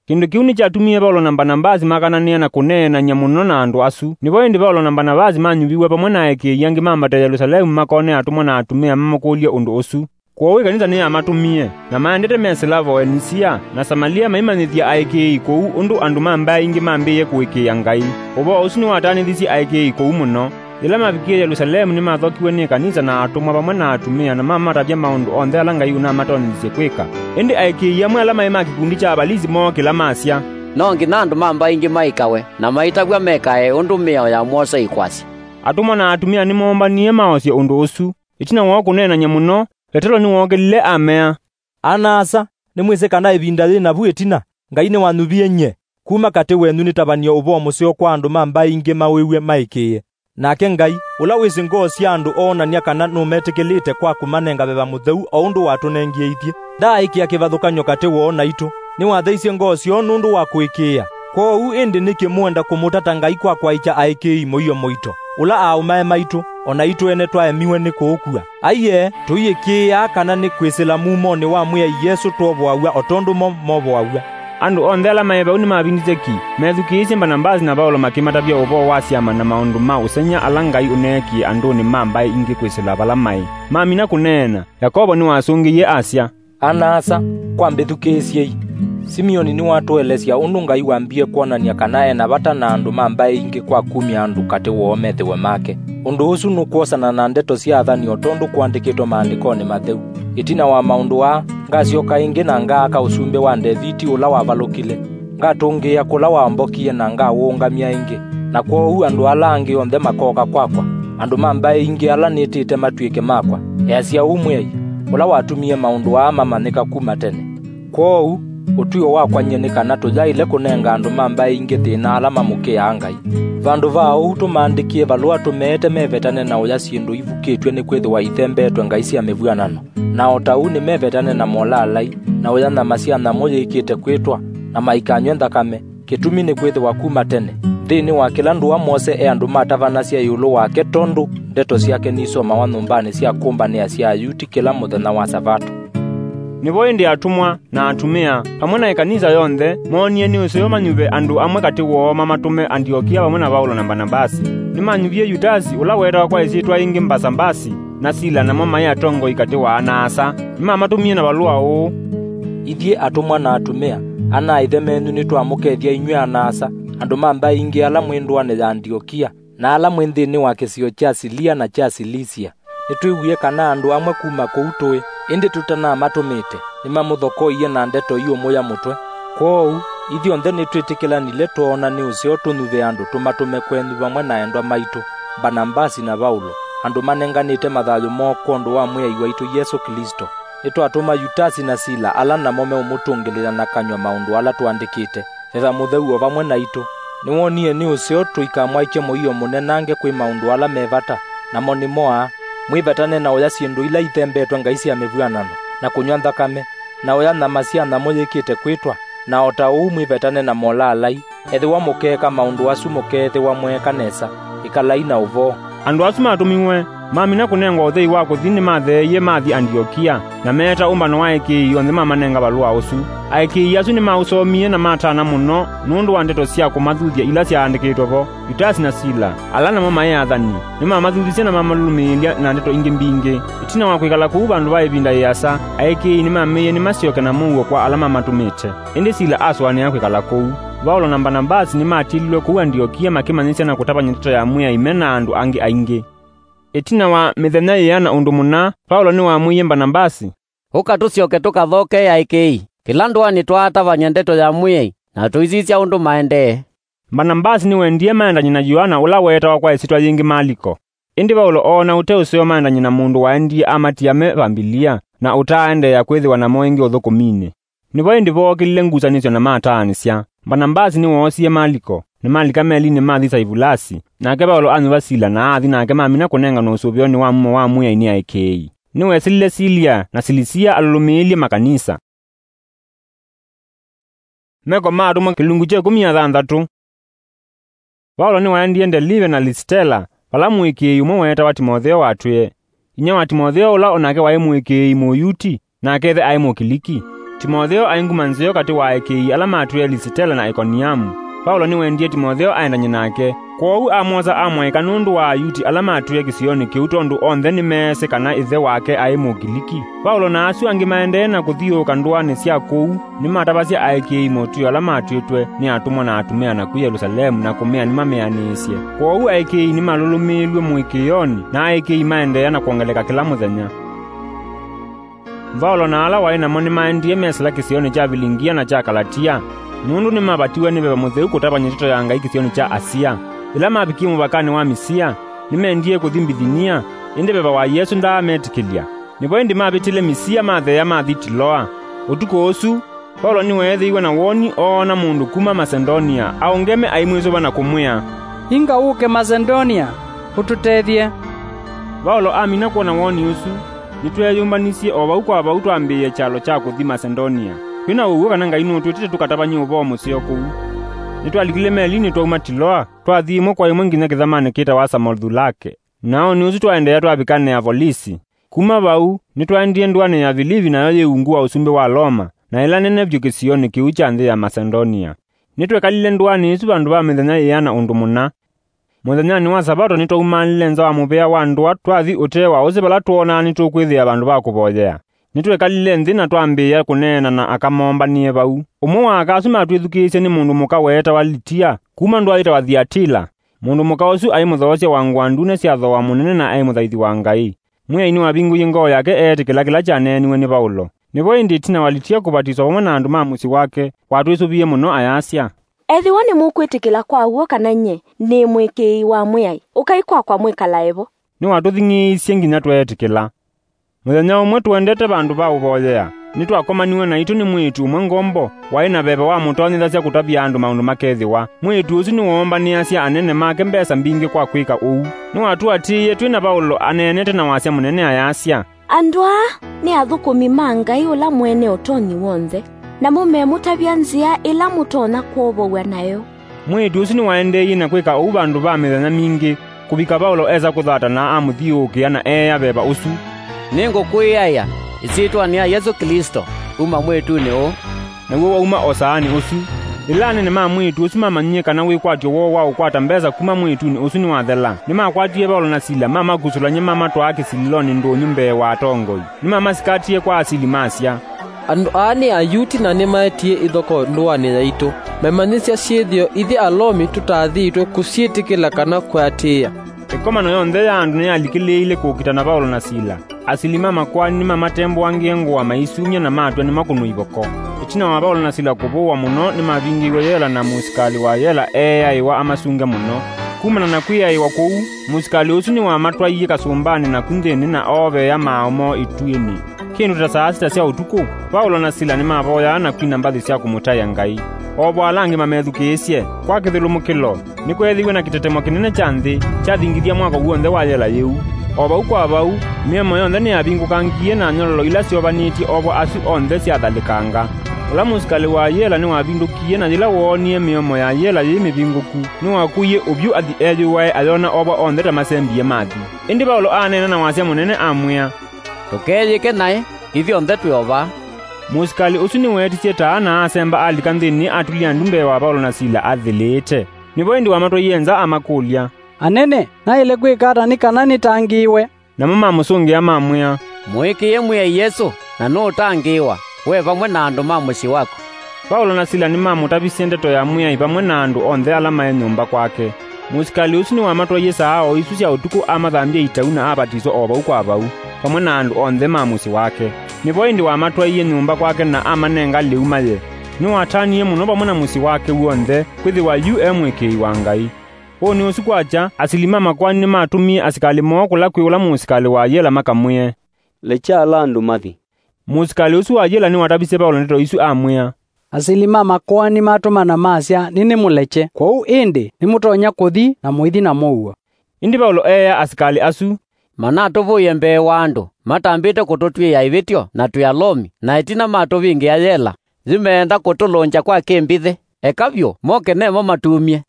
Kĩndũ kĩu nĩkyatumie Vaũlo na Mbanavasi makananĩa na kũneenany'a mũno na andũ asu. Nĩvo ĩndĩ Vaũlo na Mbanavasi manyuviw'e vamwe na aĩkĩĩi angĩ mambate Yelusalemu makone atũmwa na atumĩa mamakũlye ũndũ ũsu. Kwoou ĩkanisa nĩyamatũmie, na maendete mesĩla Voenisia na Samalia maimanyĩthya aĩkĩĩi kũu ũndũ andũ ma mbaĩ ingĩ mambĩĩe kũĩkĩĩa Ngai. Ũvoo ũsu nĩwataanĩthisye aĩkĩĩi kũu mũno. Yĩla mavikie Yelusalemu, nĩmathokiw'e nĩ ĩkanisa na atũmwa vamwe na atumĩa, na mamatavya maũndũ onthe ala Ngai ũnamatonethisye kwĩka. Ĩndĩ aĩkĩĩi amwe ala maĩ ma kĩkundi kya Avalisi mookĩla masya, "No nginya andũ ma mbaĩ ingĩ maĩkawe, na maitavw'a mekae ũndũ mĩao ya Mose ĩkwasya." Atũmwa na atumĩa nĩmoombanie maosye ũndũ ũsu. Ĩtina wa kũneenany'a mũno, Vetelo nĩwookĩlile amea, "Ana-a-asa, nĩmwĩsĩ kana ĩvinda yĩ navu ĩtina, Ngai nĩwanyuvie nyie kuma katĩ wenyu nĩtavany'e ũvoo mũseo kwa andũ ma mbaĩ ingĩ mawĩw'e maĩkĩĩe. Nake Ngai, ũla wĩsĩ ngoo sya andũ oonany'a kana nũmetĩkĩlĩte kwa kũmanenga Veva Mũtheu o ũndũ watũnengie ithyĩ. Ndaaĩkĩa kĩvathũkany'o katĩ woo naitũ. Nĩwatheisye ngoo syoo nũndũ wa kũĩkĩĩa. Kwoou ĩndĩ nĩkĩ mwenda kũmũtata Ngai kwa kwaĩkya aĩkĩĩi mũio mũito, ũla aaũmae maitũ, o naitũ ene twaemiwe nĩ kũũkua? Aiee, tũiĩkĩĩaa kana nĩ kwĩsĩla mumonĩ wa Mwĩai Yesũ twovoaw'a o tondũ mo movoaw'a." Andũ onthe ala maĩ vau nĩmavindĩtye ki, methukĩĩsye Mbanavasi na Vaũlo makĩmatavya ũvoo wa syama na maũndũ ma ũsengy'a ala Ngai ũneekie andũnĩ ma mbaĩ ingĩ kwĩsĩla vala maĩ. Mamina kũneena, Yakovo nĩwasũngĩie asya, "Ana-a-asa, kwa mbĩthukĩĩsyei. Simioni nĩwatũelesya ũndũ Ngai wambie kwonany'a kana e na vata na andũ ma mbaĩ ingĩ kwa kumya andũ katĩ woo methĩwe make. Ũndũ ũsu nũkwosana na ndeto sya athani o tondũ kũandĩkĩtwe maandĩkonĩ matheu. Ĩtina wa maũndũ aa, ngasyoka ĩngĩ na ngaaka ũsumbĩ wa Ndeviti ũla wavalũkile. Ngatũngĩĩa kũla wambokie na ngawũũngamya ĩngĩ. Na kwoou andũ ala angĩ onthe makooka kwakwa, andũ ma mbaĩ ingĩ ala nĩtĩte matw'ĩke makwa. Easya ũu Mwĩai, ũla watumie maũndũ aa mamanyĩka kuma tene. Kwoou, ũtw'ĩo wakwa nyie nĩ kana tũyaĩle kũnenga andũ ma mbaĩ ingĩ thĩna ala mamũkĩaa Ngai. Vandũ va ũu tũmaandĩkĩe valũa tũmeete mevetane na ũya syĩndũ ivukĩtw'e nĩkwĩthĩwa ithembeetwe ngai sya mĩvw'anano. Na o ta ũu nĩmevetane na molaalai, na ũya nyama sya nyamũ yĩkĩte kwĩtwa, na maikanywe nthakame. Kĩtumi nĩ kwĩthĩwa kuma tene, nthĩnĩ wa kĩla ndũa Mose e andũ matavanasya ĩũlũ wake tondũ ndeto syake nisomawa nyũmbanĩ sya kũmbanĩa sya Ayuti kĩla mũthenya wa Savato." Nĩvo ĩndĩ atũmwa na atumĩa, vamwe na ĩkanisa yonthe, moonie nĩ ũseo manyuve andũ amwe katĩ woo mamatũme Andiokia vamwe na Vaũlo na Mbanavasi. Nĩmanyuvie Yutasi, ũla weetawa kwa ĩsyĩtwa yĩngĩ Mbasavasi, na Sila, namo maĩ atongoi katĩ wa ana-a-asa. Nĩmamatũmie na valũa ũũ, "Ithyĩ atũmwa na atumĩa, ana-a-ĩthe menyu nĩtwamũkethya inyw'ĩ ana-a-asa, andũ ma mbaĩ ingĩ ala mwĩ ndũanĩ ya Andiokia, na ala mwĩ nthĩnĩ wa kĩsio kya Silia na kya Silisia. Nĩtwĩw'ie kana andũ amwe kuma kũu tũĩ, ĩndĩ tũtanamatũmĩte, nĩmamũthokoie na ndeto iũmũya mũtwe. Kwoou, ithyonthe nĩtwĩtĩkĩlanile twoona nĩ ũseo tũnyuve andũ tũmatũme kwenyu vamwe na endwa maitũ, Mbanavasi na Vaũlo, andũ manenganĩte mathayũ moo kwondũ wa Mwĩai waitũ Yesũ Klĩsto. Nĩtwatũma Yutasi na Sila, ala namo meũmũtũngĩlĩĩla na kanyw'a maũndũ ala tũandĩkĩte. Veva Mũtheu o vamwe naitũ. Nĩwonie nĩ ũseo tũikamwaĩkye mũio mũnenange kwĩ maũndũ ala me vata, namo nĩmo aa: mwĩvetane na ũya syĩndũ ila ithembetwe ngai sya mĩvw'anano, na kũnyw'a nthakame, na ũya nyama sya nyamũ yĩkĩte kwĩtwa, na o ta ũu mwĩvetane na molaalai. Ethĩwa mũkeeka maũndũ asu mũkeethĩwa mweeka nesa. Ĩkalai na ũvoo." Andũ asu matũmiwe, mamina kũnengwa ũthei wa kũthi nĩmatheeie mathi Andiokia, na meeta ũmbano wa aĩkĩĩi onthe mamanenga valũa ũsu. Aĩkĩĩi asu nĩmaũsomie na matana mũno nũndũ wa ndeto sya kũmathuthya ila syaandĩkĩtwe vo. Yutasi na Sila, ala namo maĩ athani, nĩmamathuthisye na mamalũlũmĩĩlya na ndeto ingĩ mbingĩ. Ĩtina wa kwĩkala kũu vandũ va ĩvinda yĩasa, aĩkĩĩi nĩmamĩie nĩmasyoke na mũuo kwa ala mamatũmĩte. Ĩndĩ Sila asũanĩa kwĩkala kũu. Vaũlo na Mbanavasi nĩmatililwe kũu Andiokia makĩmanyĩsya na kũtavany'a ndeto ya Mwĩai me na andũ angĩ aingĩ. Ĩtina wa mĩthenya yĩana ũndũ mũna, Vaũlo nĩwamwĩie Mbanavasi, "Ũka tũsyoke tũkathokee aĩkĩĩi kĩla ndũanĩ twaatavany'a ndeto ya Mwĩai, na tũisisya ũndũ maendee." Mbanambasi nĩwendie maendany'e na Yoana ũla weetawa kwa ĩsyĩtwa yĩngĩ Maliko. Ĩndĩ Vaũlo oona ũte ũseo maendany'e na mũndũ waendie amatia me Vambilia, na ũtaaendeea kwĩthĩwa namo ĩngĩ ũthũkũminĩ. Nĩvo ĩndĩ vookĩlile ngusanĩsyo na mataanĩsya. Mbanambasi nĩwoosie Maliko, na malika melinĩ mathi Saivulasi, nake Vaũlo anyuva Sila na athi nake mamina kũnenganwa ũsũvĩonĩ wa mumo wa Mwĩai nĩ aĩkĩĩi. Nĩwesilile Silia na Silisia alũlũmĩĩlye makanisa. Meko ma Atũmwa kĩlungu kya ĩkũmi na thanthatũ. Vaũlo nĩwaendie Ndelive na Lisitela, vala mũĩkĩĩi ũmwe weetawa Timotheo watwĩe. Inyia wa Timotheo, ũla o nake waĩ mũĩkĩĩi Mũyuti, nake ĩthe aĩ Mũkiliki. Timotheo aĩ nguma nzeo katĩ wa aĩkĩĩi ala matwĩe Lisitela na Ikoniamu. Vaũlo nĩwendie Timotheo aendany'e nake, kwoou amwosa amwaĩka nũndũ wa Ayuti ala matwĩe kĩsionĩ kĩu, tondũ onthe nĩmeesĩ kana ĩthe wake aĩ Mũkiliki. Vaũlo na asu angĩ maendee na kũthiũũka ndũanĩ sya kũu, nĩmatavasya aĩkĩĩi motw'ĩo ala matw'ĩtwe nĩ atũmwa na atumĩa naku Yelũsalemu na kũmea nĩmamĩanĩĩsye. Kwoou aĩkĩĩi nĩmalũlũmĩĩlw'e mũĩkĩĩonĩ, na aĩkĩĩi maendeea na kwongeleka kĩla mũthenya. Vaũlo na ala waĩ namo nĩmaendie mesĩla kĩsionĩ kya Vilingia na kya Kalatia, nũndũ nĩmavatiwe nĩ Veva Mũtheu kũtavany'a ndeto ya Ngai kĩsionĩ kya Asia. Yĩla mavikie mũvakanĩ wa Misia, nĩmendie kũthi Mbithinia, ĩndĩ Veva wa Yesũ ndaametĩkĩlya. Nĩvo ĩndĩ mavĩtile Misia matheea mathi Tiloa. Ũtukũ ũsu, Vaũlo nĩweethĩiwe na woni oona mũndũ kuma Masedonia aũngeme aimwĩsũva na kũmwĩa, "Inga ũke Masedonia, ũtũtethye." Vaũlo amina kwona woni ũsu, nĩtweeyũmbanisye o vau kwa vau twambĩĩe kyalo kya kũthi Masedonia, twĩ na ũw'o kana Ngai nũtwĩtĩte tũkatavany'e ũvoo mũseo kũu. Nĩtwalikile melinĩ twauma Tiloa, twathi ĩmwe kwa ĩmwe nginya kĩthamanĩ kĩtawa Samothulake. Na oonĩ ũsu twaendeea twavika Neavolisi. Kuma vau, nĩtwaendie ndũanĩ ya Vilivi, nayo yĩ ungu wa ũsumbĩ wa Loma, na ĩla nene vyũ kĩsionĩ kĩu kya nthĩ ya Masedonia. Nĩtwekalile ndũanĩ ĩsu vandũ va mĩthenya ĩana ũndũ mũna. Mũthenyanĩ wa Savato nĩtwaumaalile nza wa mũvĩa wa ndũa twathi ũtee wa ũsĩ vala twoonaa nĩtũkwĩthĩa vandũ va kũvoyea. Nĩtwekalile nthĩ na twambĩĩa kũneena na aka moombanĩe vau. Ũmwe wa aka asu matwĩthukĩĩsye nĩ mũndũ mũka weetawa Litia, kuma ndũa yĩtawa Thiatila. Mũndũ mũka ũsu aĩ mũthoosya wa ngũa ndune sya thooa mũnene na aĩ mũthaithi wa Ngai. Mwĩai nĩwavingũie ngoo yake eetĩkĩla kĩla kyaneeniwe nĩ Vaũlo. Nĩvo ĩndĩ ĩtina wa Litia kũvatiswa vamwe na andũ ma mũsyĩ wake, watwĩsũvie mũno ayasya, "Ethĩwa nĩmũkwĩtĩkĩla kwa w'o kana nyie nĩ mũĩkĩĩi wa Mwĩai, ũkai kwakwa mwĩkalae vo." Nĩwatũthing'ĩĩisye nginya tweetĩkĩla. Mũthenya ũmwe tũendete vandũ va ũvoyea, nĩtwakomaniwe naitũ nĩ mwĩĩtu ũmwe ngombo waĩ na veva wamũtonyethasya kũtavya andũ maũndũ makethĩwa. Mwĩĩtu ũsu nĩwoombanĩasya anene make mbesa mbingĩ kwa kwĩka ũu. Nĩwatũatĩĩie twĩ na Vaũlo aneenete na wasya mũnene ayasya, "Andũ aa nĩ athũkũmi ma Ngai ũla mwene ũtonyi w'onthe, namo memũtavya nzĩa ĩla mũtonya kwovow'a nayo." Mwĩĩtu ũsu nĩwaendeeie na kwĩka ũu vandũ va mĩthenya mingĩ, kũvika Vaũlo esa kũthata na amũthiũũkĩa na eea veva ũsu, "Nĩngũkwĩaĩa ĩsyĩtwanĩ ya Yesũ Klĩsto, uma mwĩĩtunĩ ũũ." Naw'o wauma o saanĩ ũsu. Yĩla anene ma mwĩĩtu ũsu mamanyie kana wĩkwatyo woo wa ũkwata mbesa kuma mwĩĩtunĩ ũsu nĩwathela, nĩmakwatie Vaũlo na Sila mamakusũlany'a mamatwaa kĩsilĩlonĩ ndũnyũ mbee wa atongoi. Nĩmamasikatĩe kwa asili masya, "Andũ aa nĩ Ayuti na nĩmaetie ithokoo ndũanĩ yaitũ. Memanyĩsya syĩthĩo ithyĩ Alomi tũtaathĩtwe kũsyĩtĩkĩla kana kũatĩĩa." Ĩkomano yonthe ya andũ nĩyalikĩlĩĩile kũkita na Vaũlo na Sila. Asili ma makoani nĩmamatembũangĩe ngũa maisumya na matw'a nĩmakũnwe ivoko. Ĩtina wa Vaũlo na Sila kũvũwa mũno, nĩmavingĩiwe yela na mũsikalĩ wa yela eeaĩwa amasunge mũno. Kumana na kwĩaĩwa kũu, mũsikalĩ ũsu nĩwamatwaie kasũmbanĩ naku nthĩnĩ na ooveea maaũ moo ituĩnĩ. Kĩndũ ta saa sita sya ũtukũ, Vaũlo na Sila nĩmavoyaa na kwina mbathi sya kũmũtaĩa Ngai. O vo ala angĩ mamethukĩĩsye, kwa kĩthũlũmũkĩlo, nĩkweethĩiwe na kĩtetemo kĩnene kya nthĩ, kyathingithya mwako w'onthe wa yela yĩu. O vau kwa vau, mĩomo yonthe nĩyavingũkangie na nyololo ila syovanĩtye ovo asu onthe syathalĩkanga. Ũla mũsikalĩ wa yela nĩwavindũkie, na yĩla woonie mĩomo ya yela yĩ mĩvingũku, nĩwakuie ũvyũ athi eyũae ayona ovo onthe ta masembie mathi. Ĩndĩ Vaũlo aaneena na wasya mũnene amwĩa, "Ndũkeyĩke naĩ, ithyonthe twĩ o vaa." Mũsikalĩ ũsu nĩweetisye taa na asemba alika nthĩnĩ atulya ndu mbee wa Vaũlo na Sila athĩlĩĩte. Nĩvo ĩndĩ wamatwaie nza amakũlya, "Anene, naĩle kwĩka ata nĩ kana nĩtangĩĩwe?" Namo mamũsũngĩa mamwĩa, "Mũĩkĩĩe Mwĩai Yesũ, na nũũtangĩĩwa, we vamwe na andũ ma mũsyĩ waku." Vaũlo na Sila nĩmamũtavisye ndeto ya Mwĩai vamwe na andũ onthe ala maĩ nyũmba kwake. Mũsikalĩ ũsu nĩwamatwaie saa o isu sya ũtukũ amathambya itau na avatiswa o vau kwa vau, vamwe na andũ onthe ma mũsyĩ wake. Nĩvo ĩndĩ wamatwaie nyũmba kwake na amanenga lĩu maye. Nĩwatanie mũno vamwe na mũsyĩ wake w'onthe kwĩthĩwa yu e mũĩkĩĩi wa Ngai. Ũnĩ ũsu kwakya, asili ma makoani nĩmatũmie asikalĩ moo kũla kwĩ ũla mũsikalĩ wa yela makamwĩe, "Lekya ala andũ mathi." Mũsikalĩ ũsu wa yela nĩwatavisye Vaũlo ndeto isu amwĩa, "Asili ma makoani matũmana masya nĩnĩmũlekye. Kwoou ĩndĩ nĩmũtonya kũthi na mũithi na mũuo." Ĩndĩ Vaũlo eea asikalĩ asu, "Manatũvũie mbee wa andũ matambĩte kũtũtw'ĩĩa ĩvĩtyo na twĩ Alomi, na ĩtina matũvingĩa yela. Yu meenda kũtũlũngya kwa kĩmbithĩ. Eka vyũ, moke nemo matumye."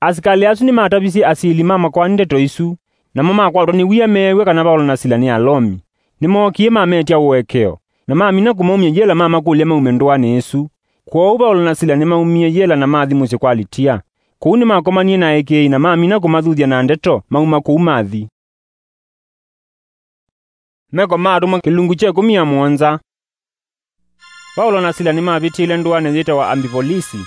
Asikalĩ asu nĩmatavisye asili ma makoani ndeto isu, namo makwatwa nĩ wia meew'a kana Vaũlo na Sila nĩ Alomi. Nĩmookie mametya ũekeo, na mamina kũmaumya yela mamakũlya maume ndũanĩ ĩsu. Kwoou Vaũlo na Sila nĩmaumie yela na mathi mũsyĩ kwa Litia. Kũu nĩmakomanie na aĩkĩĩi na mamina kũmathuthya na ndeto, mauma kũu mathi. Meko ma Atũmwa kĩlungu kya ĩkũmi na mũonza. Vaũlo na Sila nĩmavĩtĩile ndũanĩ yĩtawa Ambipolisi,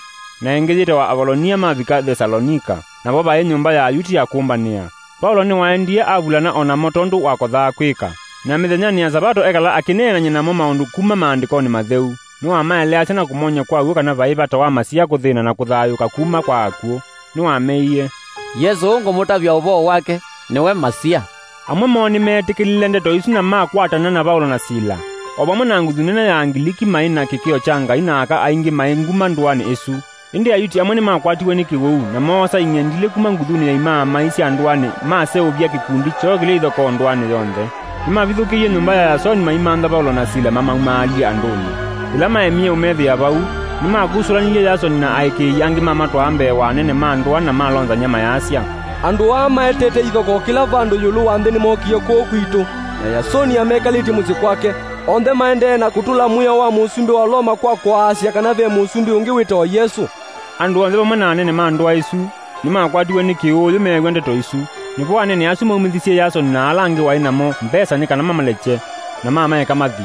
na ĩngĩ yĩtawa Avolonia mavika Thesalonika, navo vaĩ nyũmba ya Ayuti ya kũmbanĩa. Vaũlo nĩwaendie avulana o namo tondũ wakothaa kwĩka, na mĩthenyanĩ ya Savato ekala akĩneenany'a namo maũndũ kuma Maandĩkonĩ Matheu. Nĩwamaeleasya na kũmony'a kwa w'o kana vaĩ vata wa Masia kũthĩna na kũthayũũka kuma kwa akw'ũ. Nĩwameie, "Yesũ ũũ ngũmũtavya ũvoo wake nĩwe Masia." Amwe moo nĩmeetĩkĩlile ndeto isu na makwatana na Vaũlo na Sila. O vamwe na nguthu nene ya Angiliki maĩ na kĩkĩo kya Ngai na aka aingĩ maĩ nguma ndũanĩ ĩsu. Ĩndĩ Ayuti amwe nĩmakwatiwe nĩ kĩwĩu, na moosa ing'endilĩ kuma nguthunĩ ya imaamai sya ndũanĩ, maseũvya kĩkundi kyoo kĩlĩ ithokoo ndũanĩ yonthe. Nĩmavithũkĩie nyũmba ya Yasoni maimantha Vaũlo na Sila mamaumaalye andũnĩ. Yĩla maemie ũmethĩa vau, nĩmakusũlanilye Yasoni na aĩkĩĩi angĩ mamatwaa mbee wa anene ma ndũa na malonzany'a mayasya, "Andũ aa maetete ithokoo kĩla vandũ ĩũlũ wa nthĩ nĩmookie kũũ kwitũ, na Yasoni amekalĩtye mũsyĩ kwake. Onthe maendee na kũtũla mwĩao wa mũsumbĩ wa Loma kwa kũaasya kana ve mũsumbĩ ũngĩ wĩtawa Yesũ." Andũ onthe vamwe na anene ma ndũa ĩsu nĩmakwatiwe nĩ kĩũũyũ meew'a ndeto isu. Nĩvo anene asu maumĩthisye Yasoni na ala angĩ waĩ namo mbesa nĩ kana mamalekye, na mamaeka mathi.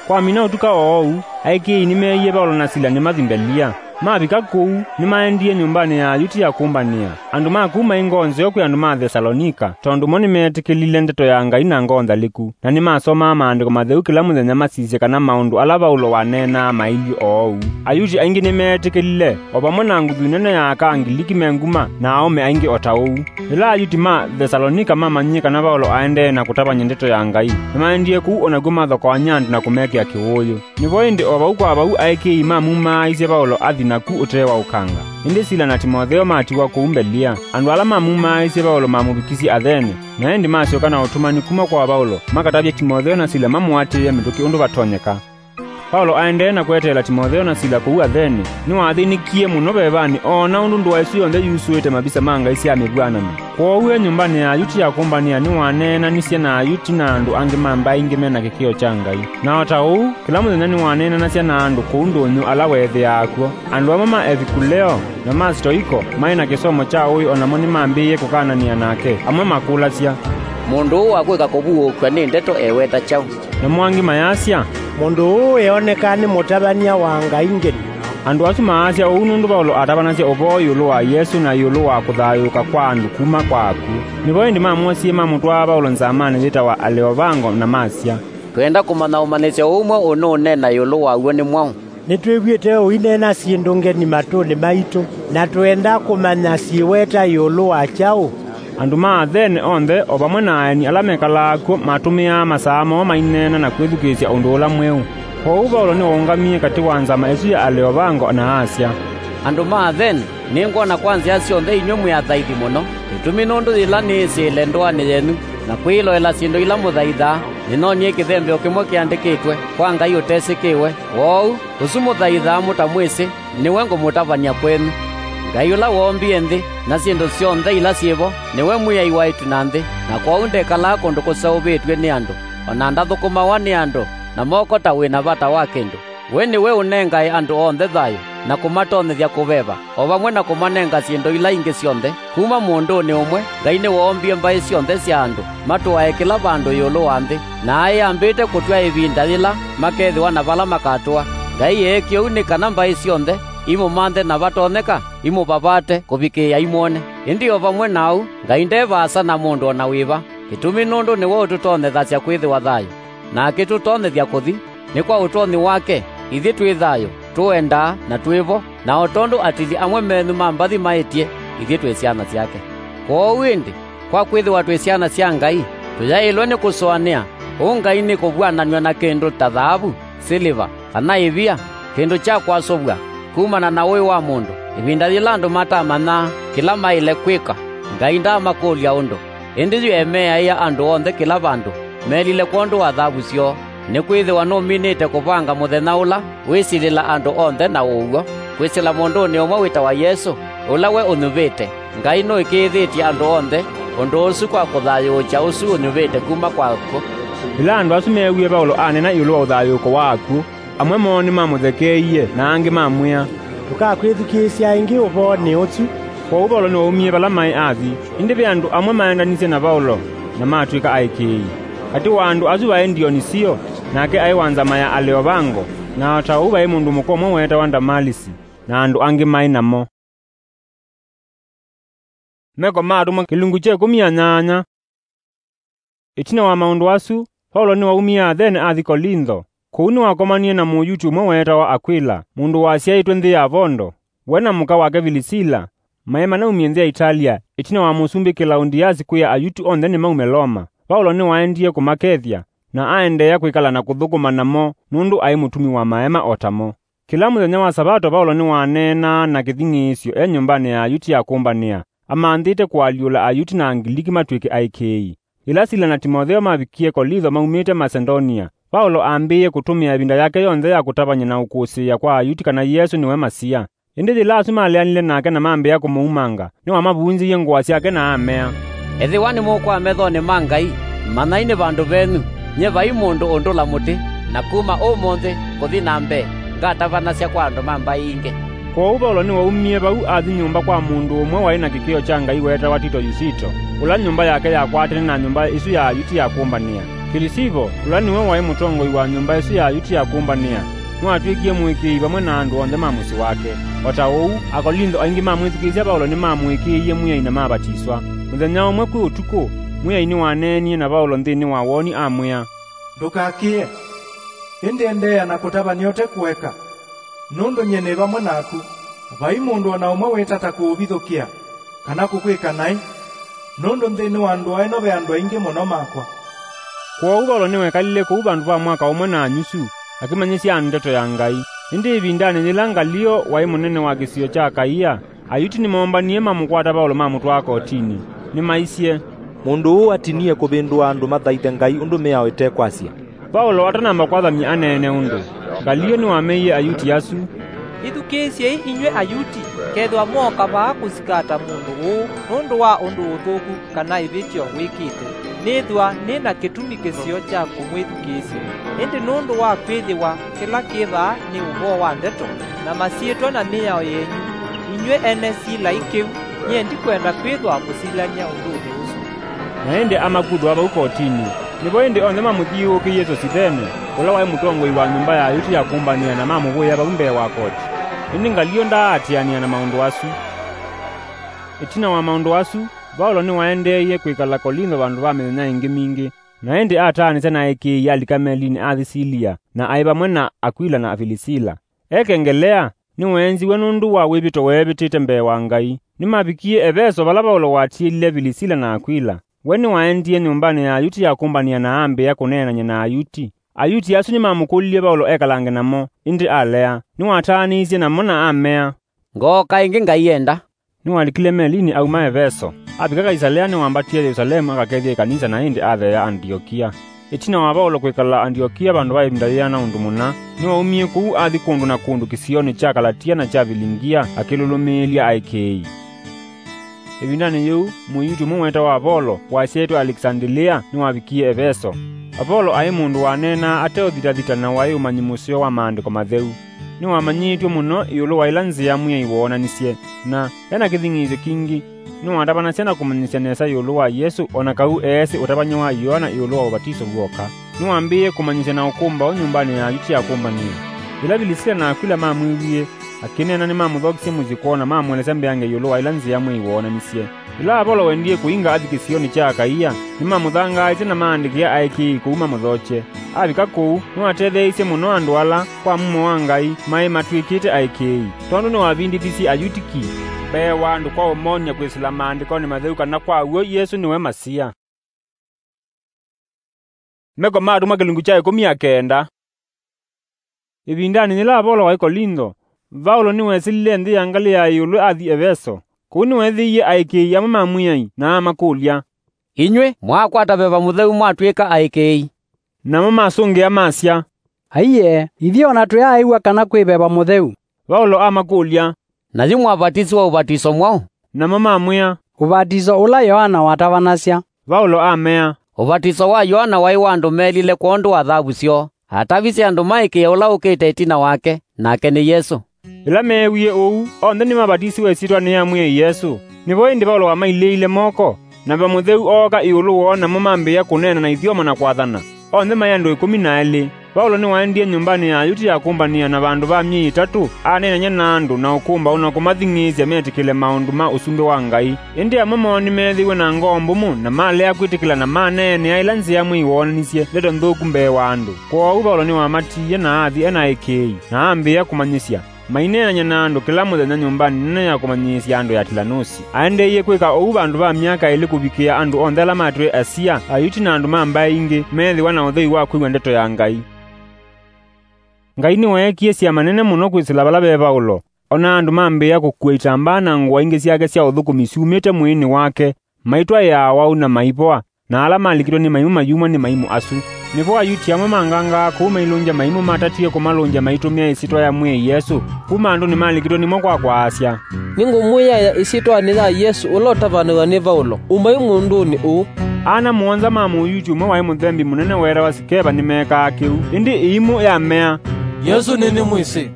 Kwamina ũtuka o ũu, aĩkĩĩi nĩmeeie Vaũlo na Sila nĩmathi Mbelia. Mavika kũu, nĩmaendie nyũmbanĩ ya Ayuti ya kũmbanĩa. Andũ ma kũu maĩ ngoo nzeo kwĩ andũ ma Thesalonika, tondũ mo nĩmeetĩkĩlile ndeto ya Ngai na ngoo nthalĩku, na nĩmasomaa Maandĩko Matheu kĩla mũthenya masisye kana maũndũ ala Vaũlo waneenaa mailyĩ oou. Ayuti aingĩ nĩmeetĩkĩlile, o vamwe na nguthu nene ya aka Angiliki me nguma na aũme aingĩ o ta ũu. Yĩla Ayuti ma Thesalonika mamanyie kana Vaũlo aendee na kũtavany'a ndeto ya Ngai, nĩmaendie kũu o nakw'o mathokoany'a andũ na kũmekĩa kĩwũũyũ. Nĩvo ĩndĩ o vau kwa vau aĩkĩĩi mamumaaisye Vaũlo athi naku ũtee wa ũkanga. Ĩndĩ Sila na Timotheo matiwa kũu Mbelia. Andũ ala mamumaaisye Vaũlo mamũvikisye Athene, na ĩndĩ masyoka na ũtũmani kuma kwa Vaũlo makatavye Timotheo na Sila mamũatĩĩe mĩtũkĩ ũndũ vatonyeka. Vaũlo aendee na kweteela Timotheo na Sila kũu Athene, nĩwathĩnĩkie mũno vevanĩ oona ũndũ ndũa ĩsu yonthe yusũĩte mavisa ma ngai sya mĩvw'anano. Kwoou e nyũmbanĩ ya Ayuti ya kũmbanĩa nĩwaneenanisye na Ayuti na andũ angĩ ma mbaĩ ingĩ me na kĩkĩo kya Ngai. Na o ta ũu, kĩla mũthenya nĩwaneenanasya na andũ kũu ndũnyũ ala weethĩaa kw'o. Andũ amwe ma Evikuleo na ma Sitoiko maĩ na kĩsomo kya ũĩ o namo nĩmambĩĩe kũkananĩa nake. Amwe makũlasya, "Mũndũ ũũ wa kwĩka kũvuũũkw'a nĩ ndeto eweta kyaũ?" Namo angĩ mayasya, "Mũndũ ũũ eonekaa nĩ mũtavany'a wa ngai ngeni." Andũ asu maasya ũu nũndũ Vaũlo atavanasya ũvoo ĩũlũ wa Yesũ na ĩũlũ wa kũthayũũka kwa andũ kuma kwa akw'ũ. Nĩvo ĩndĩ mamwosie mamũtwaa Vaũlo nzamanĩ yĩtawa Aleovango na masya, "Twenda kũmanya ũmanyĩsyo ũũ mwaũ ũnũũneena ĩũlũ waw'o nĩ mwaũ." Nĩtwĩw'ĩte ũineena syĩndũ ngeni matũnĩ maitũ, na twenda kũmanya syĩweta ĩũlũ wa kyaũ. Andũ ma Athene onthe, o vamwe na aeni ala mekalaa kw'o, matũmĩaa masaa moo maineena na kwĩthukĩĩsya ũndũ ũla mweũ. Kwoou Vaũlo nĩwaũngamie katĩ wa nzama ĩsu ya Aleovango na asya, "Andũ ma Athene, nĩngwona kwa nzĩa syonthe inyw'ĩ mwĩ athaithi mũno. Kĩtumi nũndũ yĩla nĩĩsĩle ndũanĩ yenyu na kwĩloela syĩndũ ila mũthaithaa, nĩnonie kĩthembeo kĩmwe kĩandĩkĩtwe kwa ngai ũtesĩkĩwe. Kwoou, ũsu mũthaithaa mũtamwĩsĩ, nĩwe ngũmũtavany'a kwenyu. Ngai ũla woombie nthĩ na syĩndũ syonthe ila syĩ vo, nĩwe Mwĩai wa ĩtu na nthĩ, na kwoou ndekalaa kũndũ kũseũvĩtw'e nĩ andũ, o na ndathũkũmawa nĩ andũ na moko ta wĩ na vata wa kĩndũ. We nĩwe ũnengae andũ onthe thayũ, na kũmatonyethya kũveva, o vamwe na kũmanenga syĩndũ ila ingĩ syonthe. Kuma mũndũnĩ ũmwe, Ngai nĩwoombie mbaĩ syonthe sya andũ, matũae kĩla vandũ ĩũlũ wa nthĩ, na aĩ ambĩte kũtw'a ĩvinda yĩla makethĩwa na vala makatũa. Ngai eekie ũu nĩ kana mbaĩ syonthe imũmanthe na vatonyeka, imũvavate kũvikĩĩa imwone. Ĩndĩ o vamwe na ũu, Ngai nde vaasa na mũndũ o na wĩva, kĩtumi nũndũ nĩwe ũtũtonyethasya kwĩthĩwa thayũ, na akĩtũtonyethya kũthi, nĩ kwa ũtonyi wake, ithyĩ twĩ thayũ, tũendaa, na twĩ vo, na o tondũ atili amwe menyu ma mbathi maĩtye, ithyĩ twĩ syana syake. Kwoou ĩndĩ, kwa kwĩthĩwa twĩ syana sya Ngai, tũyaĩlwe nĩ kũsũanĩa, ũu Ngai nĩ kũvw'ananw'a na kĩndũ ta thaavu, silĩva, kana ĩvia, kĩndũ kya kwasũvw'a kumana na ũĩ wa mũndũ. Ĩvinda yĩla andũ matamanyaa kĩla maĩle kwĩka, Ngai ndaamakũlya ũndũ, ĩndĩ yu emeaĩa andũ onthe kĩla vandũ, melile kwondũ wa thaavu syoo, nĩkwĩthĩwa nũminĩte kũvanga mũthenya ũla wĩsilĩla andũ onthe na ũw'o, kwĩsĩla mũndũnĩ ũmwe wĩtawa Yesũ, ũla we ũnyuvĩte. Ngai nũĩkĩĩthĩtye andũ onthe ũndũ ũsu kwa kũthayũũkya ũsu ũnyuvĩte kuma kwa akw'ũ. Yĩla andũ asu meewie Vaulo aneena ĩũlũ wa ũthayũũko wa akw'ũ, amwe moo nĩmamũthekeeie, na angĩ mamwĩa, "Ndũkakwĩthukĩĩsya ĩngĩ ũvoonĩ ũsu." Kwoou Vaulo nĩwaumie vala maĩ athi, ĩndĩ ve andũ amwe maendanisye na Vaulo na matw'ĩka aĩkĩĩi. Katĩ wa andũ asu vaĩ Ndionisio, nake aĩ wa nzama ya Aleovango, na o ta ũu vaĩ mũndũ mũka ũmwe weetawa Ndamalisi, na andũ angĩ maĩ namo. Meko ma Atũmwa kĩlungu kya ĩkũmi na nyanya. Ĩtina wa maũndũ asu, Vaulo nĩwaumie Athene athi Kolintho. Kũu nĩwakomanie na Mũyuti ũmwe weetawa Akwila, mũndũ wasyaĩtwe nthĩ ya Vondo. We na mũka wake Vilisila maĩ manaumie nthĩ ya Italia, ĩtina wa mũsumbĩ Kilaudiasi kwĩa Ayuti onthe nĩmaume Loma. Vaulo nĩwaendie kũmakethya, na aendeea kwĩkala na kũthũkũma namo nũndũ aĩ mũtumi wa maema o tamo. Kĩla mũthenya wa Savato, Vaulo nĩwaneenaa na kĩthing'ĩĩsyo e nyũmbanĩ ya Ayuti ya kũmbanĩa, amanthĩte kũalyũla Ayuti na Angiliki matw'ĩke aĩkĩĩi. Yĩla Sila na Timotheo mavikie Kolintho maumĩte Masedonia, Vaulo ambĩĩe kũtũmĩa ĩvinda yake yonthe ya kũtavany'a na ũkũsĩĩa kwa Ayuti kana Yesũ nĩwe Masia. Ĩndĩ yĩla asu maleanile nake na mambĩĩa kũmũumanga, nĩwamavunzĩie ngũa syake na amea, "Ethĩwa nĩmũkwaa methonĩ ma Ngai, manyai nĩ vandũ venyu, nyie vai mũndũ ũndũla mũtĩ, na kuma ũmũnthĩ kũthi na mbee, ngatavanasya kwa andũ ma mbaĩ ingĩ." Kwoou Vaulo nĩwaumie vau athi nyũmba kwa mũndũ ũmwe waĩ na kĩkĩo kya Ngai weetawa Tito Yusito, ũla nyũmba yake yakwatene na nyũmba ĩsu ya Ayuti ya kũmbanĩa. Kilisivo, ũla nĩwe waĩ mũtongoi wa nyũmba ĩsu ya Ayuti ya kũmbanĩa, nĩwatw'ĩkie mũĩkĩĩi vamwe na andũ onthe ma mũsyĩ wake. O ta ũu, Akolintho aingĩ mamwĩthukĩĩsya Vaulo nĩmamũĩkĩĩie Mwĩai na mavatiswa. Mũthenya ũmwe kwĩ ũtukũ, Mwĩai nĩwaneenie na Vaulo nthĩnĩ wa woni amwĩa, "Ndũkakĩe, ĩndĩ endeea na kũtavany'a ũte kũeka, nũndũ nyie nĩ vamwe naku. Vai mũndũ o na ũmwe wĩtata kũũvithũkĩa kana kũkwĩka naĩ, nũndũ nthĩnĩ wa ndũa ĩno ve andũ aingĩ mũno makwa." Kwoou Vaulo nĩwekalile kũu vandũ va mwaka ũmwe na nyusu, akĩmanyĩsya andũ ndeto ya Ngai. Ĩndĩ ĩvindanĩ yĩla Ngalio waĩ mũnene wa kĩsio kya Akaia, Ayuti nĩmoombanie mamũkwata Vaulo mamũtwaa kotinĩ. Nĩmaisye, "Mũndũ ũũ atinie kũvĩndũa andũ mathaithe Ngai ũndũ mĩao ĩtekwasya." Vaulo atanamba kwathany'a aneene ũndũ, Ngalio nĩwameie Ayuti asu, "Ĩthukĩĩsyei inyw'ĩ Ayuti, kethĩwa mooka vaa kũsikata mũndũ ũũ nũndũ wa ũndũ ũthũku kana ĩvĩtyo wĩkĩte, nĩthwa nĩ na kĩtumi kĩseo kya kũmwĩthukĩĩsya. Ĩndĩ nũndũ wa kwĩthĩwa kĩla kĩ vaa nĩ ũvoo wa ndeto, na masyĩtwa na mĩao yenyu, inyw'ĩ ene silai kĩu, nyie ndikwenda kwĩthwa mũsilany'a ũndũnĩ ũsu." Na ĩndĩ amakuthũa vau kotinĩ. Nĩvo ĩndĩ onthe mamũthiũũkĩie Sosithene, ũla waĩ mũtongoi wa nyũmba ya Ayuti ya kũmbanĩa, na mamũvũĩa vau mbee wa koti. Ĩndĩ Ngalio ndaaatĩanĩa na maũndũ asu. Ĩtina wa maũndũ asu, Vaulo nĩwaendeeie kwĩkala Kolintho vandũ va mĩthenya ĩngĩ mingĩ. Na ĩndĩ ataanĩsya na aĩkĩĩi alika melinĩ athi Silia, na aĩ vamwe na Akwila na Vilisila. Ekengelea, nĩweenziwe nũndũ wa wĩvĩto weevĩtĩte mbee wa Ngai. Nĩmavikie Eveso, vala Vaulo watiĩlile Vilisila na Akwila. We nĩwaendie nyũmbanĩ ya Ayuti ya kũmbanĩa na ambĩĩa kũneenany'a na Ayuti. Ayuti asu nĩmamũkũlilye Vaulo ekalange namo, ĩndĩ alea. Nĩwataanĩisye namo na amea, "Ngooka ĩngĩ Ngai enda." Nĩwalikile melinĩ auma Eveso. Avika Kaisalea, nĩwambatie Yelusalemu akakethye ĩkanisa, na ĩndĩ atheea Andiokia. Ĩtina wa Vaulo kwĩkala Andiokia vandũ va ĩvinda yĩana ũndũ mũna, nĩwaumie kũu athi kũndũ na kũndũ kĩsionĩ kya Kalatia na kya Vilingia akĩlũlũmĩĩlya aĩkĩĩi. Ĩvindanĩ yĩu, Mũyuti ũmwe weetawa Apolo, wasyaĩtwe Alekisandilea, nĩwavikie Eveso. Apolo aĩ mũndũ waneenaa ateũthitathita na waĩ ũmanyi mũseo wa Maandĩko Matheu. Nĩwamanyĩĩtw'e mũno ĩũlũ wa ĩla nzĩa Mwĩai woonanisye, na e na kĩthing'ĩĩsyo kingĩ. Nĩwatavanasya na kũmanyĩsya nesa ĩũlũ wa Yesũ, o na kau eesĩ ũtavany'a wa Yoana ĩũlũ wa ũvatiso w'oka. Nĩwambĩĩe kũmanyĩsya na ũkũmbaũ nyũmbanĩ ya Ayuti ya kũmbanĩa. Yĩla Vilisila na Akwila mamwĩwie, Akĩneena nĩmamũthokisye mũsyĩ kwoo na mamũelesya mbeange ĩũlũ wa ĩla nzĩa mwĩai woonanisye. Yĩla Avolo wendie kũinga athi kĩsionĩ kya Akaia, nĩmamũthangaaĩsye na maandĩkĩa aĩkĩĩi kũu mamũthokye. Avika kũu, nĩwatetheeisye mũno andũ ala, kwa mumo wa Ngai, maĩ matw'ĩkĩte aĩkĩĩi, tondũ nĩwavindĩthisye Ayutiki mbee wa andũ kwa ũmony'a kwĩsĩla Maandĩkonĩ Matheu kana kwa w'o Yesũ nĩwe Masia. Meko ma Atũmwa kĩlungu kya ĩkũmi na kenda. Ĩvindanĩ yĩla Avolo waĩ Kolintho, Vaulo nĩwesĩlile nthĩ ya ngalĩ ya ĩũlũ athi Eveso. Kũu nĩweethĩie aĩkĩĩi amwe ma Mwĩai na amakũlya, "Inyw'ĩ mwaakwata Veva Mũtheu mwatw'ĩka aĩkĩĩi?" Namo masũngĩa masya, "Aiee, ithyĩ o na twĩaaĩw'a kana kwĩ Veva Mũtheu." Vaulo amakũlya, "Na yu mwavatisiwa ũvatiso mwaũ?" Namo mamwĩa, "Ũvatiso ũla Yoana watavanasya." Vaulo amea, "Ũvatiso wa Yoana waĩ wa andũ meelile kwondũ wa thavu syoo. Atavisye andũ maĩkĩĩe ũla ũkĩte ĩtina wake, nake nĩ Yesũ." Yĩla meewie ũu, onthe nĩmavatisiwe ĩsyĩtwanĩ ya Mwĩai Yesũ. Nĩvo ĩndĩ Vaulo wamailĩĩile moko, na Veva Mũtheu ooka ĩũlũ woo, namo mambĩĩa kũneena na ithyomo na kwathana. Onthe maĩ andũ ĩkũmi na elĩ. Vaulo nĩwaendie nyũmbanĩ ya Ayuti ya kũmbanĩa, na vandũ va myei ĩtatũ, aneenany'a na andũ na ũkũmbaũ na kũmathing'ĩĩsya metĩkĩle maũndũ ma Ũsumbĩ wa Ngai. Ĩndĩ amwe moo nĩmeethĩiwe na ngoo mbũmũ, na malea kwĩtĩkĩla, na maneenea ĩla nzĩa mwĩai woonanisye ndeto nthũku mbee wa andũ. Kwoou Vaulo nĩwamatiie na athi e na aĩkĩĩi, na ambĩĩa kũmanyĩsya. Maineenany'a na andũ kĩla mũthenya nyũmbanĩ nene ya kũmanyĩĩsya andũ ya Tilanusi. Aendeeie kwĩka ũu vandũ va myaka ĩlĩ kũvikĩa andũ onthe ala matwĩe Asia, Ayuti na andũ ma mbaĩ ingĩ, meethĩwa na ũthei wa kwĩw'a ndeto ya Ngai. Ngai nĩweekie syama nene mũno kwĩsĩla vala ve Vaulo. O na andũ mambĩĩa kũkua itambaa na ngũa ingĩ syake sya ũthũkũmi syumĩte mwĩĩnĩ wake, maitwaĩa awau na maivoa, na ala malikĩtwe nĩ maimũ mayumwa nĩ maimũ asu. Nĩvo Ayuti amwe mangangaa kũu mailũngya maimũ matatie kũmalũngya maitũmĩa ĩsyĩtwa ya Mwĩai Yesũ. Kuma andũ nĩmalikĩtwe nĩmo kwa kwaasya, "Nĩngũmwĩaĩa ĩsyĩtwanĩ ya Yesũ ũla ũtavanĩw'a nĩ Vaulo, umai mũndũnĩ ũũ." Ana mũonza ma Mũyuti ũmwe waĩ mũthembi mũnene weetawa Sikeva nĩmeekaa kĩu. Ĩndĩ ĩimũ yamea, "Yesũ nĩnĩmwĩsĩ.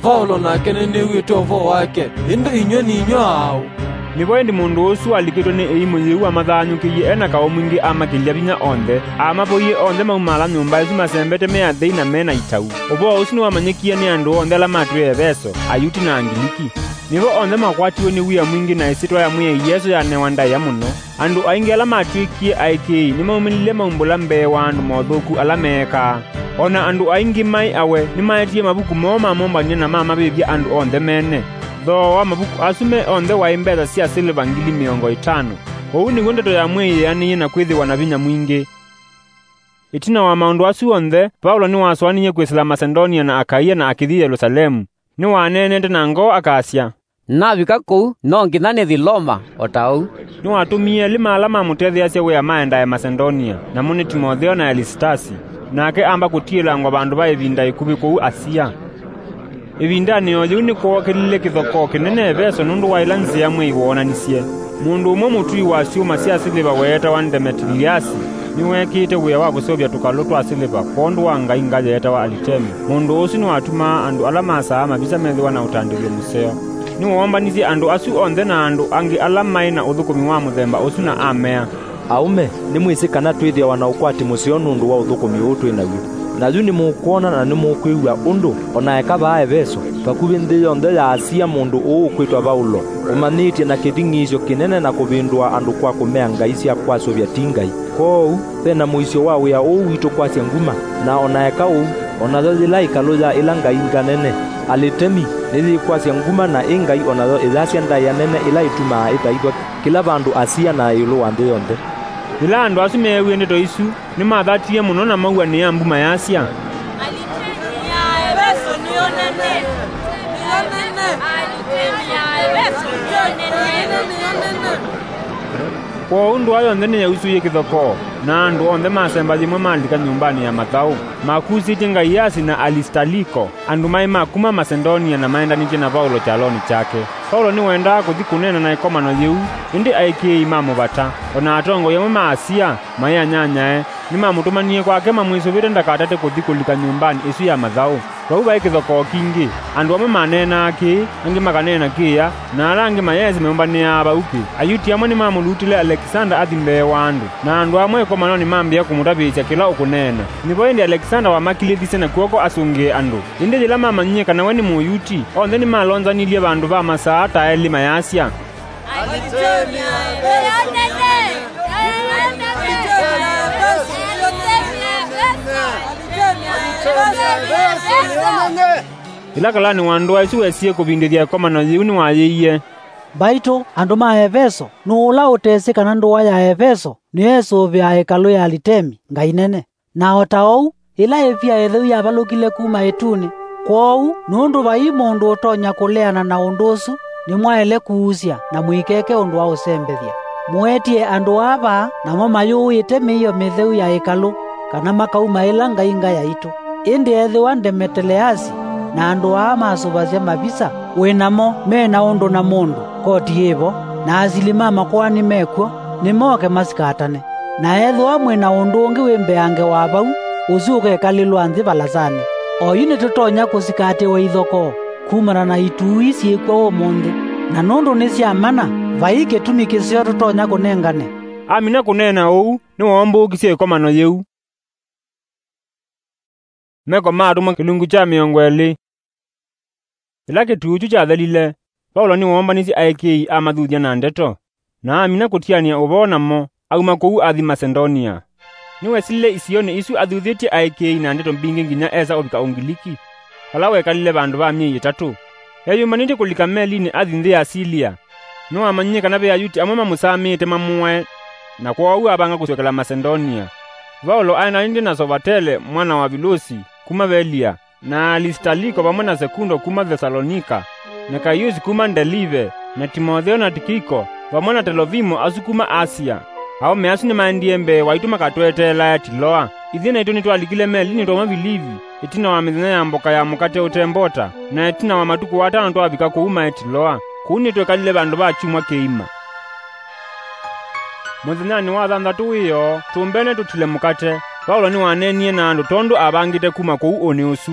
Vaulo nake nĩnĩw'ĩte ũvoo wake, ĩndĩ inyw'ĩ nĩ inyw'ĩ aaũ?" Nĩvo ĩndĩ mũndũ ũsu walikĩtwe nĩ ĩimũ yĩu amathaanyũkĩie e na kaũ mwingĩ amakĩlya vinya onthe. Aamavoie onthe maumaala nyũmba ĩsu masembete me athei na me na itau. Ũvoo ũsu nĩwamanyĩkie nĩ andũ onthe ala matwĩe Eveso, Ayuti na Angiliki. Nĩvo onthe makwatiwe nĩ wia mwingĩ na ĩsyĩtwa ya Mwĩai Yesũ yanewa ndaĩa mũno. Andũ aingĩ ala matw'ĩkie aĩkĩĩi nĩmaumĩlile maumbũla mbee wa andũ mothũku ala meekaa. O na andũ aingĩ maĩ awe nĩmaetie mavuku moo mamombanĩe na mamavĩvya andũ onthe mene. Thooa wa mavuku asu me onthe waĩ mbesa sya silĩva ngili mĩongo ĩtano. Ũu nĩw'o ndeto ya Mwĩai yeanĩie na kwĩthĩwa na vinya mwingĩ. Ĩtina wa maũndũ asu onthe, Vaulo nĩwasũanĩie kwĩsĩla Masedonia na Akaia na akĩthi Yelusalemu. Nĩwaneenete na ngoo akasya, "Navika kũu, no nginya nĩthi Loma o ta ũu." Nĩwatũmie elĩ ma ala mamũtetheeasya wĩa maendae Masedonia, namo nĩ Timotheo na Elisitasi. Nake amba kũtiĩlangwa vandũ va ĩvinda ĩkuvĩ kũu Asia. Ĩvindanĩ o yĩu nĩkwookĩlile kĩthokoo kĩnene Eveso nũndũ wa ĩla nzĩa mwĩai woonanisye. Mũndũ ũmwe mũtui wa syũma sya silĩva weetawa Ndemetiliasi nĩweekĩĩte wĩa wa kũseũvya tũkalũ twa silĩva kwondũ wa ngai nga yeetawa Alitemi. Mũndũ ũsu nĩwatumaa andũ ala masaa mavisa methĩwa na ũtandĩthyo mũseo. Nĩwoombanisye andũ asu onthe na andũ angĩ ala maĩ na ũthũkũmi wa mũthemba ũsu na amea, "Aũme, nĩmwĩsĩ kana twĩthĩawa na ũkwati mũseo nũndũ wa ũthũkũmi ũũ twĩ naw'o. Na yu nĩmũkwona na nĩmũkwĩw'a ũndũ, o na eka vaa Eveso, vakuvĩ nthĩ yonthe ya Asia mũndũ ũũ ũkwĩtwa Vaulo ũmanyĩĩtye na kĩthing'ĩĩsyo kĩnene na kũvĩndũa andũ kwa kũmea ngai sya kwasũvya ti Ngai. Kwoou, ve na mũisyo wa wĩa ũũ witũ kwasya nguma, na o na eka ũu, o nayo yĩla ĩkalũ ya ĩla ngai nga nene, Alitemi, nĩyĩkwasya nguma na ĩ ngai o nayo ĩyasya ndaĩa nene ĩla ĩtumaa ĩthaithwa kĩla vandũ Asia na ĩũlũ wa nthĩ yonthe." Yĩla andũ asu meewie ndeto isu, nĩmathatie mũno na mauanĩa mbu mayasya, "Alitemi ya Eveso nĩyo nene! Nĩyo nene! Alitemi ya Eveso nĩyo nene!" Kwoou ndũa yonthe nĩyausũie kĩthokoo, na andũ onthe masemba yĩmwe malika nyũmbanĩ ya mathaũ, makusĩtye Ngaiasi na Alisitaliko, andũ maĩ ma kuma Masedonia na maendanĩtye na Vaulo kyalonĩ kyake. Vaulo nĩwendaa kũthi kũneena na ĩkomano yĩu, ĩndĩ aĩkĩĩi mamũvata, o na atongoi amwe ma Asia, maĩ anyanyae, nĩmamũtũmanie kwake mamwĩsũvĩte ndakatate kũthi kũlika nyũmbanĩ ĩsu ya mathaũ. Vau vaĩ kĩthokoo kingĩ. Andũ amwe maneenaa kĩĩ, angĩ makaneena kĩĩa, na ala angĩ mayeesĩ meũmbanĩaa vau kĩ. Ayuti amwe nĩmamũlutile Alekisanda athi mbee wa andũ, na andũ amwe ĩkomanonĩ mambĩĩa kũmũtavĩĩsya kĩla ũkũneena. Nĩvo ĩndĩ Alekisanda wamakilĩthisye na kw'oko asũngĩe andũ. Ĩndĩ yĩla mamanyie kana we nĩ Mũyuti, onthe nĩmalonzanilye vandũ va masaa ta elĩ mayasya, Alitemi a Efeso! Alitemi a Efeso! Alitemi a Efeso! Alitemi a Efeso! Yĩla kalanĩ wa ndũa ĩsu wesie kũvindĩthya ĩkomano yĩu nĩwayĩie, Mbaitũ, andũ ma Efeso, nũũ ũla ũtesĩ kana ndũa ya Efeso nĩyo ĩsũvĩaa ĩkalũ ya Alitemi, ngai nene? Na o ta ũu, ĩla ĩvia ĩtheu yavalũkile kuma ĩtunĩ, kwoou, nũndũ vai mũndũ ũtonya kũleana na ũndũ ũsu, nĩmwaĩle kuusya na mũikeke ũndũ wa ũsembethya. Mũetie andũ aa vaa, namo mayũĩte mĩio mĩtheu ya ĩkalũ, kana makauma ĩla ngai ngayaitũ. Ĩndĩ ethĩwa Ndemeteleasi na andũ aa masũvasya mavisa wĩ namo me na ũndũ na mũndũ, koti yĩ vo, na asili ma makoani me kw'o, nĩmoke masikatane. Na ethĩwa mwĩ na ũndũ ũngĩ wĩ mbeange wa vau, ũsu ũkekalĩlwa nthĩ valasanĩ. Oyu nĩtũtonya kũsikatĩwa ithokoo kumana na ituu ii syĩ kw'o ũmũnthĩ, na nũndũ nĩ sya mana, vai kĩtumi kĩseo tũtonya kũnengane. Amina kũneena ũu, nĩwoombũũkisye ĩkomano yĩu. Meko ma Atũmwa kĩlungu kya mĩongo ĩlĩ. Yĩla kĩtuu kyu kyathelile, Vaulo nĩwoombanisye aĩkĩĩi amathuthya na ndeto, na amina kũtianĩa ũvoo namo, auma kũu athi Masedonia. Nĩwesilile isionĩ isu athuthĩtye aĩkĩĩi na ndeto mbingĩ nginya esa ũvika Ũngiliki, vala wekalile vandũ va myei ĩtatũ. Eyũmbanĩtye kũlika melinĩ athi nthĩ ya Silia. Nĩwamanyie kana ve Ayuti amwe mamũsamĩĩte mamũae, na kwoou avanga kũsyokela Masedonia. Vaulo aendanĩtye na Sovatele mwana wa Vilusi kuma Velia, na Alisitaliko vamwe na Sekundo kuma Thesalonika, na Kaiusi kuma Ndelive, na Timotheo na Tikiko, vamwe na Telofimo asu kuma Asia. Aũme asu nĩmaendie mbee waitũ makatweteelae Tiloa. Ithyĩ naitũ nĩtwalikile melinĩ twauma Vilivi, ĩtina wa mĩthenya ya mboka ya mũkate ũte mbota, na ĩtina wa matukũ atano twavika kũu maĩ Tiloa. Kũu nĩtwekalile vandũ va kyumwa kĩima. Mũthenyanĩ wa thanthatũ wĩoo, tũmbene tũtile mũkate, Vaulo nĩwaneenie na andũ tondũ avangĩte kuma kũu ũnĩ ũsu.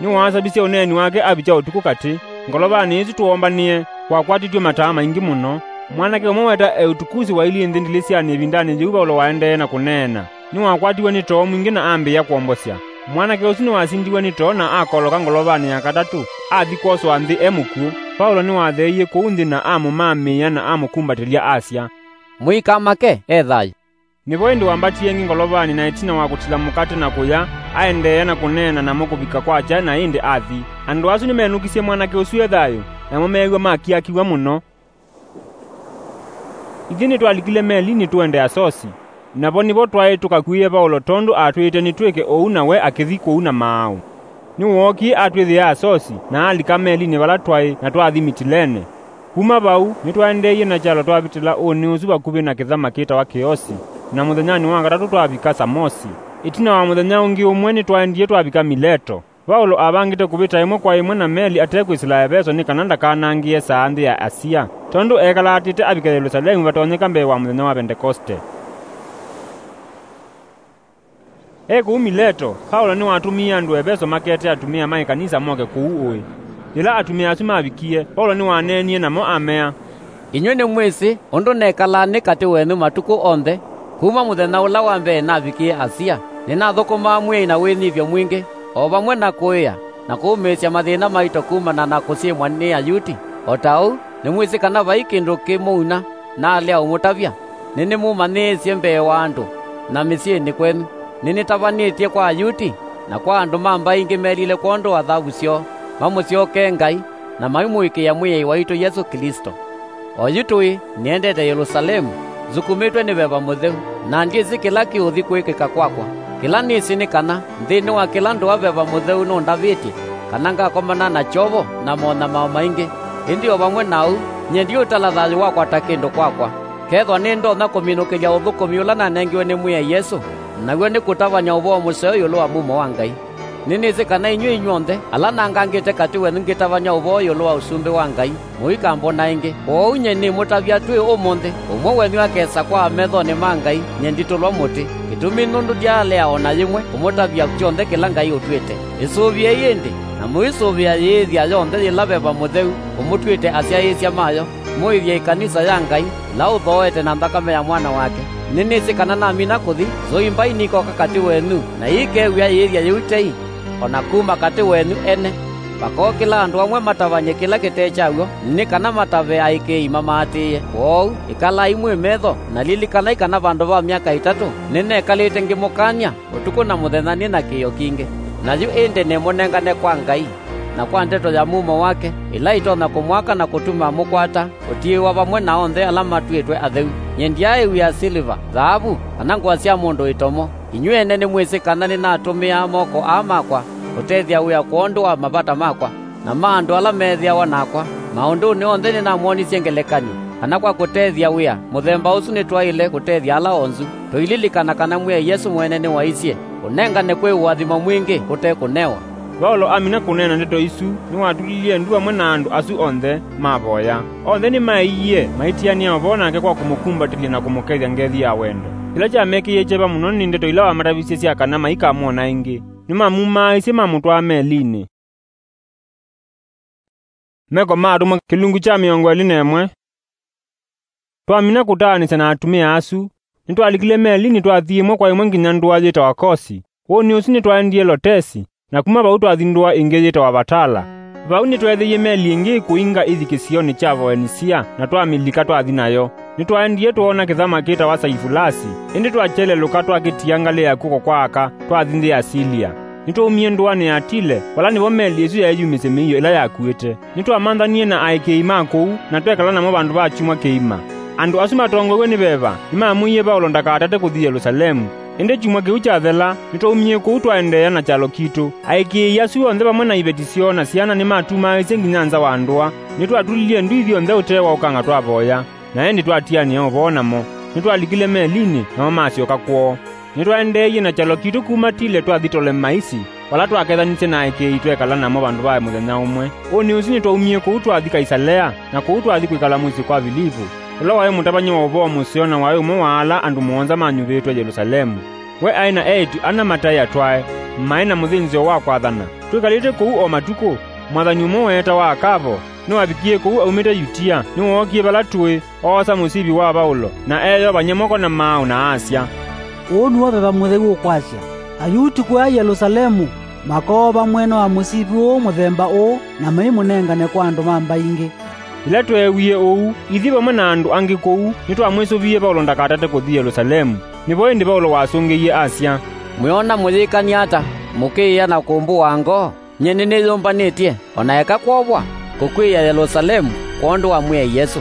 Nĩwaasavisye ũneeni wake avikya ũtukũ katĩ. Ngolovanĩ ĩsu twoombanĩe, kwakwatĩtw'e mataa maingĩ mũno. Mwanake ũmwe weta Eutukusi wailyĩ nthĩ ndilĩsyanĩ ĩvindanĩ yĩu Vaulo waendee na kũneena. Nĩwakwatiwe nĩ too mwingĩ na ambĩĩa kwombosya. Mwanake ũsu nĩwasindiwe nĩ too na akoloka ngolovanĩ ya katatũ, athi kwoswa nthĩ e mũkw'ũ. Vaulo nĩwatheeie kũu nthĩ na amũmaamĩĩa na amũkumbatĩlya asya, "Mũikamake, e thayũ." Nĩvo ĩndĩ wambatie ĩngĩ ngolovanĩ, na ĩtina wa kũtila mũkate na kũya, aendeea na kũneena namo kũvika kwakya na ĩndĩ athi. Andũ asu nĩmenũkisye mwanake ũsu e thayũ, namo meew'a makiakiw'a mũno. Ithyĩ nĩtwalikile melinĩ tũende Asosi, na vo nĩvo twaĩ tũkakuĩe Vaulo tondũ aatwĩĩte nĩtwĩke ũu na we akĩthi kũu na maaũ. Nĩwookie atwĩthĩa Asosi, na alika melinĩ vala twaĩ, na twathi Mitilene. Kuma vau, nĩtwaendeeie na kyalo twavĩtĩla ũnĩ ũsu vakuvĩ na kĩthama kĩtawa Kĩosi, na mũthenyanĩ wa katatũ twavika Samosi. Ĩtina wa mũthenya ũngĩ ũmwe nĩtwaendie twavika Mileto. Vaulo avangĩte kũvĩta ĩmwe kwa ĩmwe na meli ate kwĩsĩla Eveso nĩ kana ndakanangĩe saa nthĩ ya Asia, tondũ eekalaatĩte avike Yelusalemu vatonyeka mbee wa mũthenya wa Vendekoste. E kũu Mileto, Vaulo nĩwatũmie andũ Eveso makete atumĩa ma ĩkanisa moke kũu ũĩ. Yĩla atumĩa asu mavikie, Vaulo nĩwaneenie namo amea, Inyw'ĩ nĩmwĩsĩ ũndũ nekalaa nĩ katĩ wenyu matukũ onthe, kuma mũthenya ũla wa mbee navikie Asia. Nĩnathũkũmaa Mwĩai na wĩnyivyo mwingĩ, o vamwe na kũĩa na kũũmĩĩsya mathĩna maito kumana na kũsyĩmwa nĩ Ayuti. O ta ũu, nĩmwĩsĩ kana vai kĩndũ kĩmũuna naalea ũmũtavya. Nĩnĩmũmanyĩĩsye mbee wa andũ na mĩsyĩnĩ kwenyu. Nĩnĩtavanĩtye kwa Ayuti na kwa andũ ma mbaĩ ingĩ melile kwondũ wa thavu syoo, mamũsyokee Ngai, na maimũĩkĩĩa Mwĩai waitũ Yesũ Klĩsto. Oyu tũĩ nĩendete Yelusalemu, nzukumĩtwe nĩ Veva Mũtheu, na ndyĩsĩ kĩla kĩũthi kwĩkĩka kwakwa. Kĩla nĩsĩ nĩ kana, nthĩnĩ wa kĩla ndũa Veva Mũtheu nũndavĩtye, kana ngakomana na kyovo na monyamao maingĩ. Ĩndĩ o vamwe na ũu, nyie ndiũtala thayũ wakwa ta kĩndũ kwakwa, kethwa nĩndonya kũminũkĩlya ũthũkũmi ũla nanengiwe nĩ Mwĩai Yesũ, naw'o nĩ kũtavany'a ũvoo mũseo ĩũlũ wa mumo wa Ngai. Nĩnĩsĩ kana inyw'ĩ inyw'onthe ala nangangĩte katĩ wenyu ngĩtavany'a ũvoo ĩũlũ wa Ũsumbĩ wa Ngai, mũikambona ĩngĩ. Kwoou nyie nĩmũtavya twĩ ũmũnthĩ, ũmwe wenyu akesa kwa methonĩ ma Ngai nyie nditũlwa mũtĩ. Kĩtumi nũndũ ndyaalea o na yĩmwe kũmũtavya kyonthe kĩla Ngai ũtwĩte. Ĩsũvĩei ĩndĩ, na Na mũisũvĩa yĩĩthya yonthe yĩla Veva Mũtheu ũmũtw'ĩte asyaĩĩsya mayo, mũĩthye ĩkanisa ya Ngai, ĩla ũthooete na nthakame ya Mwana wake. Nĩnĩsĩ kana namina kũthi, nzũi mbai nikoka katĩ wenyu, na iikew'ĩa yĩĩthya yĩu tei, o na kuma katĩ wenyu ene. Vakookĩla andũ amwe matavany'e kĩla kĩte kyaw'o, nĩ kana matave aĩkĩĩi mamaatĩĩe. Kwoou ĩkalai mwĩ metho, na lilikanai kana vandũ va myaka ĩtatũ nĩnekalĩte ngĩmũkany'a ũtukũ na mũthenya nĩ na kĩĩo kingĩ. Na yu ĩndĩ nĩmũnengane kwa Ngai, na kwa ndeto ya mumo wake, ĩla ĩtonya kũmwaka na kũtuma mũkwata ũtiĩwa vamwe na onthe ala matw'ĩtwe atheu. Nyie ndyaaĩw'ĩa siliva, thaavu, kana ngũa sya mũndũ ĩtomo. Inyw'ĩ ene nĩmwĩsĩ kana nĩnatũmĩaa moko aa makwa kũtethya wĩa kwondũ wa mavata makwa, na ma andũ ala meethĩawa nakwa. Maũndũnĩ onthe nĩnamwonisye ngelekany'o, kana kwa kũtethya wĩa mũthemba ũsu nĩtwaĩle kũtethya ala onzu. Tũililikana kana Mwĩai Yesũ mwene nĩwaisye, "Ũnengane kwĩ ũathimo mwingĩ kũte kũnewa." Vaulo amina kũneena ndeto isu, nĩwatulilye ndu vamwe na andũ asu onthe mavoya. Onthe nĩmaeiie, maitianĩa ũvoo nake kwa kũmũkumbatĩlya na kũmũkethya ngethi ya wendo. Kĩla kyamekĩie kyeva mũno nĩ ndeto ila wamatavisye sya kana maikamwona ĩngĩ. Nĩmamumaaĩsye mamũtwaa melinĩ. Meko ma Atũmwa kĩlungu kya mĩongo ĩlĩ na ĩmwe. Twamina kũtaanĩsya na atumĩa asu, nĩtwalikile melinĩ twathi ĩmwe kwa ĩmwe nginya ndũa yĩtawa Kosi. Ũnĩ ũsu nĩtwaendie Lotesi, na kuma vau twathi ndũa ĩngĩ yĩtawa Vatala. Vau nĩtweethĩie meli ĩngĩ ĩkũinga ĩthi kĩsionĩ kya Voenisia, na twamĩlika twathi nayo. Nĩtwaendie twoona kĩthama kĩtawa Saivulasi, ĩndĩ twakyelelũka twakĩtia ngalĩ ya kw'oko kwa aka twathi nthĩ ya Silia. Nĩtwaumie ndũanĩ ya Tile, vala nĩvo meli ĩsu yeeyumisye mĩio ĩla yakuĩte. Nĩtwamanthanie na aĩkĩĩi ma kũu, na twekala namo vandũ va kyumwa kĩima. Andũ asu matongoew'e nĩ Veva nĩmamwĩie Vaulo ndakatate kũthi Yelusalemu. Ĩndĩ kyumwa kĩu kyathela, nĩtwaumie kũu twaendeea na kyalo kitũ. Aĩkĩĩi asu onthe vamwe na iveti syoo na syana nĩmatumaaĩsye nginya nza wa ndũa. Nĩtwatulilye ndu ithyonthe ũtee wa ũkanga twavoya, na ĩndĩ twatianĩa ũvoo namo. Nĩtwalikile melinĩ, namo masyoka kwoo. Nĩtwaendeeie na kyalo kitũ kuma Tile twathi Tolemaisi, vala twakethanisye na aĩkĩĩi twekala namo vandũ va mũthenya ũmwe. Ũnĩ ũsu nĩtwaumie kũu twathi Kaisalea, na kũu twathi kwĩkala mũsyĩ kwa Vilivu, ũla waĩ mũtavany'a wa ũvoo mũseo na waĩ ũmwe wa ala andũ mũonza manyuvĩtwe Yelusalemu. We aĩ na eĩtu ana mataĩ atwae, maĩ na mũthĩnzĩo wa kwathana. Twĩkalĩte kũu o matukũ, mwathani ũmwe weetawa Akavo nĩwavikie kũu aumĩte Yutia, nĩwookie vala tũĩ, oosa mũsivi wa Vaulo, na eeyovany'a moko na maaũ, na asya, "Ũũ nĩw'o Veva Mũtheu ũkwasya, Ayuti kũya Yelusalemu makoova mwene wa mũsivi ũũ mũthemba ũũ, na maimũnengane kwa andũ ma mbaĩ ingĩ." Yĩla tweewie ũu, ithyĩ vamwe na andũ angĩ kũu nĩtwamwĩsũvie Vaulo ndakatate kũthi Yelusalemu. Nĩvo ĩndĩ Vaulo wasũngĩie asya, "Mwĩona mũyĩkany'a ata, mũkĩĩa na kũmbũaa ngoo? Nyie nĩnĩyũmbanĩtye, o na eka kwovwa, kũkw'ĩĩa Yelusalemu kwondũ wa Mwĩai Yesũ."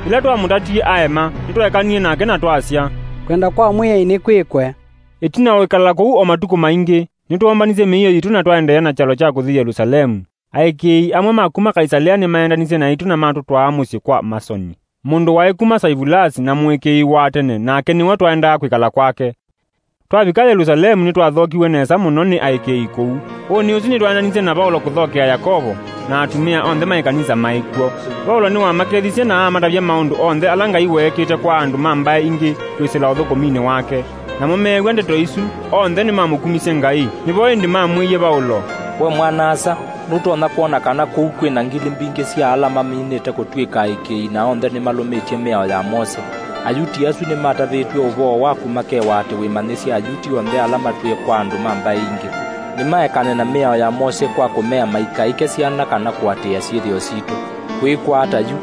Yĩla twamũtatie aema, nĩtwaekanie nake na twasya, "Kwenda kwa Mwĩai nĩkwĩkwe." Ĩtina wa kwĩkala kũu o matukũ maingĩ, nĩtwoombanisye mĩio yitũ na twaendeea na kyalo kya kũthi Yelusalemu. Aĩkĩĩi amwe ma kuma Kaisalea nĩmaendanisye naitũ na matũtwaa mũsyĩ kwa Masoni, mũndũ waĩ kuma Saivulasi na mũĩkĩĩi wa tene, nake nĩwe twaendaa kwĩkala kwake. Twavika Yelusalemu, nĩtwathookiw'e nesa mũno nĩ aĩkĩĩi kũu. Ũnĩ ũsu nĩtwaendanisye na Vaulo kũthokea Yakovo na atumĩa onthe ma ĩkanisa maĩ kw'o. Vaulo nĩwamakethisye na amatavya maũndũ onthe ala Ngai weekĩte kwa andũ ma mbaĩ ingĩ kwĩsĩla ũthũkũminĩ wake. Namo meew'a ndeto isu, onthe nĩmamũkumisye Ngai. Nĩvo ĩndĩ mamwĩie Vaulo, "We mwana-a-asa, nũtonya kwona kana kũu kwĩ na ngili mbingĩ sya ala maminĩte kũtw'ĩka aĩkĩĩi na onthe nĩmalũmĩtye mĩao ya Mose. Ayuti asu nĩmatavĩtw'e ũvoo waku makewa atĩ wĩmanyĩsye Ayuti onthe ala matwĩe kwa andũ ma mbaĩ ingĩ, nĩmaekane na mĩao ya Mose kwa kũmea maikaĩke syana kana kũatĩĩa syĩthĩo sitũ. Kwĩĩkwa ata yu?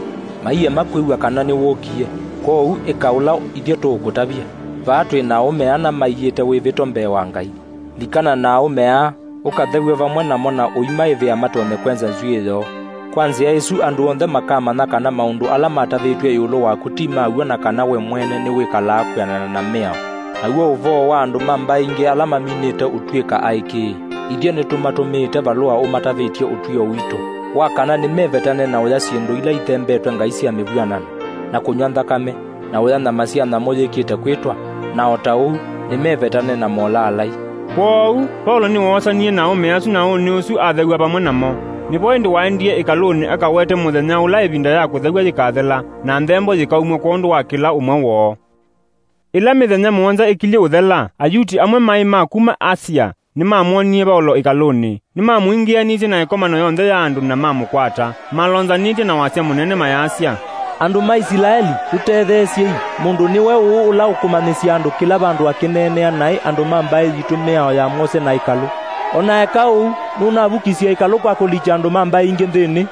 Maiema kwĩw'a kana nĩwũkie. Kwoou ĩka ũla ithyĩ tũũkũtavya. Vaa twĩ na aũme ana maiĩte wĩvĩto mbee wa Ngai. Likana na aũme aa, ũkathew'e vamwe namo na ũimaĩvĩa matonye kwenza nzw'ĩĩ yoo. Kwa nzĩa ĩsu andũ onthe makamanya kana maũndũ ala matavĩtw'e ĩũlũ waku ti ma w'o, na kana we mwene nĩwĩkalaa kwĩanana na mĩao. Naw'o ũvoo wa andũ ma mbaĩ ingĩ ala maminĩte ũtw'ĩka aĩkĩĩi, ithyĩ nĩtũmatũmĩĩte valũa ũmatavĩtye ũtw'ĩo witũ, wa kana nĩmevetane na ũya syĩndũ ila ithembetwe ngai sya mĩvw'anano, na kũnyw'a nthakame, na ũya nyama sya nyamũ yĩkĩte kwĩtwa, na o ta ũu nĩmevetane na molaalai. Kwoou Vaulo nĩwoosanie na aũme asu na ũnĩ ũsu athew'a vamwe namo. Nĩvo ĩndĩ waendie ĩkalũnĩ akawete mũthenya ũla ĩvinda ya kũthew'a yĩkathela, na nthembo yĩkaumw'a kwondũ wa kĩla ũmwe woo. Ĩla mĩthenya mũonza ĩkilyĩ ũthela, Ayuti amwe maĩ ma kuma Asia nĩmamwonie Vaũlo ĩkalũnĩ. Nĩmamũingĩanĩtye na ĩkomano yonthe ya andũ na mamũkwata, malonzanĩtye na wasya mũnene mayasya, "Andũ ma Isilaeli, tũtetheesyei! Mũndũ nĩwe ũũ ũla ũkũmanyĩsya andũ kĩla vandũ akĩneenea naĩ andũ ma mbaĩ yitũ mĩao ya Mose na ĩkalũ? O na eka ũu, nũnavukisye ĩkalũ kwa kũlikya andũ ma mbaĩ ingĩ nthĩnĩ."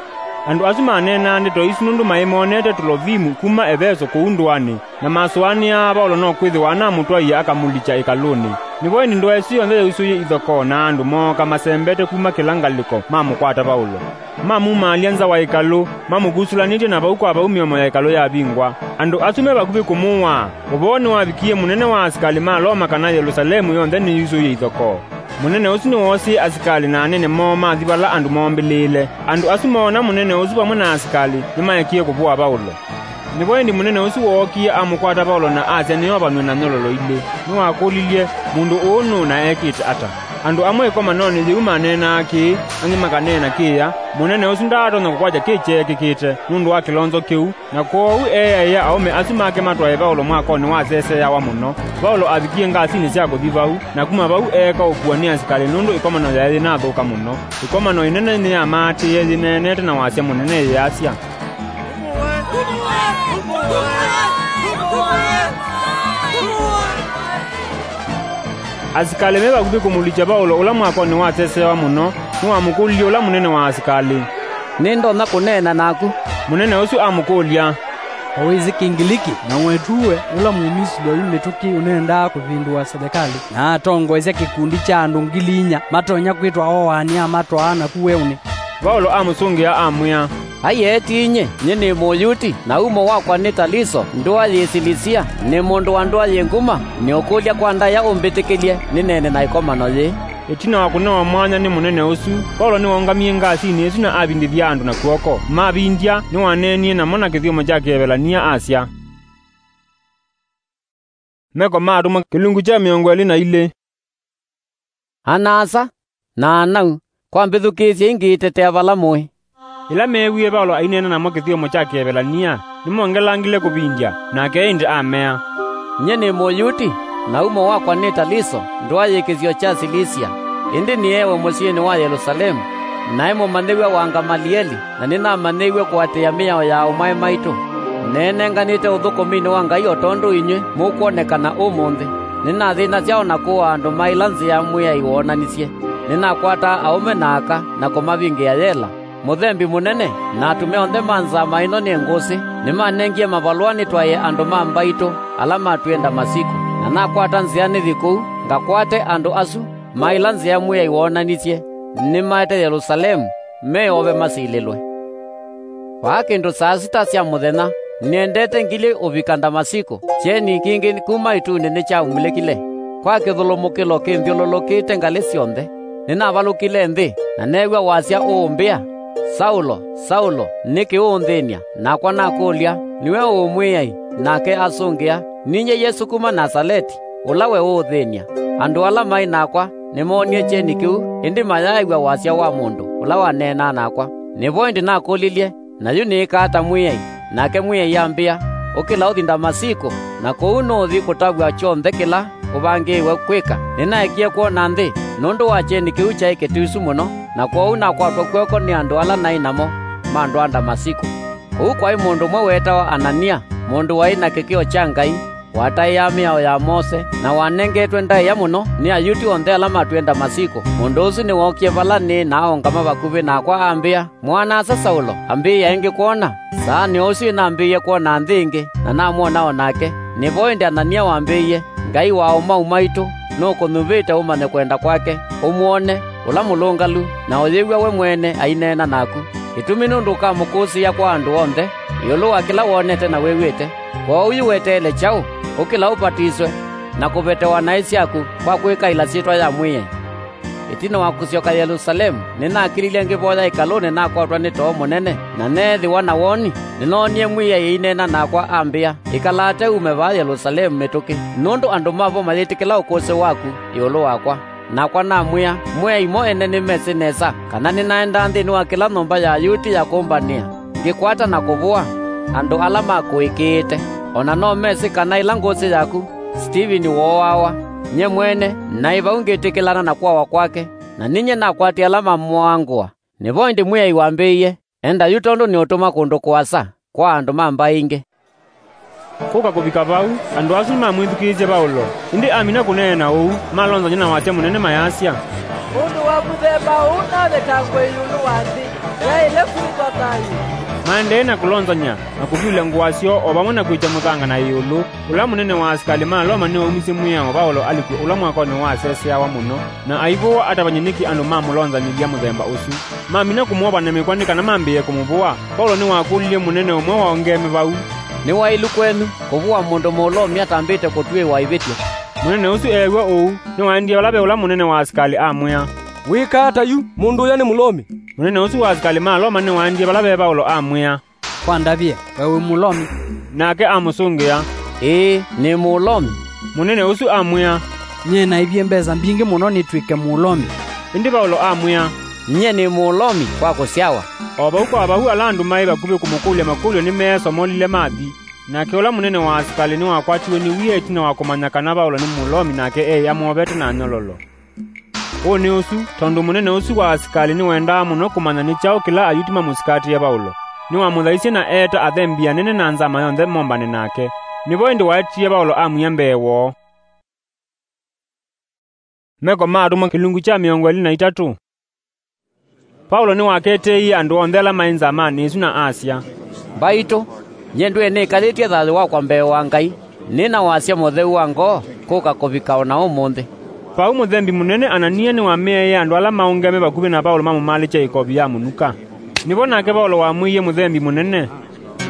Andũ asu maneenaa ndeto isu nũndũ maĩ monete Tulovimu kuma Eveso kũu ndũanĩ, na masũanĩaa Vaũlo no kwĩthĩwa anamũtwaie akamũlikya ĩkalũnĩ. Nĩvo ĩndĩ ndũa ĩsu yonthe yausũie ithokoo na andũ mooka masembete kuma kĩla ngalĩko mamũkwata Vaũlo. Mamumaalya nza wa ĩkalũ, mamũkusũlanĩtye na vau kwa vau mĩomo ya ĩkalũ yavingwa. Andũ asu me vakuvĩ kũmũaa. Ũvoo nĩwavikie mũnene wa asikalĩ ma Loma kana Yelũsalemu yonthe nĩyusũie ithokoo. Mũnene ũsu nĩwoosie asikalĩ na anene moo mathi vala andũ moombĩlĩĩle. Andũ asu moona mũnene ũsu vamwe na asikalĩ, nĩmaekie kũvũa Vaũlo. Nĩvo ĩndĩ mũnene ũsu wookie amũkwata Vaũlo na asya nĩovanw'e na nyololo ilĩ. Nĩwakũlilye, "Mũndũ ũũ nũũ na ekĩte ata?" Andũ amwe ĩkomanonĩ yĩu maneenaa kĩĩ, angĩ makaneena kĩĩa. Mũnene ũsu ndaatonya kũkwatya kĩ kyeekĩkĩte nũndũ wa kĩlonzo kĩu, na kwoou eeaĩa aũme asu make matwae Vaũlo mwakonĩ waseseawa mũno. Vaũlo avikie ngasinĩ sya kũthi vau, na kuma vau eeka ũkua nĩ asikalĩ nũndũ ĩkomano yaĩ yĩnathũka mũno. Ĩkomano ĩnene nĩyamaatĩĩe yĩneenete na wasya mũnene yĩasya, Asikalĩ me vakuvĩ kũmũlikya Vaũlo ũla mwakonĩ waseseawa mũno, nĩwamũkũlilye ũla mũnene wa asikalĩ, "Nĩndonya kũneena naku?" Mũnene ũsu amũkũlya, "O wĩsĩ Kĩngiliki? Na ng'wetuwe, ũla Mũmisili oyu mĩtũkĩ ũnendaa kũvĩndũa selekalĩ, na atongoesya kĩkundi kya andũ ngili inya matonya kwĩtwa oaani amatwaa naku weũnĩ." Vaũlo amũsũngĩa amwĩa, "Ai eeti inyĩ, nyie nĩ Mũyuti, na umo wakwa nĩ Taliso, ndũa yĩ Silisia, nĩ mũndũ wa ndũa yĩ nguma, nĩũkũlya kwa ndaĩa ũmbĩtĩkĩlye nĩneene na ĩkomano yĩĩ." Ĩtina wa kũnewa mwanya nĩ mũnene ũsu, Vaũlo nĩwaũngamie ngasinĩ ĩsu na avindĩthya andũ na kw'oko. Mavindya, nĩwaneenie namo na kĩthyomo kya Kĩevelania asya, Meko ma Atũmwa, kĩlungu kya mĩongo ĩlĩ na ilĩ. Ana-a-asa na ana-a-nau, kwa mbĩthukĩĩsyei ngĩitetea vala mũĩ. Ĩla meewie Vaũlo aineena namo kĩthyomo kya Kĩevelania, nĩmongelangile kũvindya, nake ĩndĩ amea, "Nyie nĩ Mũyuti, na umo wakwa nĩ Taliso, ndũa yĩ kĩsio kya Silisia, ĩndĩ nĩeewe mũsyĩnĩ wa Yelũsalemu, naĩ mũmanyĩw'a wa Ngamalieli, na nĩnamanyĩiw'e kũatĩĩa mĩao ya aũmae maitũ. Neenenganĩte ũthũkũminĩ wa Ngai o tondũ inyw'ĩ mũkwonekana ũmũnthĩ. Nĩnathĩnasya o na kũaa andũ ma ĩla nzĩa Mwĩai woonanisye. Nĩnakwataa aũme na aka na kũmavingĩa yela. Mũthembi mũnene na atũme onthe ma nzama ĩno nĩ ngũsĩ nĩmanengie mavalũa nĩtwaĩe andũ ma mbaitũ ala matwĩe Ndamasiko. Na nakwata nzĩa nĩthi kũu, ngakwate andũ asu ma ĩla nzĩa Mwĩai woonanisye nĩmaete Yelũsalemu, meove masilĩlwe. Vaa kĩndũ saa sita sya mũthenya, nĩendete ngilĩ ũvika Ndamasiko, kyeni kingĩ kuma ĩtunĩ nĩkyamulĩkile. Kwa kĩthũlũmũkĩlo kĩnthyũlũlũkĩte ngalĩ syonthe, nĩnavalũkile nthĩ, na neew'a wasya ũũmbĩa, 'Saulo, Saulo, nĩkĩ ũũnthĩny'a?' Nakwa nakũlya, 'Nĩwe ũũ, Mwĩai?' Nake asũngĩa, 'Ninyie Yesũ kuma Nasaleti, ũla we ũũthĩny'a.' Andũ ala maĩ nakwa nĩmoonie kyeni kĩu, ĩndĩ mayaaĩw'a wasya wa mũndũ ũla waneenaa nakwa. Nĩvo ĩndĩ nakũlilye, 'Na yu nĩĩka ata, Mwĩai?' Nake Mwĩai ambĩa, 'Ũkĩla ũthi Ndamasiko, na kũu nũũthi kũtavw'a kyonthe kĩla ũvangĩĩwe kwĩka.' Nĩnaekie kwona nthĩ nũndũ wa kyeni kĩu kyaĩ kĩtusu mũno, na kwoou nakwatwa kw'oko nĩ andũ ala naĩ namo mandwaa Ndamasiko. Kũu kwaĩ mũndũ ũmwe weetawa Anania, mũndũ waĩ na kĩkĩo kya Ngai, wataĩaa mĩao ya Mose, na wanengetwe ndaĩa mũno nĩ Ayuti onthe ala matwĩe Ndamasiko. Mũndũ ũsu nĩwookie vala nĩĩ na aũngama vakuvĩ nakwa ambĩa, 'Mwana-a-asa Saulo, ambĩĩa ĩngĩ kwona.' Saanĩ o ũsu nĩnambĩĩie kwona nthĩ ĩngĩ, na namwona o nake. Nĩvo ĩndĩ Anania wambĩĩie, 'Ngai wa aũmau maitũ nũkũnyuvĩte ũmanye kwenda kwake, ũmwone, ũla mũlũngalu, na ũyĩw'a we mwene aineena naku. Kĩtumi nũndũ ũkamũkũsĩĩa kwa andũ onthe ĩũlũ wa kĩla wonete na wĩw'ĩte. Kwoou yu weteele kyaũ? Ũkĩla ũvatiswe, na kũvetewa naĩ syaku kwa kwĩkaĩla syĩtwa ya Mwĩai.' Ĩtina wa kũsyoka Yelũsalemu, nĩnakĩlilye ngĩvoya ĩkalũnĩ nakwatwa nĩ too mũnene, na neethĩwa na woni. Nĩnoonie Mwĩai aineena nakwa ambĩa, 'Ĩkala ate ume vaa Yelũsalemu mĩtũkĩ, nũndũ andũ ma vo mayĩtĩkĩla ũkũsĩ waku ĩũlũ wakwa.' Nakwa namwĩa, 'Mwĩai mo ene nĩmesĩ nesa kana nĩnaendaa nthĩnĩ wa kĩla nyũmba ya Ayuti ya kũmbanĩa, ngĩkwata na kũvũa andũ ala makũĩkĩĩte. O na no mesĩ kana ĩla ngũsĩ yaku Sitivini wooawa, Nyie mwene naĩ vau ngĩtĩkĩlana na kũawa kwake, na ninyie nakwatie ala mamũaa ngũa. Nĩvo ĩndĩ Mwĩai wambĩĩie, "Enda yu tondũ nĩũtũma kũndũ kũasa kwa andũ ma mbaĩ ingĩ." Kũka kũvika vau, andũ asu nĩmamwĩthukĩĩsye Vaũlo, ĩndĩ amina kũneena ũu, malonzany'a na wasya mũnene mayasya, "Mũndũ wa mũthemba ũũ navetangwe ĩũlũ wa nthĩ, yaĩle kwĩthwa thayũ." Maendee na kũlonzany'a na kũvyũlya ngũa syoo o vamwe na kwĩkya mũthanga na ĩũlũ. Ũla mũnene wa asikalĩ ma Loma nĩwaumisye mwĩao Vaũlo alikw'e ũla mwakonĩ waseseawa mũno, na aivũwa atavany'e nĩkĩ andũ mamũlonzanyĩlya mũthemba ũsu. Mamina kũmwova na mĩkwa nĩ kana mambĩĩe kũmũvũa, Vaũlo nĩwakũlilye mũnene ũmwe wa aũngeeme vau, "Nĩ waĩlu kwenyu kũvũa mũndũ Mũlomi atambĩte kũtw'ĩĩwa ĩvĩtyo?" Mũnene ũsu eew'a ũu, nĩwaendie vala ve ũla mũnene wa asikalĩ amwĩa, "Wĩkaa ata yu? Mũndũ ũya nĩ Mũlomi." Mũnene ũsu wa asikalĩ ma Loma nĩwaendie vala ve Vaũlo amwĩa, "Kwa ndavye, we wĩ Mũlomi?" Nake amũsũngĩa, "Ĩĩ, nĩ Mũlomi." Mũnene ũsu amwĩa, "Nyie naĩvye mbesa mbingĩ mũno nĩtw'ĩke Mũlomi." Ĩndĩ Vaũlo amwĩa, "Nyie nĩ Mũlomi kwa kũsyawa." O vau kwa vau ala andũ maĩ vakuvĩ kũmũkũlya makũlyo nĩmeesomolile mathi. Nake ũla mũnene wa asikalĩ nĩwakwatiwe nĩ wia ĩtina wa kũmanya kana Vaũlo nĩ Mũlomi, nake eĩ amovete na nyololo. Ũũ nĩ ũsu, tondũ mũnene ũsu wa asikalĩ nĩwendaa mũno kũmanya nĩ kyaũ kĩla Ayuti mamũsikatĩe Vaũlo, nĩwamũthaisye na eeta athembi anene na nzama yonthe mombane nake. Nĩvo ĩndĩ waetiie Vaũlo amwia mbee woo. Meko ma Atũmwa kĩlungu kya mĩongo ĩlĩ na itatũ. Vaũlo nĩwaketeeie andũ onthe ala maĩ nzamanĩ ĩsu na asya, "Mbaitũ, nyie ndwĩe nĩkalĩtye thayũ wakwa mbee wa Ngai, nĩ na wasya mũtheu wa ngoo kũka kũvika o na ũmũnthĩ." Vau mũthembi mũnene Anania nĩwamĩaĩe andũ ala maũngeme vakuvĩ na Vaũlo mamũmalĩkye ĩkovi ya mũnuka. Nĩvo nake Vaũlo wamwĩie mũthembi mũnene,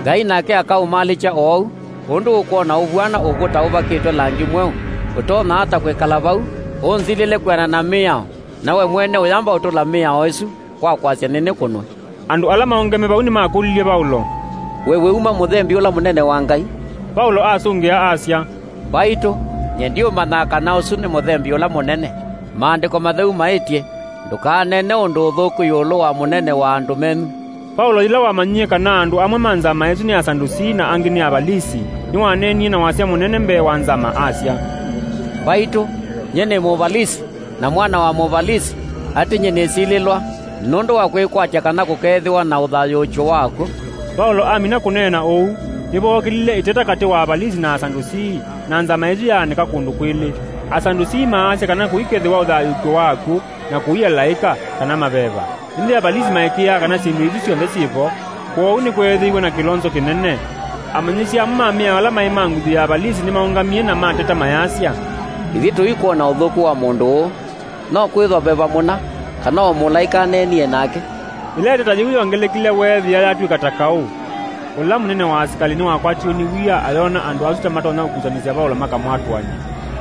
"Ngai nake akaũmalĩkya oou, ũndũ ũkwona ũvw'ana ũkw'ũ ta ũvakĩtwe langi mweũ, ũtonya ata kwĩkala vau, ũnzilĩle kwĩanana na mĩao, na we mwene ũyamba ũtũla mĩao ĩsu kwa kwasya nĩnĩkũnwe?" Andũ ala maũngeme vau nĩmakũlilye Vaũlo, "We wĩuma mũthembi ũla mũnene wa Ngai?" Vaũlo asũngĩa asya, "Mbaitũ, nyie ndiũmanyaa kana ũsu nĩ mũthembi ũla mũnene. Maandĩko matheu maĩtye, 'Ndũkaneene ũndũ ũthũku ĩũlũ wa mũnene wa andũ menyu.'" Vaũlo yĩla wamanyie kana andũ amwe ma nzama ĩsu nĩ Asadusii na angĩ nĩ Avalisi, nĩwaneenie na wasya mũnene mbee wa nzama asya, "Mbaitũ, nyie nĩ Mũvalisi, na mwana wa Mũvalisi, atĩ nyie nĩsilĩlwa nũndũ wa kwĩkwatya kana kũkeethĩwa na ũthayũũkyo wa akw'ũ." Vaũlo amina kũneena ũu, nĩvookĩlile ĩteta katĩ wa Avalisi na Asadusii, na nzama ĩsu yaanĩka kũndũ kwĩlĩ. Asadusii maasya kana kũikethĩwa ũthayũũkyo wa akw'ũ na kũi alaĩka kana maveva. Ĩndĩ Avalisi maĩkĩĩaa kana syĩndũ isu syonthe syĩ vo, kwoou nĩkweethĩiwe na kĩlonzo kĩnene. Amanyĩsya amwe ma mĩao ala maĩ ma nguthu ya Avalisi nĩmaũngamie na mateta mayasya, "Ithyĩ tũikwona ũthũku wa mũndũ ũũ. No kwĩthwa veva mũna, kana o mũlaĩka aneenie nake." Ĩla ĩteta yĩu yongelekile, weethĩa yatw'ĩka ta kaũ. Ũla mũnene wa asikalĩ nĩwakwatiwe nĩ wia ayona andũ asu ta matonya kũkusanĩsya Vaũlo makamwatũany'a.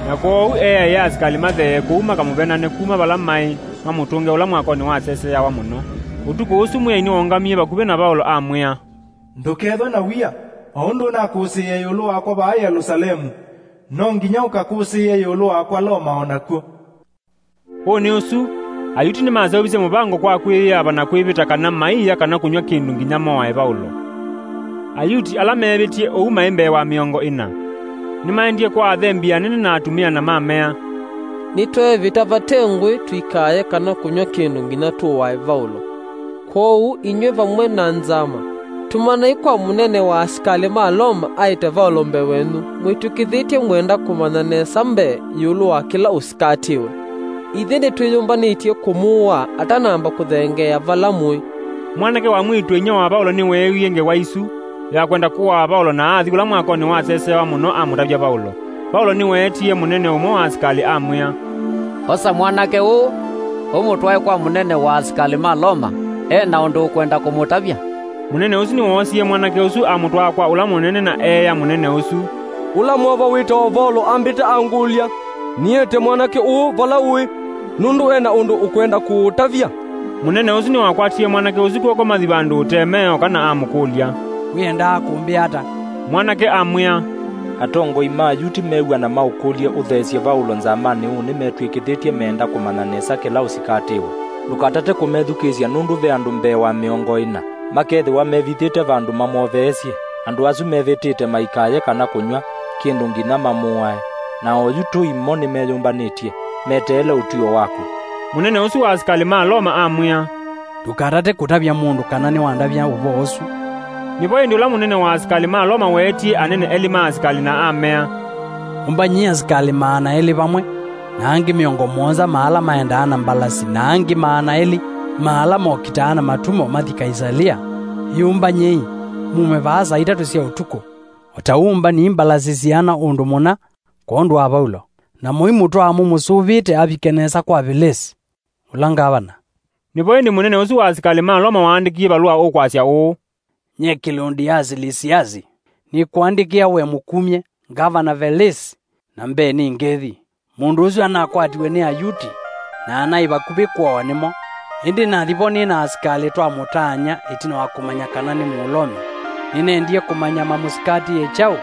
Na kwoou eeaĩa asikalĩ matheeye kũu makamũvenane kuma vala maĩ, mamũtũnge ũla mwakonĩ waseseawa mũno. Ũtukũ ũsu Mwĩai nĩwaũngamie vakuvĩ na Vaũlo amwĩa, "Ndũkethwe na wia, o ũndũ ũnakũsĩĩe ĩũlũ wakwa vaa Yelũsalemu, no nginya ũkakũsĩĩe ĩũlũ wakwa Loma o nakw'o." Ũũ nĩ ũsu, Ayuti nĩmaseũvisye mũvango kwa kwĩyĩava na kwĩvĩta kana maiia kana kũnyw'a kĩndũ nginya moae Vaũlo. Ayuti ala meevĩtie ũu maĩ mbee wa mĩongo ĩna. Nĩmaendie kwa athembi anene na atumĩa na mamea, "Nĩtweevĩta vate ngũĩ tũikaaye kana kũnyw'a kĩndũ nginya tũwae Vaũlo. Kwoou inyw'ĩ vamwe na nzama, tũmanai kwa mũnene wa asikalĩ ma Loma aĩte Vaũlo mbee wenyu, mwĩtĩkĩthĩtye mwenda kũmanya nesa mbee ĩũlũ wa kĩla ũsikatĩwe. Ithyĩ nĩtwĩyũmbanĩtye kũmũũa atanamba kũthengeea vala mũĩ." Mwanake wa mwĩĩtu-a-inyia wa Vaũlo nĩweewie ngewa isu ya kwenda kũaa Vaũlo na athi kũla mwakonĩ waseseawa mũno amũtavya Vaũlo. Vaũlo nĩweetie mũnene ũmwe wa asikalĩ amwĩa, "Osa mwanake ũũ, ũmũtwae kwa mũnene wa asikalĩ ma Loma, e na ũndũ ũkwenda kũmũtavya." Mũnene ũsu nĩwoosie mwanake ũsu amũtwaa kwa ũla mũnene na eea mũnene ũsu, "Ũla mwova wĩtawa Vaũlo ambĩte angũlya, nĩete mwanake ũũ vala ũĩ, nũndũ e na ũndũ ũkwenda kũũtavya." Mũnene ũsu nĩwakwatie mwanake ũsu kw'oko mathi vandũ ũtemee oka na amũkũlya, "Wĩendaa kũmbĩa ata?" Mwanake amwĩa, "Atongoi ma Ayuti mew'a na maũkũlye ũtheesye Vaũlo nzamanĩ ũũ nĩmetw'ĩkĩthĩtye meenda kũmanya nesa kĩla ũsikatĩwe. Ndũkatate kũmethukĩĩsya nũndũ ve andũ mbee wa mĩongo ĩna makethĩwa mevithĩte vandũ mamwoveesye. Andũ asu mevĩtĩte maikaye kana kũnyw'a kĩndũ nginya mamũae." na oyu tũi mo nĩmeyũmbanĩtye, meteele ũtw'ĩo waku." Mũnene ũsu wa asikalĩ ma Loma amwĩa, "Ndũkatate kũtavya mũndũ kana nĩwandavya ũvoo ũsu." Nĩvo ĩndĩ ũla mũnene wa asikalĩ ma Loma weetie anene elĩ ma asikalĩ na amea, "Ũmbanyei asikalĩ maana elĩ vamwe, na angĩ mĩongo mũonza ma ala maendaa na mbalasi, na angĩ maana elĩ ma ala mokitaa na matumo mathi Kaisalia. Ĩũmbanyei, mume vaa saa itatũ sya ũtukũ. O ta ũu ũmbanyei mbalasi siana ũndũ mũna kwondũ wa Vaulo, na mũimũtwaa mũmũsũvĩte avike nesa kwa Velesi, ũla ngavana." Nĩvo ĩndĩ mũnene ũsu wa asikalĩ ma Loma waandĩkie valũa ũkwasya ũũ, "Nyie kĩlũndĩ ya Silisiasi, nĩkũandĩkĩa we mũkumye, ngavana Velesi, na mbee nĩ ngethi. Mũndũ ũsu anakwatiwe nĩ Ayuti, na anaĩ vakuvĩ kũawa nĩmo. Ĩndĩ nathi vo nĩ na asikalĩ twamũtaany'a ĩtina wa kũmanya kana nĩ Mũlomi. Nĩnendie kũmanya mamũsikatĩĩe kyaũ,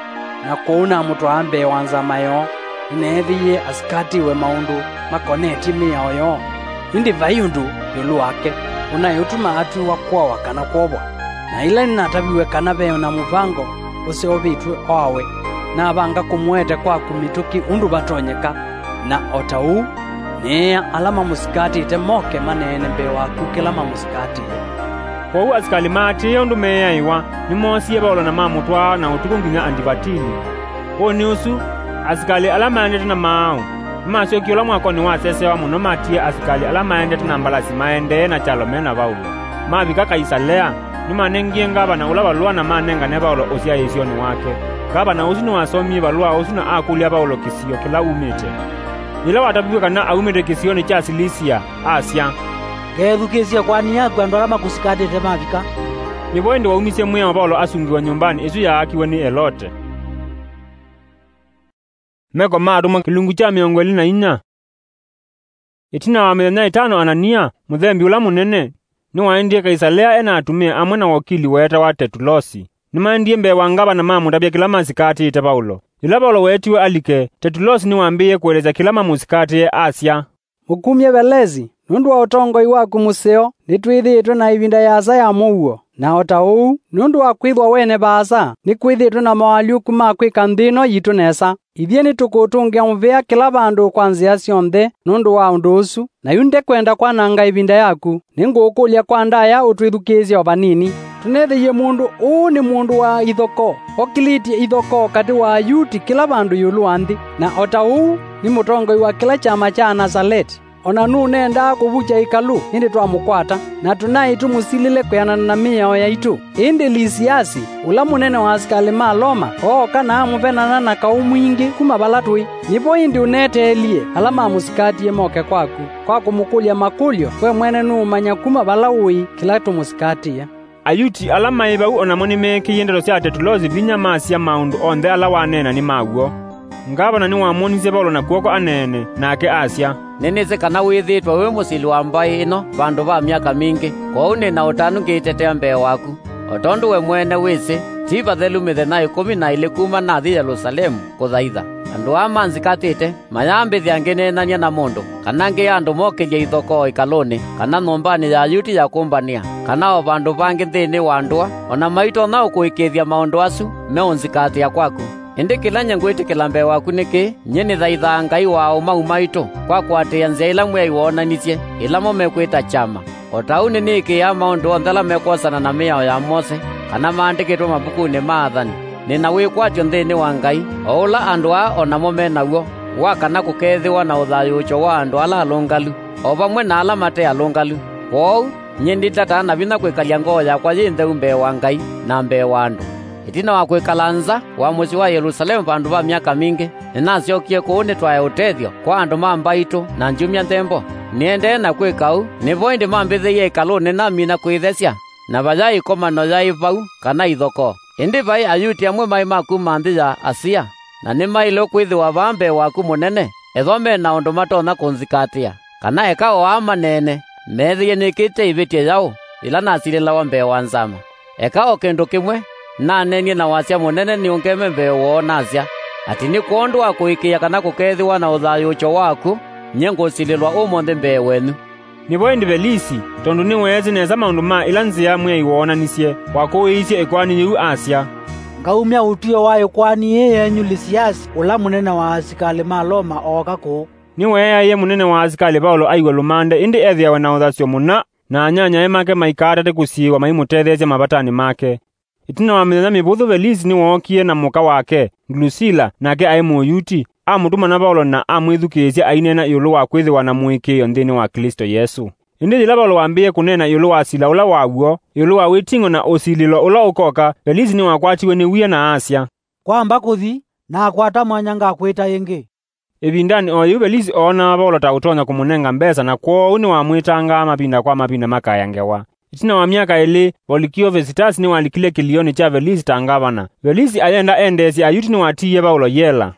na kwoou namũtwaa mbee wa nzama yoo. Nĩneethĩie asikatĩĩwe maũndũ makonetye mĩao yoo, ĩndĩ vai ũndũ ĩũlũ wake ũnaĩ ũtuma atw'ĩwa kũawa kana kwovwa. Na ĩla nĩnataviw'e kana ve na mũvango ũseũvĩtw'e oawe, navanga kũmũete kwaku mĩtũkĩ ũndũ vatonyeka, na o ta ũu nĩĩa ala mamũsikatĩte moke maneene mbee waku kĩla mamũsikatĩĩe." Kwoou asikalĩ maatĩĩe ũndũ meeaĩwa, nĩmoosie Vaulo na mamũtwaa na ũtukũ nginya Andivatini. Ũnĩ ũsu, asikalĩ ala maendete na maaũ nĩmasyokie ũla mwakonĩ wasesewa mũno matie asikalĩ ala maendete na mbalasi maendee na kyalo me na Vaulo. Mavika Kaisalea, nĩmanengie ngavana ũla valũa na manengane Vaulo ũsyaĩĩsyonĩ wake. Ngavana ũsu nĩwasomie valũa ũsu na akũlya Vaulo kĩsio kĩla umĩte. Yĩla wataviw'e kana aumĩte kĩsionĩ kya Silisia, asya, "Ngeethukĩĩsya ĩkoani yaku andũ ala makũsikatĩte mavika." Nĩvo ĩndĩ waumisye mwĩao Vaulo asungĩwe nyũmbanĩ ĩsu yaakiwe nĩ Elote. Meko ma Atũmwa kĩlungu kya mĩongo ĩlĩ na inya. Ĩtina wa mĩthenya ĩtano Anania, mũthembi ũla mũnene, nĩwaendie Kaisalea e na atumĩa amwe na wakili weetawa Tetulosi. Nĩmaendie mbee wa ngavana mamũtavya kĩla masikatĩĩte Vaulo. Yĩla Vaulo weetiwe alike, Tetulosi nĩwambĩĩe kũelesya kĩla mamũsikatĩe, asya, "Mũkumye Velesi, nũndũ wa ũtongoi waku mũseo, nĩtwĩthĩĩtwe na ĩvinda yaasa ya mũuo, na o ta ũu, nũndũ wa kwĩthwa wene vaasa, nĩkwĩthĩĩtwe na moalyũku ma kwĩka nthĩ ĩno yitũ nesa. Ithyĩ nĩtũkũũtũngĩa mũvea kĩla vandũ kwa nzĩa syonthe nũndũ wa ũndũ ũsu, na yu ndekwenda kwananga ĩvinda yaku. Nĩngũũkũlya kwa ndaya ũtwĩthukĩĩsye o vanini. Tũnethĩie mũndũ ũũ nĩ mũndũ wa ithokoo, okilĩtye ithokoo katĩ wa Ayuti kĩla vandũ ĩũlũ wa nthĩ, na o ta ũu nĩ mũtongoi wa kĩla kyama kya Anasaleti. O na nũnendaa kũvukya ĩkalũ, ĩndĩ twamũkwata, na tũnaĩ tũmũsilĩle kwĩanana na mĩao yaitũ. Ĩndĩ Lisiasi, ũla mũnene wa asikalĩ ma Loma, ooka na amũvenana na kaũ mwingĩ kuma vala tũĩ. Nĩvo ĩndĩ ũneteelie ala mamũsikatie moke kwaku, kwa kũmũkũlya makũlyo, we mwene nũũmanya kuma vala ũĩ kĩla tũmũsikatĩe." Ayuti ala maĩ vau o namo nĩmeekĩie ndeto sya Tetulosi vinya, masya maũndũ onthe ala waneena nĩ ma w'o. Ngavana nĩwamwonisye Vaulo na kw'oko aneene, nake asya, "Nĩnĩsĩ kana wĩthĩĩtwe wĩ mũsili wa mbaĩ ĩno vandũ va myaka mingĩ, kwoou nĩ na ũtanu ngĩitetea mbee waku. O tondũ we mwene wĩsĩ, ti vathelu mĩthenya ĩkũmi na ĩlĩ kuma nathi Yelusalemu kũthaitha. Andũ aa manzikatĩte, mayambĩthya ngĩneenany'a na mũndũ, kana ngĩa andũ mokĩlye ithokoo ĩkalũnĩ, kana nyũmbanĩ ya Ayuti ya kũmbanĩa, kana o vandũ vangĩ nthĩnĩ wa ndũa, o na maitonya ũkũĩkĩĩthya maũndũ asu meũnzikatĩa kwaku. Ĩndĩ kĩla nyie ngwĩtĩkĩla mbee waku nĩ kĩĩ, nyie nĩthaithaa Ngai wa ũmau maitũ, kwa kũatĩĩa nzĩa ĩla Mwĩai woonanisye, ĩla mo mekwĩta kyama. O ta ũu nĩnĩĩkĩĩaa maũndũ onthe ala mekwosana na mĩao ya Mose, kana maandĩkĩtwe mavukunĩ ma athani. Nĩ na wĩkwatyo nthĩnĩ wa Ngai, o ũla andũ aa o namo me naw'o, wa kana kũkeethĩwa na ũthayũũkyo wa andũ ala alũngalu, o vamwe na ala mate alũngalu. Kwoou, nyie nditataa na vinya kwĩkalya ngoo yakwa yĩ ntheu mbee wa Ngai na mbee wa andũ. Ĩtina wa kwĩkala nza wa mũsyĩ wa Yelusalemu vandũ va myaka mingĩ, nĩnasyokie kũu nĩtwae ũtethyo kwa andũ ma mbaitũ na ndyumya nthembo. Nĩendee na kwĩka ũu, nĩvo ĩndĩ mambĩthĩie ĩkalũnĩ namina kwĩthesya, na vayaĩ ĩkomano yaĩ vau kana ithokoo. Ĩndĩ vaĩ Ayuti amwe maĩ ma kuma nthĩ ya Asia, na nĩmaĩle kwĩthĩwa vaa mbee waku mũnene, ethĩwa me na ũndũ matonya kũnzikatĩa, kana eka o aa maneene, meethĩie nĩkĩte ĩvĩtyo yaũ yĩla nasilĩlawa mbee wa nzama. Eka o kĩndũ kĩmwe, naneenie na wasya mũnene nĩũngeme mbee woo nasya, atĩ nĩ kwondũ wa kũĩkĩĩa kana kũkeethĩwa na ũthayũũkyo waku, nyie ngũsilĩlwa ũmũnthĩ mbee wenyu." Nĩvo ĩndĩ Velisi, tondũ nĩweesĩ nesa maũndũ ma ĩla nzĩa Mwĩai woonanisye, wakũĩisye ĩkoani yĩu asya, Ngaumya ũtw'ĩo wa ĩkoani yĩĩ yenyu Lisiasi, ũla mũnene wa asikalĩ ma Loma ooka kũũ. Nĩweeaĩe mũnene wa asikalĩ Vaũlo aiw'e lũmande, ĩndĩ ethĩawe na ũthasyo mũna, na anyanyae make maikaatate kũsiĩĩwa maimũtetheesya mavatanĩ make. Ĩtina wa mĩthenya mĩvũthũ, Velisi nĩwookie na mũka wake, Ndlusila, nake aĩ Mũyuti, amũtũmana Vaũlo na amwĩthukĩĩsya aineena ĩũlũ wa kwĩthĩwa na mũĩkĩĩo nthĩnĩ wa Klĩsto Yesũ. Ĩndĩ yĩla Vaũlo wambĩĩe kũneena ĩũlũ wa sila ũla wa w'o, ĩũlũ wa wĩting'o na ũsilĩlo ũla ũkoka, Velisi nĩwakwatiwe nĩ wia na asya, "Kwamba kũthi, nakwata mwanya ngakwĩta ĩngĩ." Ĩvindanĩ o yĩu, Velisi oonaa Vaũlo ta ũtonya kũmũnenga mbesa, na kwoou nĩwamwĩtangaa mavinda kwa mavinda makaya ngewa. Ĩtina wa myaka ĩlĩ, Volikio Vesitasi nĩwalikile kĩlĩonĩ kya Velisi ta ngavana. Velisi ayenda endeesye Ayuti nĩwatiie Vaũlo yela.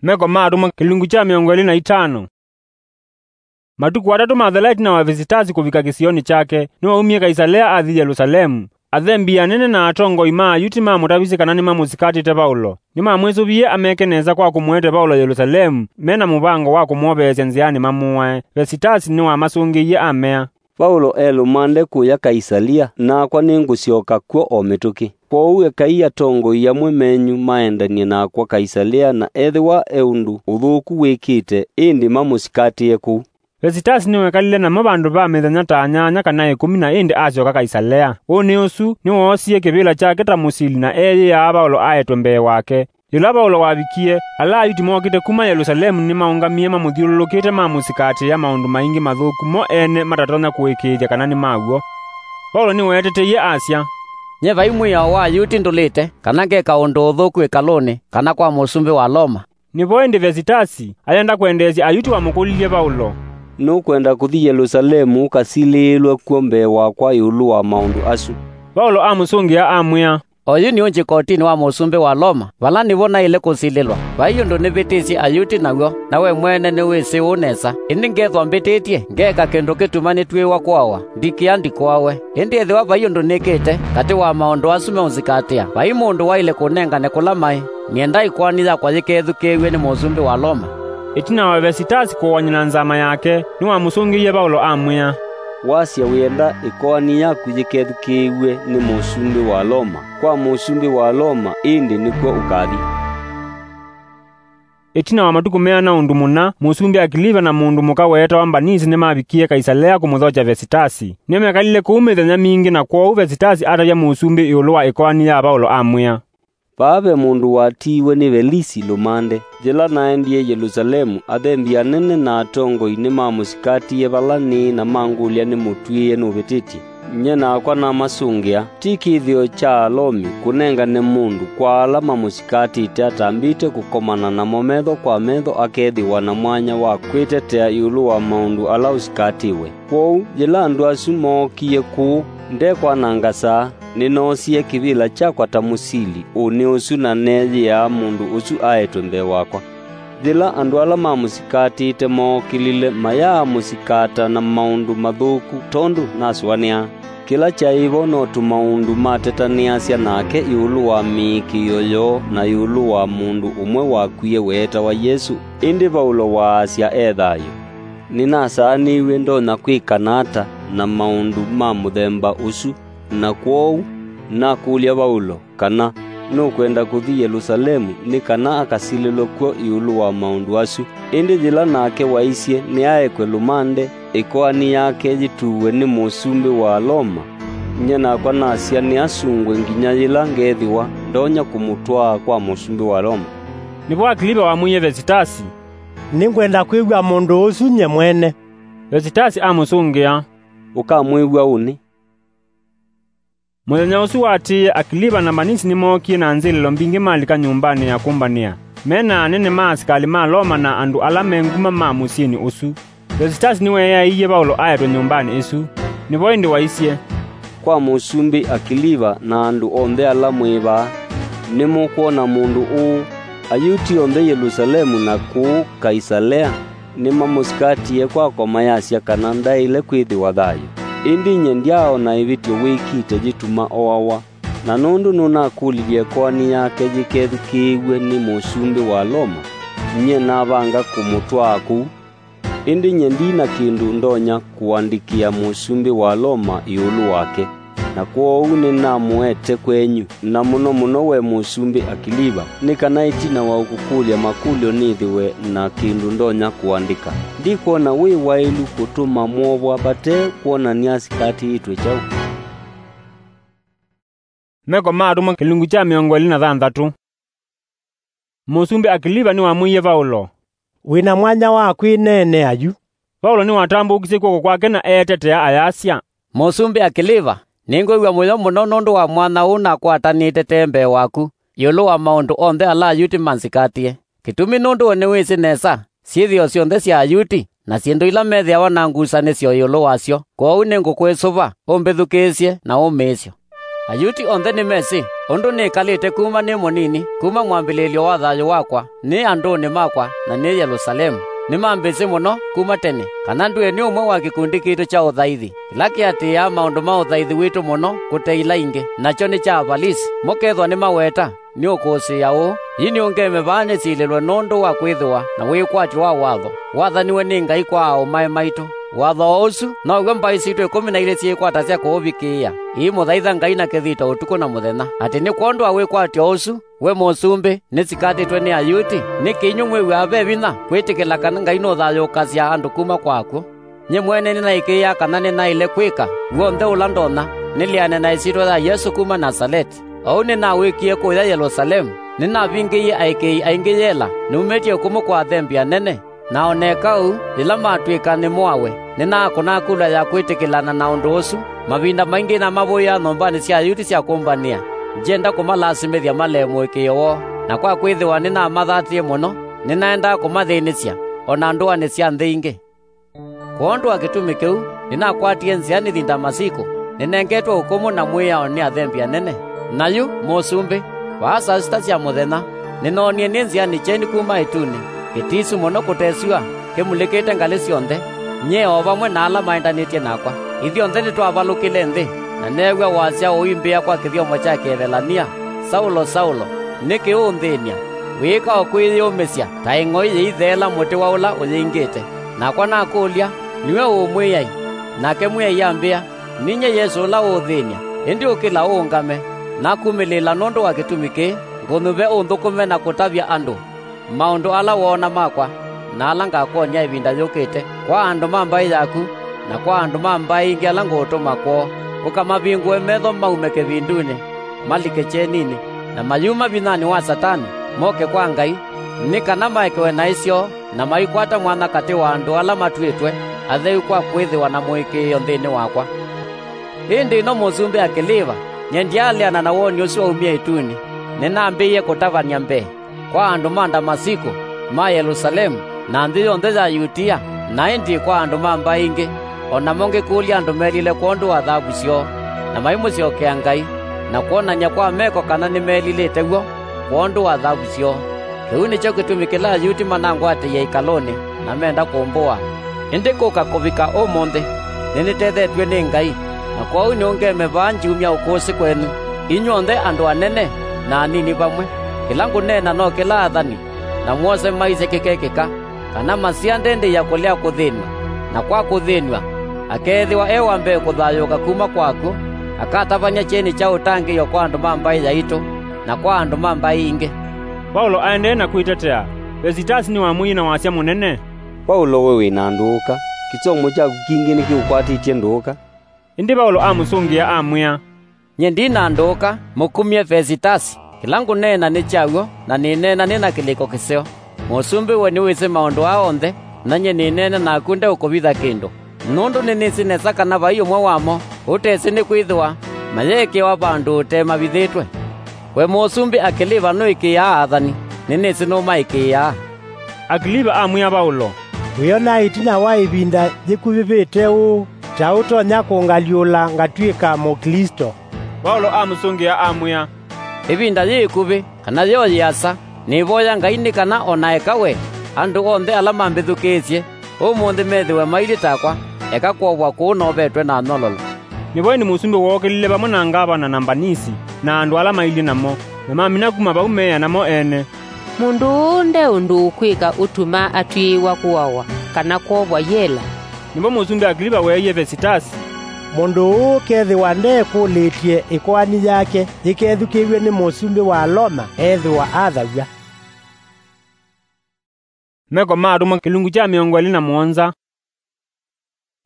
Meko ma Atũmwa, kĩlungu kya mĩongo ĩlĩ na itano. Matukũ atatũ mathela ĩtina wa Vesitasi kũvika kĩsionĩ kyake, nĩwaumie Kaisalea athi Yelusalemu. Athembi anene na atongoi ma Ayuti mamũtavisye kana nĩmamũsikatĩte Vaũlo. Nĩmamwĩsũvie ameke nesa kwa kũmũete Vaũlo Yelusalemu, me na mũvango wa kũmwoveesya nzĩanĩ mamũae. Vesitasi nĩwamasũngĩie amea, "Vaũlo e lũmande kũya Kaisalia, nakwa nĩngũsyoka kw'o o mĩtũkĩ. Kwoou ekai atongoi amwe menyu maendany'e nakwa Kaisalia, na ethĩwa e ũndũ ũthũku wĩkĩte, ĩndĩ mamũsikatĩe kũu." Vesitasi nĩwekalile namo vandũ va mĩthenya ta nyanya kana ĩkũmi, na ĩndĩ asyoka Kaisalea. Ũnĩ ũsu nĩwoosie kĩvĩla kyake ta mũsili na eeyĩaa Vaũlo aetwe mbee wake. Yĩla Vaũlo wavikie, ala Ayuti mookĩte kuma Yelusalemu nĩmaũngamie mamũthyũlũlũkĩte mamũsikatĩa maũndũ maingĩ mathũku mo ene matatonya kũĩkĩĩthya kana nĩ ma w'o. Vaũlo nĩweeteteie asya, "Nyie vai mwĩao wa Ayuti ndũlĩte, kana ngeka ũndũ ũthũku ĩkalũnĩ, kana kwa mũsumbĩ wa Loma." Nĩvo ĩndĩ Vesitasi ayenda kwendeesya Ayuti wamũkũlilye Vaũlo, "Nũkwenda kũthi Yelusalemu ũkasilĩĩlwe kw'o mbee wakwa ĩũlũ wa maũndũ asu?" Vaũlo amũsũngĩa amwĩa, "Oyu nĩ ũnjĩ kotinĩ wa mũsumbĩ wa Loma, vala nĩvo naĩle kũsilĩlwa. Vai ũndũ nĩvĩtĩsye Ayuti naw'o, na we mwene nĩwĩsĩ ũu nesa. Ĩndĩ ngethwa mbĩtĩtye, ngeeka kĩndũ kĩtuma nĩtw'ĩĩwa kũawa, ndikĩa ndikũawe. Ĩndĩ ethĩwa vai ũndũ nĩkĩte katĩ wa maũndũ asu meũnzikatĩa, vai mũndũ waĩle kũnengane kũla maĩ. Nyie ndaĩ ĩkoani yakwa yĩkethukĩĩw'e nĩ mũsumbĩ wa Loma." Ĩtina wa Vesitasi kũwany'a na nzama yake, nĩwamũsũngĩie Vaũlo amwĩa, "Wasya wĩenda ĩkoani yaku yĩkethukĩĩw'e nĩ mũsumbĩ wa Loma, kwa mũsumbĩ wa Loma ĩndĩ nĩkw'o ũkathi." Ĩtina wa matukũ meana ũndũ mũna, mũsumbĩ Akiliva na mũndũ mũka weetawa Mbanisi nĩmavikie Kaisalea kũmũthokya Vesitasi. Nĩmekalile kũu mĩthenya mingĩ, na kwoou Vesitasi atavya mũsumbĩ ĩũlũ wa ĩkoani ya Vaũlo amwĩa, "Vaa ve mũndũ watiiwe nĩ Velisi lũmande. Yĩla naendie Yelusalemu, athembi anene na atongoi nĩmamũsikatie vala nĩĩ na mangũlya nĩmũtw'ĩĩe nũvĩtĩtye. Nyie nakwa namasũngĩa. Ti kĩthĩo kya Alomi kũnengane mũndũ kwa ala mamũsikatĩte atambĩte kũkomana namo metho kwa metho akethĩwa na mwanya wa kwĩtetea ĩũlũ wa maũndũ ala ũsikatĩwe. Kwoou yĩla andũ asu mookie kũũ, ndekwananga saa, nĩnoosie kĩvĩla kyakwa ta mũsili ũnĩ ũsu na neeyĩaa mũndũ ũsu aetwe mbee wakwa. Yĩla andũ ala mamũsikatĩte mookĩlile, mayaamũsikata na maũndũ mathũku tondũ nasũanĩaa. Kĩla kyaĩ vo no tũmaũndũ matetanĩasya nake ĩũlũ wa mĩĩkĩĩo yoo na ĩũlũ wa mũndũ ũmwe wakwie weetawa Yesũ, ĩndĩ Vaũlo waasya e thayũ. Nĩnasaanĩw'e ndonya kwĩkana ata na maũndũ ma mũthemba ũsu, na kwoou nakũlya Vaũlo kana nũkwenda kũthi Yelusalemu nĩ kana akasilĩlwe kw'o ĩũlũ wa maũndũ asu. Ĩndĩ yĩla nake waisye nĩaekwe lũmande, ĩkoani yake yĩtuwe nĩ mũsumbĩ wa Loma, nyie nakwa nasya nĩasungwe nginya yĩla ngethĩwa ndonya kũmũtwaa kwa mũsumbĩ wa Loma." Nĩvo Akiliva wamwĩie Vesitasi, "Nĩngwenda kwĩw'a mũndũ ũsu nyie mwene." Vesitasi amũsũngĩa, "Ũkamwĩw'a ũnĩ." Mũthenya ũsu waatĩĩe, Akiliva na Mbanisi nĩmookie na nzĩlĩlo mbingĩ malika nyũmbanĩ ya kũmbanĩa, me na anene ma asikalĩ ma Loma na andũ ala me nguma ma mũsyĩnĩ ũsu. Vesitasi nĩweeaĩie Vaũlo aetwe nyũmbanĩ ĩsu. Nĩvo ĩndĩ waisye, "Kwa mũsumbĩ Akiliva na andũ onthe ala mwĩ vaa, nĩmũkwona mũndũ ũũ. Ayuti onthe Yelusalemu na kũũ Kaisalea nĩmamũsikatie kwakwa mayasya kana ndaĩle kwĩthĩwa thayũ. Ĩndĩ nyie ndyaona ĩvĩtyo wĩkĩte yĩtuma oawa. Na nũndũ nũnakũlilye ĩkoani yake yĩkethukĩĩw'e nĩ mũsumbĩ wa Loma, nyie navanga kũmũtwaa kũu. Ĩndĩ nyie ndi na kĩndũ ndonya kũandĩkĩa mũsumbĩ wa Loma ĩũlũ wake." Na kwoou nĩnamũete kwenyu, na mũno mũno we Mũsumbĩ Akiliva, nĩ kana ĩtina wa ũkũkũlya makũlyo nĩthĩwe na kĩndũ ndonya kũandĩka. Ndikwona wĩ waĩlu kũtũma mwovwa vate kwonany'a sikatĩĩtwe kyaũ. Meko ma Atũmwa kĩlungu kya mĩongo ĩlĩ na thanthatũ. Mũsumbĩ Akiliva nĩwamwĩie Vaũlo, "Wĩ na mwanya wa kwĩneenea yu." Vaũlo nĩwatambũũkisye kw'oko kwake na eetetea ayasya, "Mũsumbĩ Akiliva, nĩngwĩw'a mũyo mũno nũndũ wa mwanya ũũ nakwatanĩte tene mbee waku ĩũlũ wa maũndũ onthe ala Ayuti manzikatĩe. Kĩtumi nũndũ we nĩwĩsĩ nesa syĩthĩo syonthe sya Ayuti, na syĩndũ ila methĩawa na ngusanĩsyo ĩũlũ wasyo. Kwoou nĩngũkwĩsũva ũmbĩthukĩĩsye na ũmĩĩsyo. Ayuti onthe nĩmesĩ ũndũ nĩkalĩte kuma nĩ mũnini, kuma mwambĩlĩĩlyo wa thayũ wakwa, nĩ andũnĩ makwa, na nĩ Yelũsalemu. Nĩmambĩsĩ mũno kuma tene, kana ndwĩe nĩ ũmwe wa kĩkundi kitũ kya ũthaithi, kĩla kĩatĩĩaa maũndũ ma ũthaithi witũ mũno kũte ila ingĩ, nakyo nĩ kya Avalisi, mũkethwa nĩmaweta. Nĩũkũsĩĩa ũũ, yi nĩũngeme vaa nĩsilĩlwe nũndũ wa kwĩthĩwa na wĩkwatyo wa watho wathaniwe nĩ Ngai kwa aaũmae maitũ. Watho o ũsu now'o mbaĩ sitũ ĩkũmi na ilĩ syĩkwatasya kũũvikĩĩa, iimũthaitha Ngai na kĩthito ũtukũ na mũthenya. Atĩ nĩ kwondũ wa wĩkwatyo ũsu, we mũsumbĩ, nĩsikatĩtwe nĩ Ayuti, nĩkĩ inyw'ĩ mwĩw'aa ve vinya kwĩtĩkĩla kana Ngai nũthayũũkasya andũ kuma kwa akw'ũ? Nyie mwene nĩnaĩkĩĩaa kana nĩnaĩle kwĩka w'onthe ũla ndonya nĩleane na ĩsyĩtwa ya Yesũ kuma Nasaleti. Oou nĩnawĩkie kũya Yelũsalemu, nĩnavingĩie aĩkĩĩi aingĩ yela numĩtye ũkũmũ kwa athembi anene, na o neka ũu, yĩla matw'ĩka nĩmoawe, nĩnaakũna kula ya kwĩtĩkĩlana na ũndũ ũsu. Mavinda maingĩ nĩnamavũĩaa nyũmbanĩ sya Ayuti sya kũmbanĩa, ngyenda kũmalasimĩthya malee mũĩkĩĩo woo. Na kwa kwĩthĩwa nĩnamathatĩe mũno, nĩnaendaa kũmathĩnĩsya, o na ndũanĩ sya nthĩ ingĩ. Kwondũ wa kĩtumi kĩu, nĩnakwatie nzĩa nĩthi Ndamasiko, nĩnengetwe ũkũmũ na mwĩao nĩ athembi anene. Na yu, mũsumbĩ, vaa saa sita sya mũthenya, nĩnoonie nĩ nzĩanĩ kyeni kuma ĩtunĩ, kĩtisu mũno kũte syũa, kĩmulĩkĩte ngalĩ syonthe, nyie o vamwe na ala maendanĩtye nakwa. Ithyonthe nĩtwavalũkĩle nthĩ, na neew'a wasya ũimbĩa kwa kĩthyomo kya Kĩevelania, 'Saulo, Saulo, nĩkĩ ũũnthĩny'a? Wĩĩka o kwĩyĩũmĩsya ta ĩng'oi yĩitheela mũtĩ wa ũla ũyĩingĩte.' Nakwa nakũlya, 'Nĩwe ũ Mwĩai?' Nake Mwĩai ambĩa, 'Ninyie Yesũ ũla ũũthĩny'a. Ĩndĩ ũkĩla ũũngame, nakumĩlĩĩla nũndũ wa kĩtumi kĩĩ, ngũnyuve ũnthũkũme na kũtavya andũ maũndũ ala woona makwa, na ala ngakwony'a ĩvinda yũkĩte, kwa andũ ma mbaĩ yaku, na kwa andũ ma mbaĩ ingĩ ala ngũũtũma kwoo. Ũkamavingũe metho maume kĩvindunĩ, malike kyeninĩ, na mayuma vinyanĩ wa Satani, moke kwa Ngai, nĩ kana maekewe naĩ syoo, na maikwata mwanya katĩ wa andũ ala matw'ĩtwe atheu kwa kwĩthĩwa na mũĩkĩĩo nthĩnĩ wakwa.' Ĩndĩ ĩno mũsumbĩ Akiliva, nyie ndyaleana na woni ũsu waumie ĩtunĩ, nĩnambĩĩie kũtavany'a mbee kwa andũ ma Ndamasiko, ma Yelũsalemu, na nthĩ yonthe ya Yutia, na ĩndĩ kwa andũ ma mbaĩ ingĩ, o namo ngĩkũlya andũ melile kwondũ wa thavu syoo, na maimũsyokea Ngai, na kwonany'a kwa meko kana nĩmelilĩte w'o kwondũ wa thavu syoo. Kĩu nĩkyo kĩtumi kĩla Ayuti manangwatĩie ĩkalũnĩ, na menda kũmbũa. Ĩndĩ kũka kũvika ũmũnthĩ, nĩnĩtethetw'e nĩ Ngai, na kwoou nĩũngeme vaa ngyumya ũkũsĩ kwenyu, inyw'onthe andũ anene na anini vamwe. Kĩla ngũneena no kĩla athani na mwose maisye kĩkekĩka, kana masiandĩndĩĩa kũlea kũthĩnw'a, na kwa kũthĩnw'a, akeethĩwa e wa mbee kũthayũũka kuma kwa akw'ũ, akatavany'a kyeni kya ũtangĩĩo kwa andũ ma mbaĩ yaitũ, na kwa andũ ma mbaĩ ingĩ." Vaũlo aendee na kwĩtetea, Vesitasi nĩwamwĩie na wasya mũnene, "Vaũlo, we wĩ na ndũũka! Kĩsomo kyaku kingĩ nĩkĩũkwatĩtye ndũũka." Ĩndĩ Vaũlo amũsũngĩa, amwĩa, "Nyie ndi na ndũũka, mũkumye Vesitasi. Kĩla ngũneena nĩ kya w'o, na nĩneena nĩ na kĩlĩko kĩseo. Mũsumbĩ we nĩwĩsĩ maũndũ aa onthe, na nyie nĩneena naku ndeũkũvitha kĩndũ, nũndũ nĩnĩsĩ nesa kana vai ũmwe wamo ũtesĩ nĩkwĩthĩwa mayeekĩawa vandũ ũte mavithĩtwe. We Mũsumbĩ Akiliva nũĩkĩĩaa athani, nĩnĩsĩ nũmaĩkĩĩaa." Akiliva amwĩa Vaũlo, "Wĩona ĩtina wa ĩvinda yĩkuvĩvĩte ũũ, ta ũtonya kũngalyũla ngatw'ĩka Mũklĩsto?" Vaũlo amũsũngĩa amwĩa, "Ĩvinda yĩ ĩkuvĩ, kana yo yĩasa, nĩvoya Ngai nĩ kana o na eka we, andũ onthe ala mambĩthukĩĩsye ũmũnthĩ methĩwe mailyĩ takwa, eka kwovwa kũũ novetwe na nyololo." Nĩvo ĩndĩ mũsumbĩ wookĩlile vamwe na ngavana na Mbanisi na andũ ala mailyĩ namo, na mamina kuma vau meea namo ene, "Mũndũ ũũ nde ũndũ ũkwĩka ũtuma atw'ĩĩwa kũawa kana kwovwa yela." Nĩvo mũsumbĩ Akiliva weeie Vesitasi, Mũndũ ũũ ũkethĩwa ndeekũlĩtye ĩkoani yake yĩkethukĩĩw'e nĩ mũsumbĩ wa Loma, ethĩwa athaw'a. Meko ma Atũmwa, kĩlungu kya mĩongo ĩlĩ na mũonza.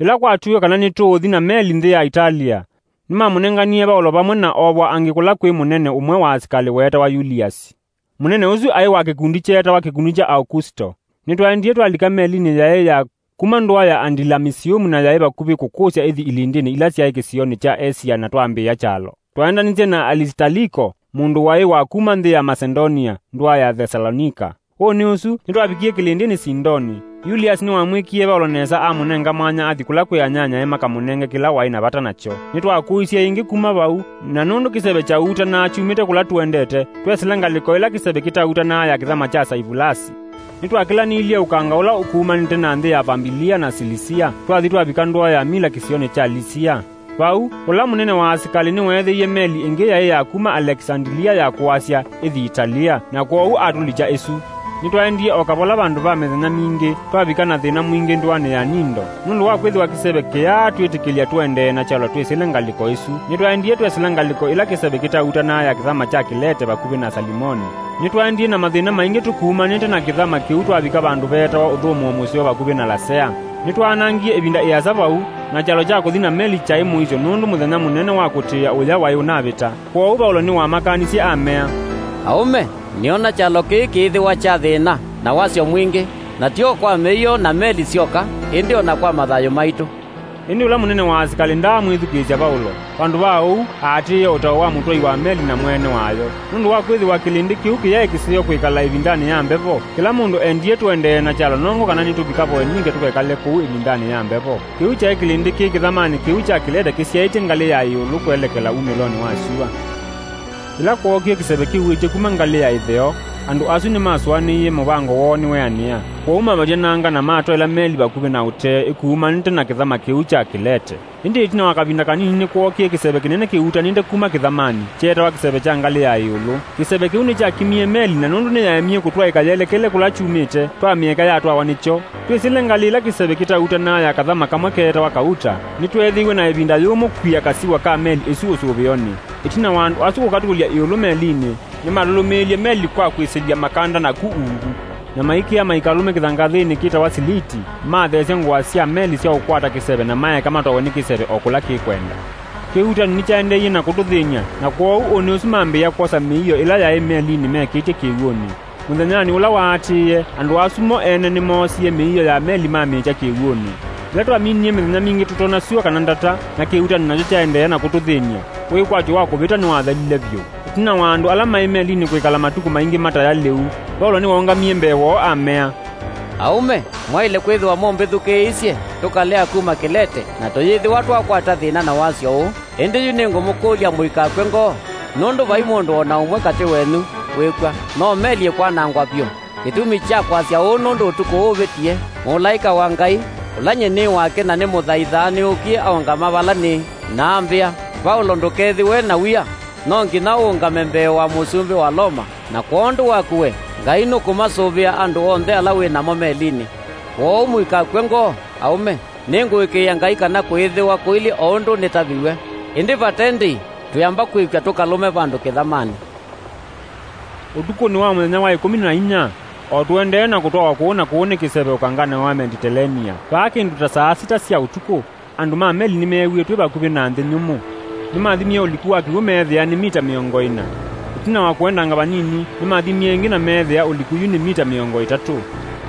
Yĩla kwatw'ĩĩwe kana nĩtũũthi na meli nthĩ ya Italia, nĩmamũnenganie Vaũlo vamwe na oovwa angĩ kũla kwĩ mũnene ũmwe wa asikalĩ weetawa Yuliasi. Mũnene ũsu aĩ wa kĩkundi kyeetawa kĩkundi kya Aukusto. Nĩtwaendie twalika melinĩ yaĩ ya kuma ndũa ya Andilamisiumu na yaĩ vakuvĩ kũkũsya ĩthi ilindĩnĩ ila syaĩ kĩsionĩ kya Asia na twambĩĩa kyalo. Twaendanisye na Alisitariko, mũndũ waĩ wa kuma nthĩ ya Masedonia, ndũa ya Thesalonika. Ũnĩ ũsu, nĩtwavikie kĩlĩndĩnĩ Sindoni. Yuliasi nĩwamwĩkie Vaũlo nesa amũnenga mwanya athi kũla kwĩ anyanyae makamũnenge kĩla waĩ na vata nakyo. Nĩtwakũisye ĩngĩ kuma vau, na nũndũ kĩseve kyautanaa kyumĩte kũla tũendete, twesĩla ngalĩko ĩla kĩseve kĩtautanaa ya kĩthama kya Saivulasi. Nĩtwakĩlanĩilye ũkanga ũla ũkumanĩte na nthĩ ya Vambilia na Silisia, twathi twavika ndũa ya Mila kĩsionĩ kya Lisia. Vau, ũla mũnene wa asikalĩ nĩweethĩie meli ĩngĩ yaĩ ya kuma Alekisandilia ya kũasya ĩthi Italia, na kwoou atũlikya ĩsu. Nĩtwaendie o kavola vandũ va mĩthenya mingĩ, twavika na thĩna mwingĩ ndũanĩ ya Nindo. Nũndũ wa kwĩthĩwa kĩseve kĩyaatwĩtĩkĩlya tũendee na kyalo twĩsĩle ngalĩko ĩsu, nĩtwaendie twesĩla ngalĩko ĩla kĩseve kĩtautanaa ya kĩthama kya Kĩlete vakuvĩ na Salimoni. Nĩtwaendie na mathĩna maingĩ tũkumanĩte na kĩthama kĩu twavika vandũ veetawa Ũthũmũo Mũseo vakuvĩ na Lasea. Nĩtwaanangie ĩvinda ĩasa vau, na kyalo kya kũthi na meli kyaĩ mũisyo nũndũ mũthenya mũnene wa kũtĩĩa ũya waĩ ũnavĩta. Kwoou Vaũlo nĩwamakanisye amea, "Aũme, nĩona kyalo kĩĩ kĩĩthĩwa kya thĩna na wasyo mwingĩ, na ti o kwa mĩio na meli syoka, ĩndĩ o na kwa mathayũ maitũ." Ĩndĩ ũla mũnene wa asikalĩ ndaamwĩthukĩĩsya Vaũlo. Vandũ va ũu, aatĩĩe ũtao wa mũtwai wa meli na mwene wayo. Nũndũ wa kwĩthĩwa kĩlĩndĩ kĩu kĩyaĩ kĩseo kwĩkala ĩvindanĩ ya mbevo, kĩla mũndũ endie tũendee na kyalo nongo kana nĩtũvika Voenike tũkekale kũu ĩvindanĩ ya mbevo. Kĩu kyaĩ kĩlĩndĩ kĩ kĩthamanĩ kĩu kya Kĩlete kĩsyaĩtye ngalĩ ya ĩũlũ kwelekela umĩlonĩ wa syũa. Yĩla kwookie kĩseve kĩuĩtye kuma ngalĩ ya ĩtheo, andũ asu nĩmasũanĩie mũvango woo nĩweanĩa. Kwoou mavya nanga na matwaĩla meli vakuvĩ na ũtee ĩkuumanĩte na kĩthama kĩu kya Kĩlete. Ĩndĩ ĩtina wa kavinda kanini nĩkwookie kĩseve kĩnene kĩutanĩte kuma kĩthamanĩ, kyeetawa kĩseve kya ngalĩ ya ĩũlũ. Kĩseve kĩu nĩkyakimie meli, na nũndũ nĩyaemie kũtwaĩka yelekele kũla kyumĩte, twamĩeka yatwawa nĩkyo. Twĩsĩle ngalĩ ĩla kĩseve kĩtautanaa ya kathama kamwe keetawa Kauta, nĩtweethĩiwe na ĩvinda yũmũ kwia kasiwa ka meli ĩsu ũsũvĩonĩ. Ĩtina wa andũ asu kũkatũlya ĩũlũ melinĩ, nĩmalũlũmĩĩlye meli kwa kwĩsĩlya makanda naku ungu, na maikĩa maikalũme kĩthangathĩnĩ kĩtawa Siliti, matheesya ngũa sya meli sya ũkwata kĩseve na maeka matwawe nĩ kĩseve o kũla kĩkwenda. Kĩuutani nĩkyaendeeie na kũtũthĩny'a, na kwoou ũnĩ ũsu mambĩĩa kwosa mĩio ĩla yaĩ melinĩ mekĩtye kĩw'ũnĩ. Mũthenyanĩ ũla waatĩĩe, andũ asu mo ene nĩmoosie mĩio ya meli mamĩkya kĩw'ũnĩ. Yĩla twaminie mĩthenya mingĩ tũtonya syũa kana ndata, na kĩuutani nakyo kyaendeea na kũtũthĩny'a, wĩkwatyo wa kũvĩta nĩwathelile vyũ. Ĩtina wa andũ ala maĩ melinĩ kwĩkala matukũ maingĩ mataya lĩu, Vaũlo nĩwaũngamie mbee woo amea, "Aũme, mwaĩle kwĩthĩwa mũmbĩthukĩĩisye tũkalea kuma Kĩlete, na tũyĩthĩwa twakwata thĩna na wasyo ũũ. Ĩndĩ yu nĩngũmũkũlya mũikakw'e ngoo, nũndũ vai mũndũ o na ũmwe katĩ wenyu wĩkw'a. No meli ĩkwanangwa vyũ. Kĩtumi kya kwasya ũũ nũndũ ũtukũ ũũ ũvĩtie, mũlaĩka wa Ngai, ũla nyie nĩ wake na nĩmũthaithaa nĩũkie aũngama vala nĩĩ, na ambĩa, 'Vaũlo, ndũkethĩwe na wia, no nginya ũũngame mbee wa mũsumbĩ wa Loma, na kwondũ waku we, Ngai nũkũmasũvĩa andũ onthe ala wĩ namo melinĩ.' Kwoou mũikakw'e ngoo, aũme. Nĩngũĩkĩĩa Ngai kana kũĩthĩwa kũilyĩ o ũndũ nĩtaviw'e. Ĩndĩ vate ndĩi, twĩamba kwĩkw'a tũkalũme vandũ kĩthamanĩ." Ũtukũnĩ wa mũthenya wa ĩkũmi na inya, o tũendee na kũtwawa kũũ na kũũ nĩ kĩseve ũkanganĩ wa Meditelenia, vaa kĩndũ ta saa sita sya ũtukũ, andũ ma meli nĩmeewie twĩ vakuvĩ na nthĩ nyũmũ. Nĩmathimie ũliku wa kĩw'ũ meethĩa nĩ mita mĩongo ĩna. Ĩtina wa kũendanga vanini, nĩmathimie ĩngĩ na meethĩa ũliku yu nĩ mita mĩongo ĩtatũ.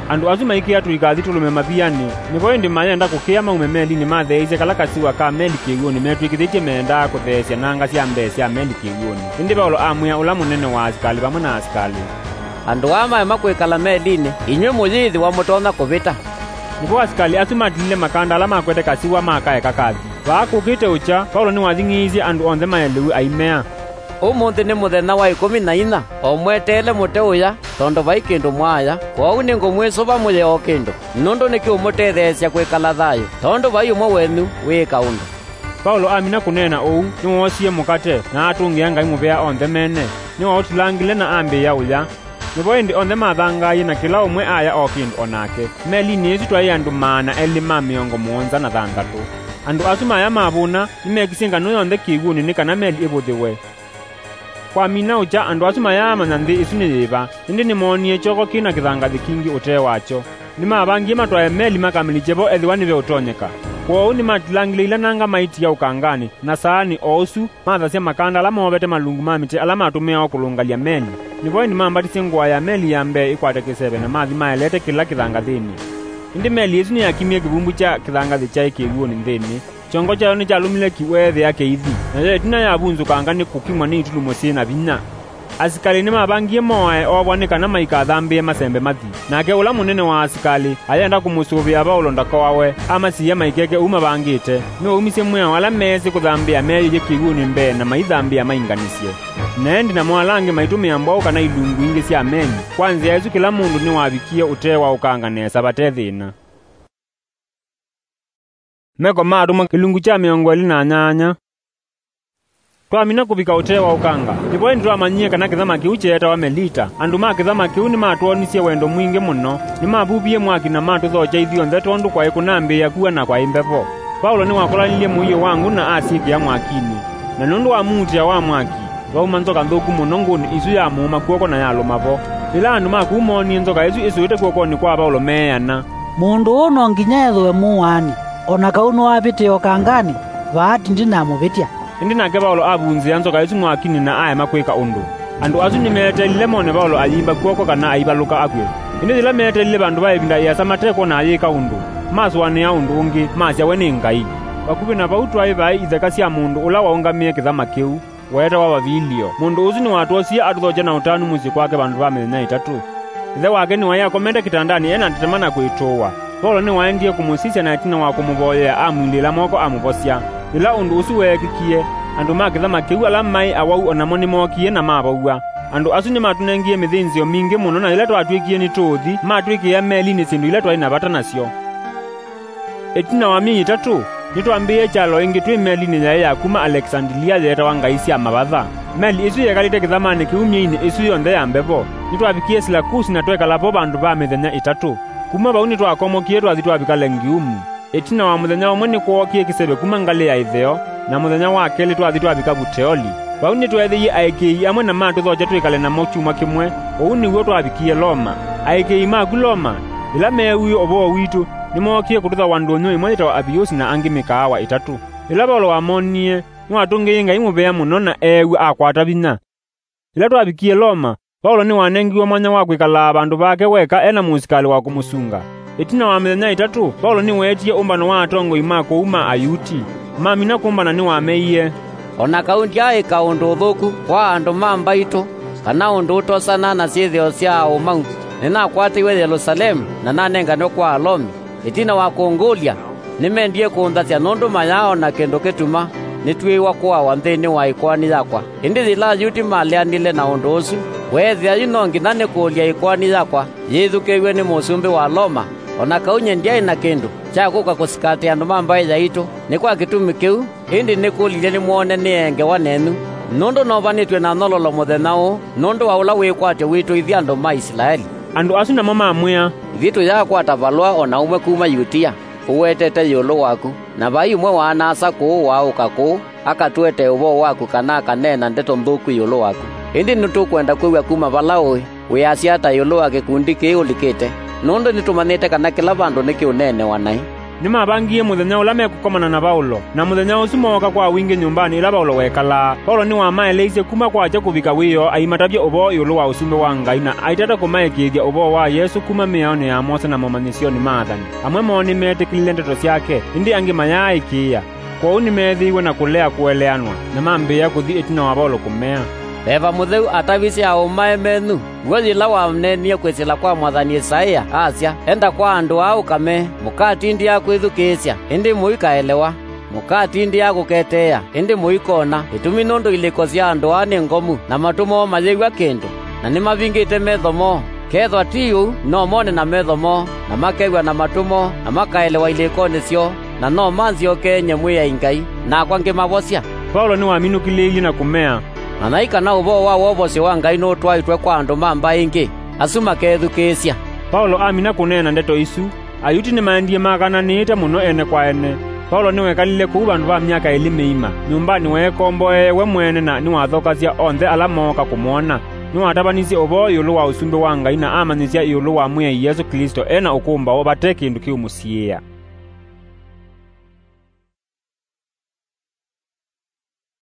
Andũ asu maikĩa tũikathi tũlũme mavianĩ, nĩvo ĩndĩ mayenda kũkĩa maume melinĩ matheeisye kala kasiwa ka meli kĩw'ũnĩ metw'ĩkĩthĩtye meendaa kũtheesya nanga sya mbee sya meli kĩw'ũnĩ. Ĩndĩ Vaũlo amwĩa ũla mũnene wa asikalĩ vamwe na asikalĩ, "Andũ aa maema kwĩkala melinĩ, inyw'ĩ mũyĩĩthĩwa mũtonya kũvĩta." Nĩvo asikalĩ asu matilile makanda ala makwete kasiwa makaeka kathi. Vaa kũkĩte ũkya, Vaũlo nĩwathing'ĩĩisye andũ onthe maelewe aimea, "Ũmũnthĩ nĩ mũthenya wa ĩkũmi na inya, o mweteele mũte ũya, tondũ vai kĩndũ mwaaya, kwoou nĩngũmwĩsũva mũye o kĩndũ, nũndũ nĩkĩũmũtetheesya kwĩkala thayũ, tondũ vai ũmwe wenyu wĩĩka ũndũ." Vaũlo amina kũneena ũu, nĩwoosie mũkate, na atũngĩa Ngai mũvea onthe mene. Nĩwaũtilangile na ambĩĩa ũya. Nĩvo ĩndĩ onthe mathangaie na kĩla ũmwe aya o kĩndũ o nake. Melinĩ ĩsu twaĩ andũ maana elĩ ma mĩongo mũonza na thanthatũ. Andũ asu maya mavũna nĩmekisye nganũ yonthe kĩw'ũnĩ nĩ kana meli ĩvũthĩwe. Kwamina ũkya, andũ asu mayaamanya nthĩ ĩsu nĩ yĩva, ĩndĩ nĩmoonie kyoko kĩ na kĩthangathĩ kingĩ ũtee wakyo. Nĩmavangie matwae meli makamĩlikye vo ethĩwa nĩveũtonyeka. Kwoou nĩmatilangile ila nanga maitia ũkanganĩ, na saanĩ o ũsu mathasya makanda ala moovete malungu ma mĩtĩ ala matũmĩawa kũlũngalya meli. Nĩvo ĩndĩ mambatisye ngũa ya meli ya mbee ĩkwate kĩseve na mathi maelete kĩla kĩthangathĩnĩ. Ĩndĩ meli ĩsu nĩyakimie kĩvumbu kya kĩthangathĩ kyaĩ kĩw'ũnĩ nthĩnĩ. Kyongo kyayo nĩkyalũmile ki weethĩa kĩithi, nayo ĩtina yavunzũkanga nĩ kũkimwa nĩ itulumo syĩ na vinya. Asikalĩ nĩmavangie moae oovwa nĩ kana maikathambĩe masembe mathi. Nake ũla mũnene wa asikalĩ ayenda kũmũsũvĩa Vaũlo ndakoawe, amasiĩa maikeke ũu mavangĩte. Nĩwaumisye mwĩao ala meesĩ kũthambĩa meeyĩie kĩw'ũnĩ mbee na maithambĩa mainganisye. Na ĩndĩ namo ala angĩ maitũmĩa mbwaũ kana ilungu ingĩ sya meli. Kwa nzĩa ĩsu kĩla mũndũ nĩwavikie ũtee wa ũkanga nesa vate thĩna. Meko ma Atũmwa kĩlungu kya mĩongo ĩlĩ na nyanya. Twamina kũvika ũtee wa ũkanga, nĩvo ĩndĩ twamanyie kana kĩthama kĩu kyeetawa Melita. Andũ ma kĩthama kĩu nĩmatwonisye wendo mwingĩ mũno. Nĩmavuvie mwaki na matũthokya ithyonthe tondũ kwaĩ kũnambĩĩa kua na kwaĩ mbevo. Vaulo nĩwakolanilye mũio wa ngũ na asyĩkĩa mwakinĩ, na nũndũ wa muutĩa wa mwaki, vauma nzoka nthũku mũno ngũnĩ ĩsu ya mũũma kw'oko na yalũma vo. Yĩla andũ ma kũu moonie nzoka ĩsu ĩsũĩte kw'okonĩ kwa Vaũlo meeana, "Mũndũ ũũ no nginya ethĩwe mũũaani, o na kau nĩwavĩtĩe ũkanganĩ, vaa ti ndinamũvĩtya." Ĩndĩ nake Vaũlo avunzĩa nzoka ĩsu mwakinĩ na aema kwĩka ũndũ. Andũ asu nĩmeeteelile mone Vaũlo ayĩimba kw'oko kana aivalũka akw'e. Ĩndĩ yĩla meeteelile vandũ va ĩvinda ĩasa mate kwona ayĩka ũndũ, masũanĩa ũndũ ũngĩ, masya we nĩ ngai. Vakuvĩ na vau twaĩ vaĩ itheka sya mũndũ ũla waũngamĩe kĩthama kĩu. Weetawa Vavilio. Mũndũ ũsu nĩwatwosie atũthokya na ũtanu mũsyĩ kwake vandũ va mĩthenya ĩtatũ. Ĩthe wake nĩwaĩ akomete kĩtandanĩ e na ntetema na kwĩtũũa. Vaulo nĩwaendie kũmũsisya, na ĩtina wa kũmũvoyea, amwilĩĩla moko amũvosya. Yĩla ũndũ ũsu weekĩkie, andũ ma kĩthama kĩu ala maĩ awau o namo nĩmookie na mavow'a. Andũ asu nĩmatũnengie mĩthĩnzĩo mingĩ mũno, na yĩla twatw'ĩkie nĩtũũthi, matwĩkĩĩa melinĩ syĩndũ ila twaĩ na vata nasyo. Ĩtina wa myei ĩtatũ, nĩtwambĩĩe kyalo ĩngĩ twĩ melinĩ yaĩ ya kuma Alekisandilia yeetawa Ngai sya Mavatha. Meli ĩsu yekalĩte kĩthamanĩ kĩu myeinĩ ĩsu yonthe ya mbevo. Nĩtwavikie Silakusi na twekala vo vandũ va mĩthenya ĩtatũ. Kuma vau nĩtwakomokie twathi twavika Lengiumu. Ĩtina wa mũthenya ũmwe nĩkwookie kĩseve kuma ngalĩ ya ĩtheo, na mũthenya wa kelĩ twathi twavika Vuteoli. Vau nĩtweethĩie aĩkĩĩi amwe na matũthokya twĩkale namo kyumwa kĩmwe. Ũu nĩw'o twavikie Loma. Aĩkĩĩi maku Loma, yĩla meewie ũvoo witũ, nĩmookie kũtũthawa ndũnyũ ĩmwe yĩtawa Apiusi na angĩ mĩkaawa ĩtatũ. Yĩla Vaulo wamonie, nĩwatũngĩie Ngai mũvea mũno na eew'a akwata vinya. Yĩla twavikie Loma, Vaulo nĩwanengiwe mwanya wa kwĩkalaa vandũ vake weka e na mũsikalĩ wa kũmũsunga. Ĩtina wa mĩthenya ĩtatũ, Vaulo nĩweetie ũmbano wa atongoi ma kũu ma Ayuti. Mamina kũmbana nĩwameie, "O na kau ndyaaĩka ũndũ ũthũku kwa andũ ma mbaitũ, kana ũndũ ũtosana na syĩthĩo sya aũmau, nĩnakwatĩiwe Yelusalemu na nanenganwe kwa Alomi. Ĩtina wa kũngũlya, nĩmendie kũnthasya nũndũ mayaona kĩndũ kĩtuma nĩtw'ĩĩwa kũawa nthĩnĩ wa ĩkoani yakwa. Ĩndĩ yĩla Ayuti maleanile na ũndũ ũsu, weethĩa yu no nginya nĩkũlye ĩkoani yakwa yĩthukĩĩw'e nĩ mũsumbĩ wa Loma, o na kau nyie ndyaĩ na kĩndũ kya kũka kũsikatĩa andũ ma mbaĩ yaitũ. Nĩ kwa kĩtumi kĩu ĩndĩ nĩkũlilye nĩmwone nĩengewa nenyu, nũndũ novanĩtw'e na nyololo mũthenya ũũ nũndũ wa ũla wĩkwatyo witũ ithyĩ andũ ma Isilaeli." Andũ asu namo mamwĩa, "Ithyĩ tũyaakwata valũa o na ũmwe kuma Yutia ũwetete ĩũlũ waku, na vai ũmwe wa ana-a-asa kũũ waaũka kũũ akatũetee ũvoo waku kana akaneena ndeto nthũku ĩũlũ waku. Ĩndĩ nĩtũkwenda kwĩw'a kuma vala ũĩ, wĩasya ata ĩũlũ wa kĩkundi kĩĩ ũlikĩte? Nũndũ nĩtũmanyĩte kana kĩla vandũ nĩkĩũneenewa naĩ." Nĩmavangie mũthenya ũla mekũkomana na Vaulo, na mũthenya ũsu mooka kwa wingĩ nyũmbanĩ ĩla Vaulo wekalaa. Vaulo nĩwamaeleisye kuma kwakya kũvika wĩoo aimatavya ũvoo ĩũlũ wa Ũsumbĩ wa Ngai, na aitata kũmaĩkĩĩthya ũvoo wa Yesũ kuma mĩaonĩ ya Mose na momanyĩsyonĩ ma athani. Amwe moo nĩmeetĩkĩlile ndeto syake, ĩndĩ angĩ mayaaĩkĩĩa. Kwoou nĩmeethĩiwe na kũlea kũeleanwa, na mambĩĩa kũthi ĩtina wa Vaulo kũmea, "Veva Mũtheu atavisye aũmae menyu w'o yĩla waneenie kwĩsĩla kwa mwathani Ĩsaĩa, asya, 'Enda kwa andũ aa ũkamee, mũkatindĩa kwĩthukĩĩsya, ĩndĩ mũikaelewa, mũkatindĩa kũketeea, ĩndĩ mũikona, ĩtumi nũndũ ilĩko sya andũ aa nĩ ngomu, na matũ moo mayĩw'a kĩndũ, na nĩmavingĩte metho moo. Kethwa ti ũu, no mone na metho moo, na makew'a na matũ moo, na makaelewa ilĩkonĩ syoo, na no manzyokeenye Mwĩai Ngai, nakwa ngĩmavosya.'" Vaulo nĩwaminũkĩlĩĩilye na kũmea, "Manyai kana ũvoo wa wovosyo wa Ngai nũtwaĩtwe kwa andũ ma mbaĩ ingĩ, asu makethukĩĩsya." Vaulo amina kũneena ndeto isu, Ayuti nĩmaendie makananĩĩte mũno ene kwa ene. Vaulo nĩwekalile kũu vandũ va myaka ĩlĩ mĩima. Nyũmbanĩ weekomboee we mwene na nĩwathokasya onthe ala mooka kũmwona. Nĩwatavanisye ũvoo ĩũlũ wa Ũsumbĩ wa Ngai na amanyĩsya ĩũlũ wa Mwĩai Yesũ Klĩsto e na ũkũmbaũ vate kĩndũ kĩũmũsiĩĩa.